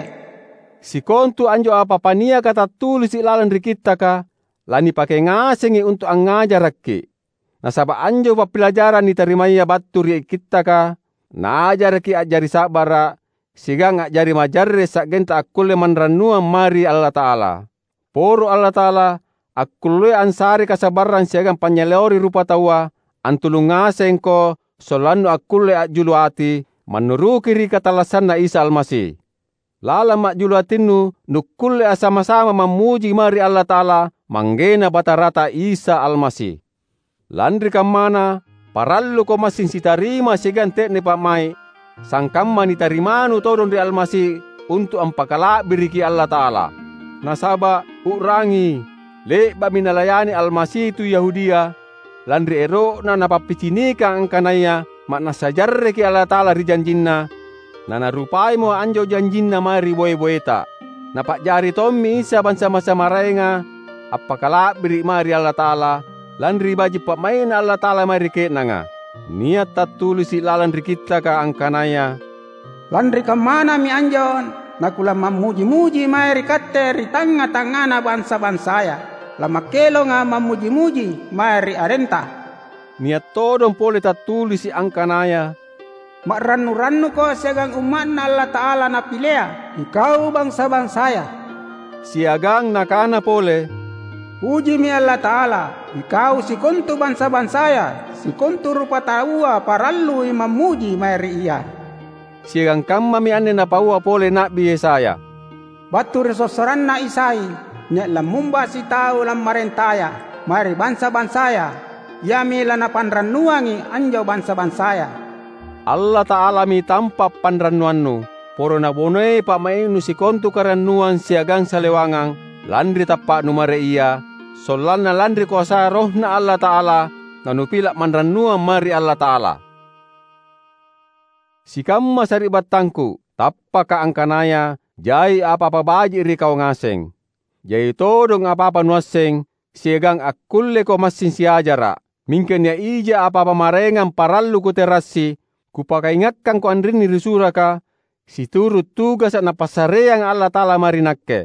Sikontu anjo apa-apa niaka tattulisi’ lalang ri Kittaka, lanipake ngasengi untu’ angngajarakki’. Nasaba’ anjo pappilajarang nitarimaya battu ri Kittaka, naajaraki a'jari sa'bara’, siagang a'jari majarre’ sa'genta akkulle manrannuang mae ri Allata'ala. Poro Allata'ala, akkullea ansarei kasabarrang siagang panynyaleori rupataua, antulung ngasengko sollannu akkulle a'julu ati, mannuruki ri katallassanNa Isa Almasi. Lalang ma'julu atinnu nukkulle assama-sama mammuji mae ri Allata'ala, ManggeNa Batarata Isa Almasi. Lanri kammana, paralluko massing sitarima siagang te'ne pa'mai’, sangkamma nitarimanu todong ri Almasi untu’ ampakala'biriki Allata'ala. Nasaba’, u'rangi, le'ba'mi nalayani Almasi tu Yahudia, lanri ero'na napappicinikang angkanaya ma'nassa jarreki Allata'ala ri janjinNa, naNarupaimo anjo janjinNa mae ri boe-boeta. Napa'jari tommi Isa bansa-bansa maraenga appakala'biri’ mae ri Allata'ala lanri baji’ pa'mai'Na Allata'ala mae ri ke'nanga. Nia’ tattulisi’ lalang ri Kittaka angkanaya, "Lanri kammanami anjo nakulamammuji-muji mae ri Katte ri tangnga-tangngana bansa-bansaya. Lamakkelonga’ mammuji-muji mae ri arentaNa." Nia’ todong pole tattulisi’ angkanaya, "Ma'rannu-rannuko siagang umma'Na Allata'ala Napilea, ikau bansa-bansaya." Siagang nakana pole, "Pujimi Allata'ala, ikau sikontu bansa-bansaya, sikontu rupataua parallui mammuji mae ri Ia." Siagang kammami anne napaua pole Na'bi Yesaya, "Battu ri sossoranna Isai, nia’ lammumba sitau lammarentaya mae ri bansa-bansaya, iami lanapanrannuangi anjo bansa-bansaya." Allata'alami tampa’ panrannuannu. Poro Nabonei pa'mai'nu sikontu karannuang siagang salewangang lanri tappa'nu mae ri Ia, sollanna lanri koasaya RohNa Allata'ala nanupila’ manrannuang mae ri Allata'ala. Sikamma sari'battangku, tappaka angkanaya jai apa-apa baji’ ri kau ngaseng. Jai todong apa-apa nuasseng, siagang akkulleko massing siajara’. Mingka nia’ ija apa-apa maraengang parallu kuterassi, kupakaingakkangko anrinni ri suraka, situru’ tugasa’ Napassareanga Allata'ala mae ri nakke.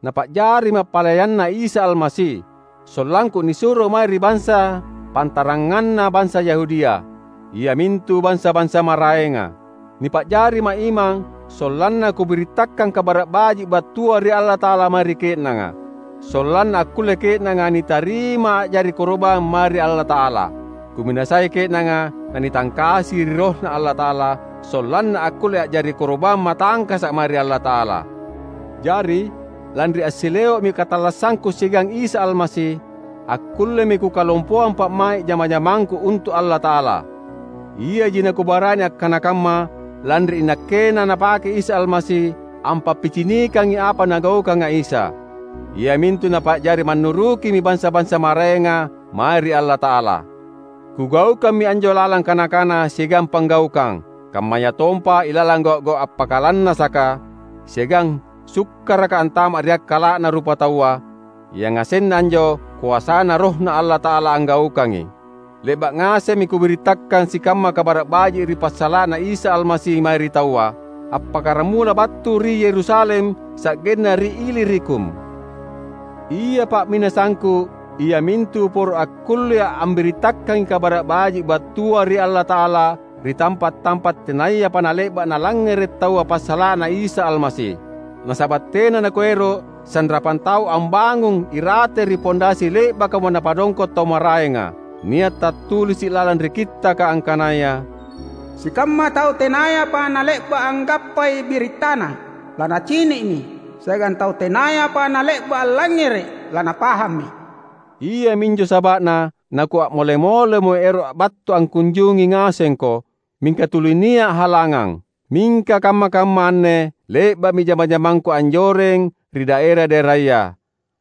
Napa'jarima’ palayanNa Isa Almasi, sollangku nisuro mae ri bansa pantaranganna bansa Yahudia, iamintu bansa-bansa maraenga. Nipa'jarima’ imang sollanna kubirittakkang Kabara’ Baji’ battua ri Allata'ala mae ri ke'nanga, sollanna akkulle ke'nanga nitarima a'jari koro'bang mae ri Allata'ala. Kuminasai ke'nanga nanitangkasi ri RohNa Allata'ala, sollanna akkulle a'jari koro'bang matangkasa’ mae ri Allata'ala. Jari, lanri assileo'mi katallassangku siagang Isa Almasi, akkullemi kukalompoang pa'mai’ jama-jamangku untu’ Allata'ala. Iaji nakubarani akkana kamma, lanri inakkena Napake Isa Almasi ampappicinikangi apa Nagaukanga Isa, iamintu Napa'jari mannurukimi bansa-bansa maraenga mae ri Allata'ala. Kugaukammi anjo lalang kana-kana siagang panggaukang, kammayatompa ilalang gau’-gau’ appakalannasaka siagang sukkaraka antama’ ri akkala'na rupataua, yangasenna anjo koasaNa RohNa Allata'ala anggaukangi. Le'ba’ ngasemmi kubirittakkang sikamma Kabara’ Baji’ ri passala'na Isa Almasi mae ri taua, appakkaramula battu ri Yerusalem sa'genna ri Ilirikum. Ia pa'minasangku iamintu poro akkullea’ ambirittakangi Kabara’ Baji’ battua ri Allata'ala ri tampa’-tampa’ tenayapa nale'ba’ nalangngere’ taua passala'na Isa Almasi. Nasaba’ tena nakuero’ sanrapang tau ambangung irate ri pondasi le'bakamo napadongko’ tau maraenga. Nia’ tattulisi’ lalang ri Kittaka angkanaya, "Sikamma tau tenayapa nale'ba’ anggappai birittaNa, lanacini'mi, siagang tau tenayapa nale'ba’ allangngere’, lanapahammi." Iaminjo saba'na nakua'mole-molemo ero’ battu angkunjungi ngasengko, mingka tuli nia’ halangang. Mingka kamma-kamma anne le'ba'mi jama-jamangku anjoreng ri daera-daeraya.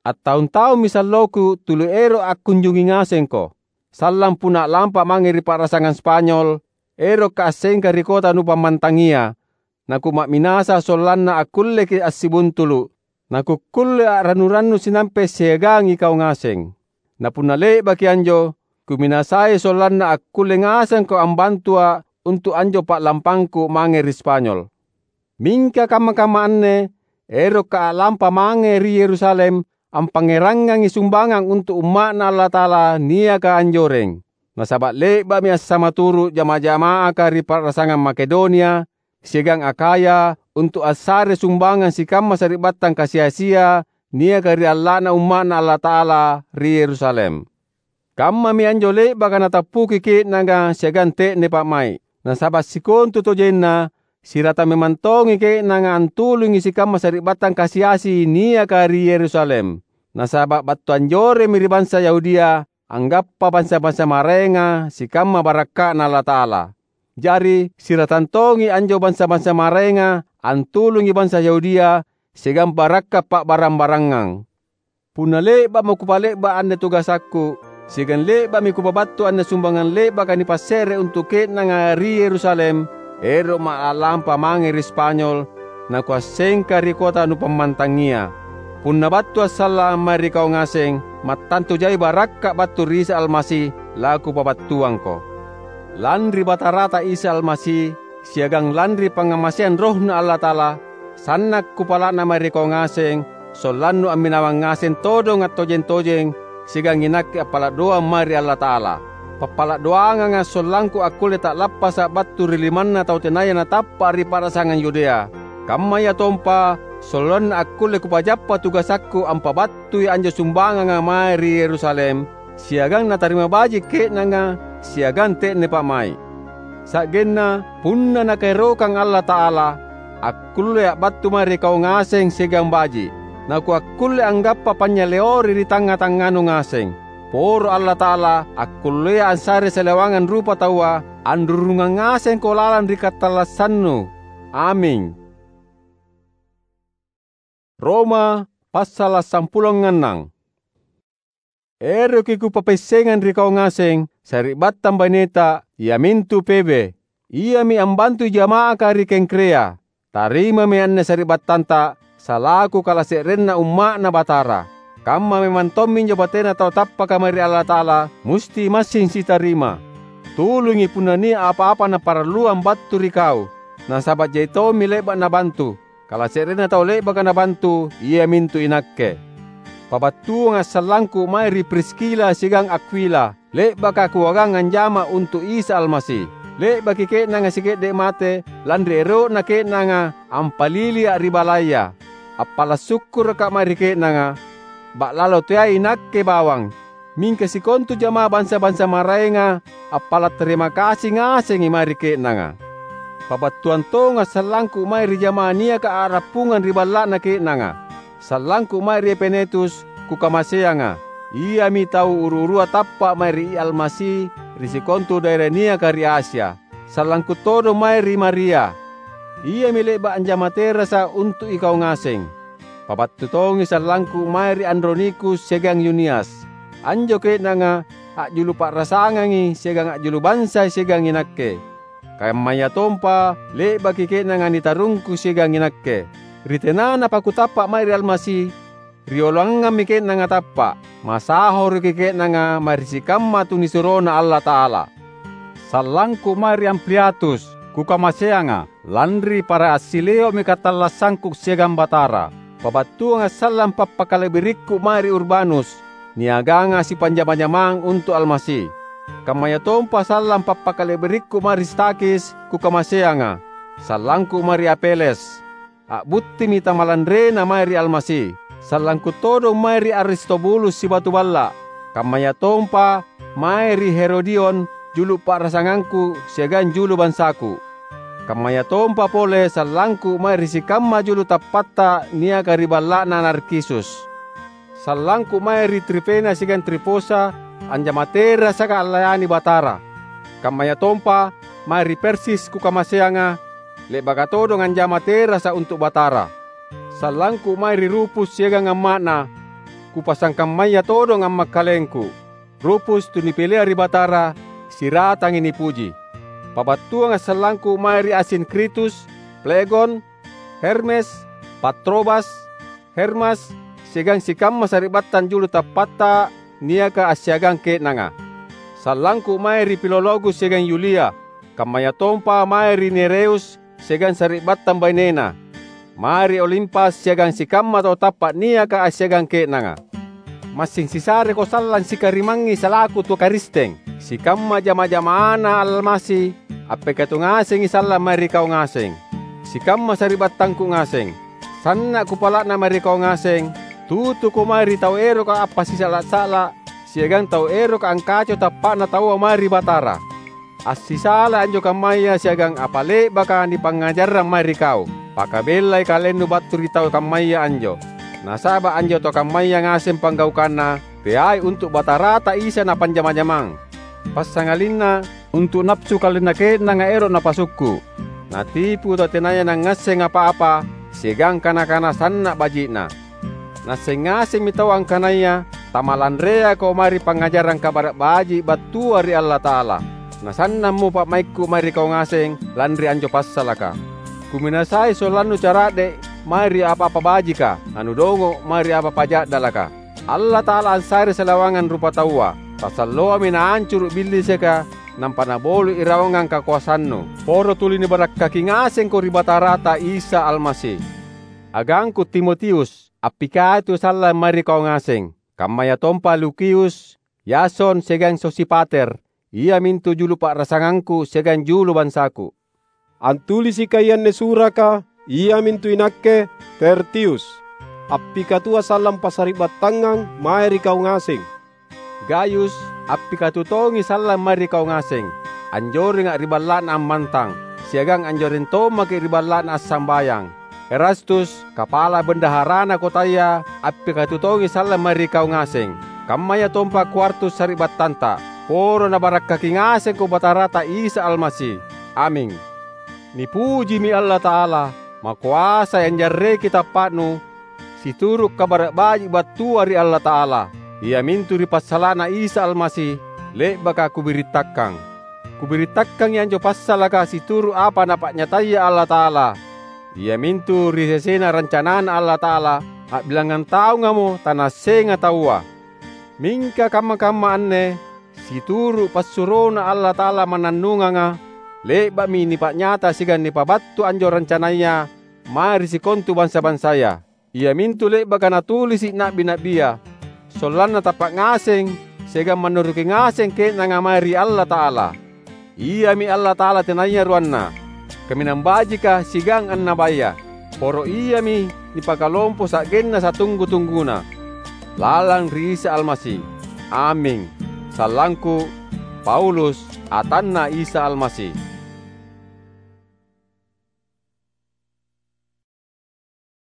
Attaung-taummi salloku tuli ero’ akkunjungi ngasengko. Sallang punna a'lampa mange ri pa'rasangang Spanyol, erokka’ assengka ri kota nupammantangia, nakuma'minasa sollanna akkulleki’ assibuntulu’, nakukkulle a'rannu-rannu sinampe siagang ikau ngaseng. Na punna le'baki anjo, kuminasai sollanna akkulle ngasengko ambantua’ untu’ anjo pa'lampangku mange ri Spanyol. Mingka kamma-kamma anne erokka’ a'lampa mange ri Yerusalem ampangngerangangi sumbangang untu’ umma'Na Allata'ala niaka anjoreng. Nasaba’ le'ba'mi assamaturu’ jama-jama'aka ri pa'rasangang Makedonia siagang Akhaya untu’ assare sumbangang sikamma sari'battang kasi-asia niaka ri alla'na umma'Na Allata'ala ri Yerusalem. Kammami anjo le'baka natappuki ke'nanga siagang te'ne pa'mai’. Nasaba’ sikontutojenna sirata memang tongi ke'nanga antulungi sikamma sari'battang kasi-asi niaka ri Yerusalem. Nasaba’ battu anjoremmi ri bansa Yahudia anggappa bansa-bansa maraenga sikamma barakka'Na Allata'ala. Jari, siratang tongi anjo bansa-bansa maraenga antulungi bansa Yahudia siagang barakka’ pa'barang-barangang. Punna le'ba'mo kupale'ba’ anne tugasakku, siagang le'ba'mi kupabattu anne sumbangang le'baka nipasse're untu’ ke'nanga ri Yerusalem, ero'ma’ a'lampa mange ri Spanyol, nakuassengka ri kota nupammantangia. Punna battua’ sallang mae ri kau ngaseng, mattantu jai barakka’ battu ri Isa Almasi lakupabattuangko. Lanri Batarata Isa Almasi, siagang lanri pangngamaseang RohNa Allata'ala, sanna’ kupala'na mae ri kau ngaseng, sollannu amminawang ngaseng todong attojeng-tojeng siagang inakke appala’ doang mae ri Allata'ala. Pappala’ doanganga’ sollangku akkulle ta'lappasa’ battu ri limanna tau tenaya natappa’ ri pa'rasangang Yudea. Kammayatompa sollanna akkulle kupajappa tugasakku ampabattui anjo sumbanganga mae ri Yerusalem, siagang natarima baji’ ke'nanga siagang te'ne pa'mai’. Sa'genna punna Nakaerokang Allata'ala, akkulleA’ battu mae ri kau ngaseng siagang baji’, nakuakkulle anggappa panynyaleori ri tangnga-tangnganu ngaseng. Poro Allata'ala akkulleA’ assare salewangang rupataua, anrurungang ngasengko lalang ri katallassannu. Aming. Roma passala’ sampulo annang. Eroki kupapaissengang ri kau ngaseng, sari'battang baineta, iamintu Febe, iami ambantui jama'aka ri Kengkrea. Tarimami anne sari'battanta salaku kalase'renna umma'Na Batara. Kamma memang tomminjo batena tau tappaka mae ri Allata'ala musti massing sitarima. Tulungi punna nia’ apa-apa naparalluang battu ri kau, nasaba’ jai tommi le'ba’ nabantu. Kalase'renna tau le'baka nabantu iamintu inakke. Pabattuanga’ sallangku mae ri Priskila siagang Akwila, le'baka kuagang anjama untu’ Isa Almasi. Le'baki ke'nanga sike'de’ mate lanri ero'na ke'nanga ampalilia’ ri balaya. Appala’ sukkuraka’ mae ri ke'nanga, ba'lalo teai inakke bawang. Mingka sikontu jama'ah bansa-bansa maraenga appala’ tarima kasi ngasengi mae ri ke'nanga. Pabattuang tonga’ sallangku mae ri jama'ah niaka a'rappungang ri balla'na ke'nanga. Sallangku mae ri Epenetus kukamaseanga. Iami tau uru-urua tappa’ mae ri Almasi ri sikontu daera niaka ri Asia. Sallangku todong mae ri Maria. Iami le'ba’ anjama terasa’ untu’ ikau ngaseng. Pabattu tongi sallangku mae ri Andronikus siagang Yunias. Anjo ke'nanga a'julu pa'rasangangi siagang a'julu bansai siagang inakke. Kammayatompa le'baki ke'nanga nitarungku siagang inakke. Ri tenanapa kutappa’ mae ri Almasi, rioloangammi ke'nanga tappa’. Masahoroki ke'nanga mae ri sikamma tunisuroNa Allata'ala. Sallangku mae ri Ampliatus, kukamaseanga, lanri para assileo'mi katallassangku siagang Batara. Pabattuanga’ sallang pappakala'birikku mae ri Urbanus, niaganga sipanjama-jamang untu’ Almasi. Kammayatompa sallang pappakala'birikku mae ri Stakhis kukamaseanga, sallangku mae ri Apeles. A'buttimi tamalanrena mae ri Almasi. Sallangku todong mae ri Aristobulus sibatu balla’, kammayatompa mae ri Herodion, julu’ pa'rasangangku siagang julu bansaku. Kammayatompa pole sallangku mae ri sikamma julu tappatta niaka ri balla'na Narkisus. Sallangku mae ri Trifena siagang Trifosa, anjama terasaka allayani Batara. Kammayatompa mae ri Persis kukamaseanga, le'baka todong anjama terasa untu’ Batara. Sallangku mae ri Rufus siagang amma'na, kupasangkammaya todong ammakkalengku. Rufus tunipilea ri Batara, siratangi nipuji. Pabattuanga’ sallangku mae ri Asinkritus, Flegon, Hermes, Patrobas, Hermas, siagang sikamma sari'battang julu tappatta niaka assiagang ke'nanga. Sallangku mae ri Filologus siagang Yulia, kammayatompa mae ri Nereus siagang sari'battang bainena, mae ri Olimpas siagang sikamma tau tappa’ niaka assiagang ke'nanga. Massing sisareko sallang sikarimangngi salaku tu Karisteng. Sikamma jama-jamana Almasi appekatu ngasengi sallang mae ri kau ngaseng, sikamma sari'battangku ngaseng. Sanna’ kupala'na mae ri kau ngaseng, tutuko mae ri tau eroka appasisa'la’-sa'la’ siagang tau eroka angkacoi tappa'na taua mae ri Batara. Assisalai anjo kammaya siagang apa le'baka nipangngajarrang mae ri kau. Pakabellai kalennu battu ri tau kammaya anjo, nasaba’ anjo tau kammaya ngaseng panggaukanna teai untu’ Batarata Isa napanjama-jamang. Passangalinna untu’ napsu kalenna ke'nanga ero’ napasukku’, natipu tau tenaya nangngasseng apa-apa siagang kana-kana sanna’ baji'na. Naasseng ngasemmi taua angkanaya tamalanreako mae ri pangngajarang Kabara’ Baji’ battua ri Allata'ala. Nasannammo pa'maikku mae ri kau ngaseng lanri anjo passalaka. Kuminasai sollannu cara'de’ mae ri apa-apa bajika, nanudongo’ mae ri apa-apa ja'dalaka. Allata'ala ansarei salawangang rupataua. Tasalloami naancuru’ Billisika, nampa naboli’ irawangang kakoasannu. Poro tuli nibarakkaki ngasengko ri Batarata Isa Almasi. Agangku Timotius, appikatu sallang mae ri kau ngaseng, kammayatompa Lukius, Yason siagang Sosipater, iamintu julu pa'rasangangku siagang julu bansaku. Antulisika anne suraka, iamintu inakke, Tertius, appikatuo sallang passari'battangang mae ri kau ngaseng. Gayus, appikatu tongi sallang mae ri kau ngaseng. Anjorenga’ ri balla'na ammantang, siagang anjoreng tommaki’ ri balla'na assambayang. Erastus, kapala bendaharana kotaya, appikatu tongi sallang mae ri kau ngaseng. Kammayatompa Kwartus sari'battanta. Poro nabarakkaki ngasengko Batarata Isa Almasi. Aming. Nipujimi Allata'ala, makoasai anjarreki tappa'nu, situru’ Kabara’ Baji’ battua ri Allata'ala, iamintu ri passala'na Isa Almasi, le'baka kubirittakkang. Kubirittakangi anjo passalaka situru’ apa Napa'nyataya Allata'ala, iamintu ri sesena rancanaNa Allata'ala, a'bilangngang taungamo tanaassenga taua. Mingka kamma-kamma anne situru’ passuroNa Allata'ala mannannunganga, le'ba'mi nipa'nyata siagang nipabattu anjo rancanaya mae ri sikontu bansa-bansaya. Iamintu le'baka natulisi’ na'bi-na'bia, sollanna tappa’ ngaseng siagang mannuruki ngaseng ke'nanga mae ri Allata'ala. Iami Allata'ala tenaya ruanna, kaminang bajika siagang annabaya. Poro Iami nipakalompo sa'genna satunggu-tungguna. Lalang ri Isa Almasi. Aming. Sallangku, Paulus, atanNa Isa Almasi.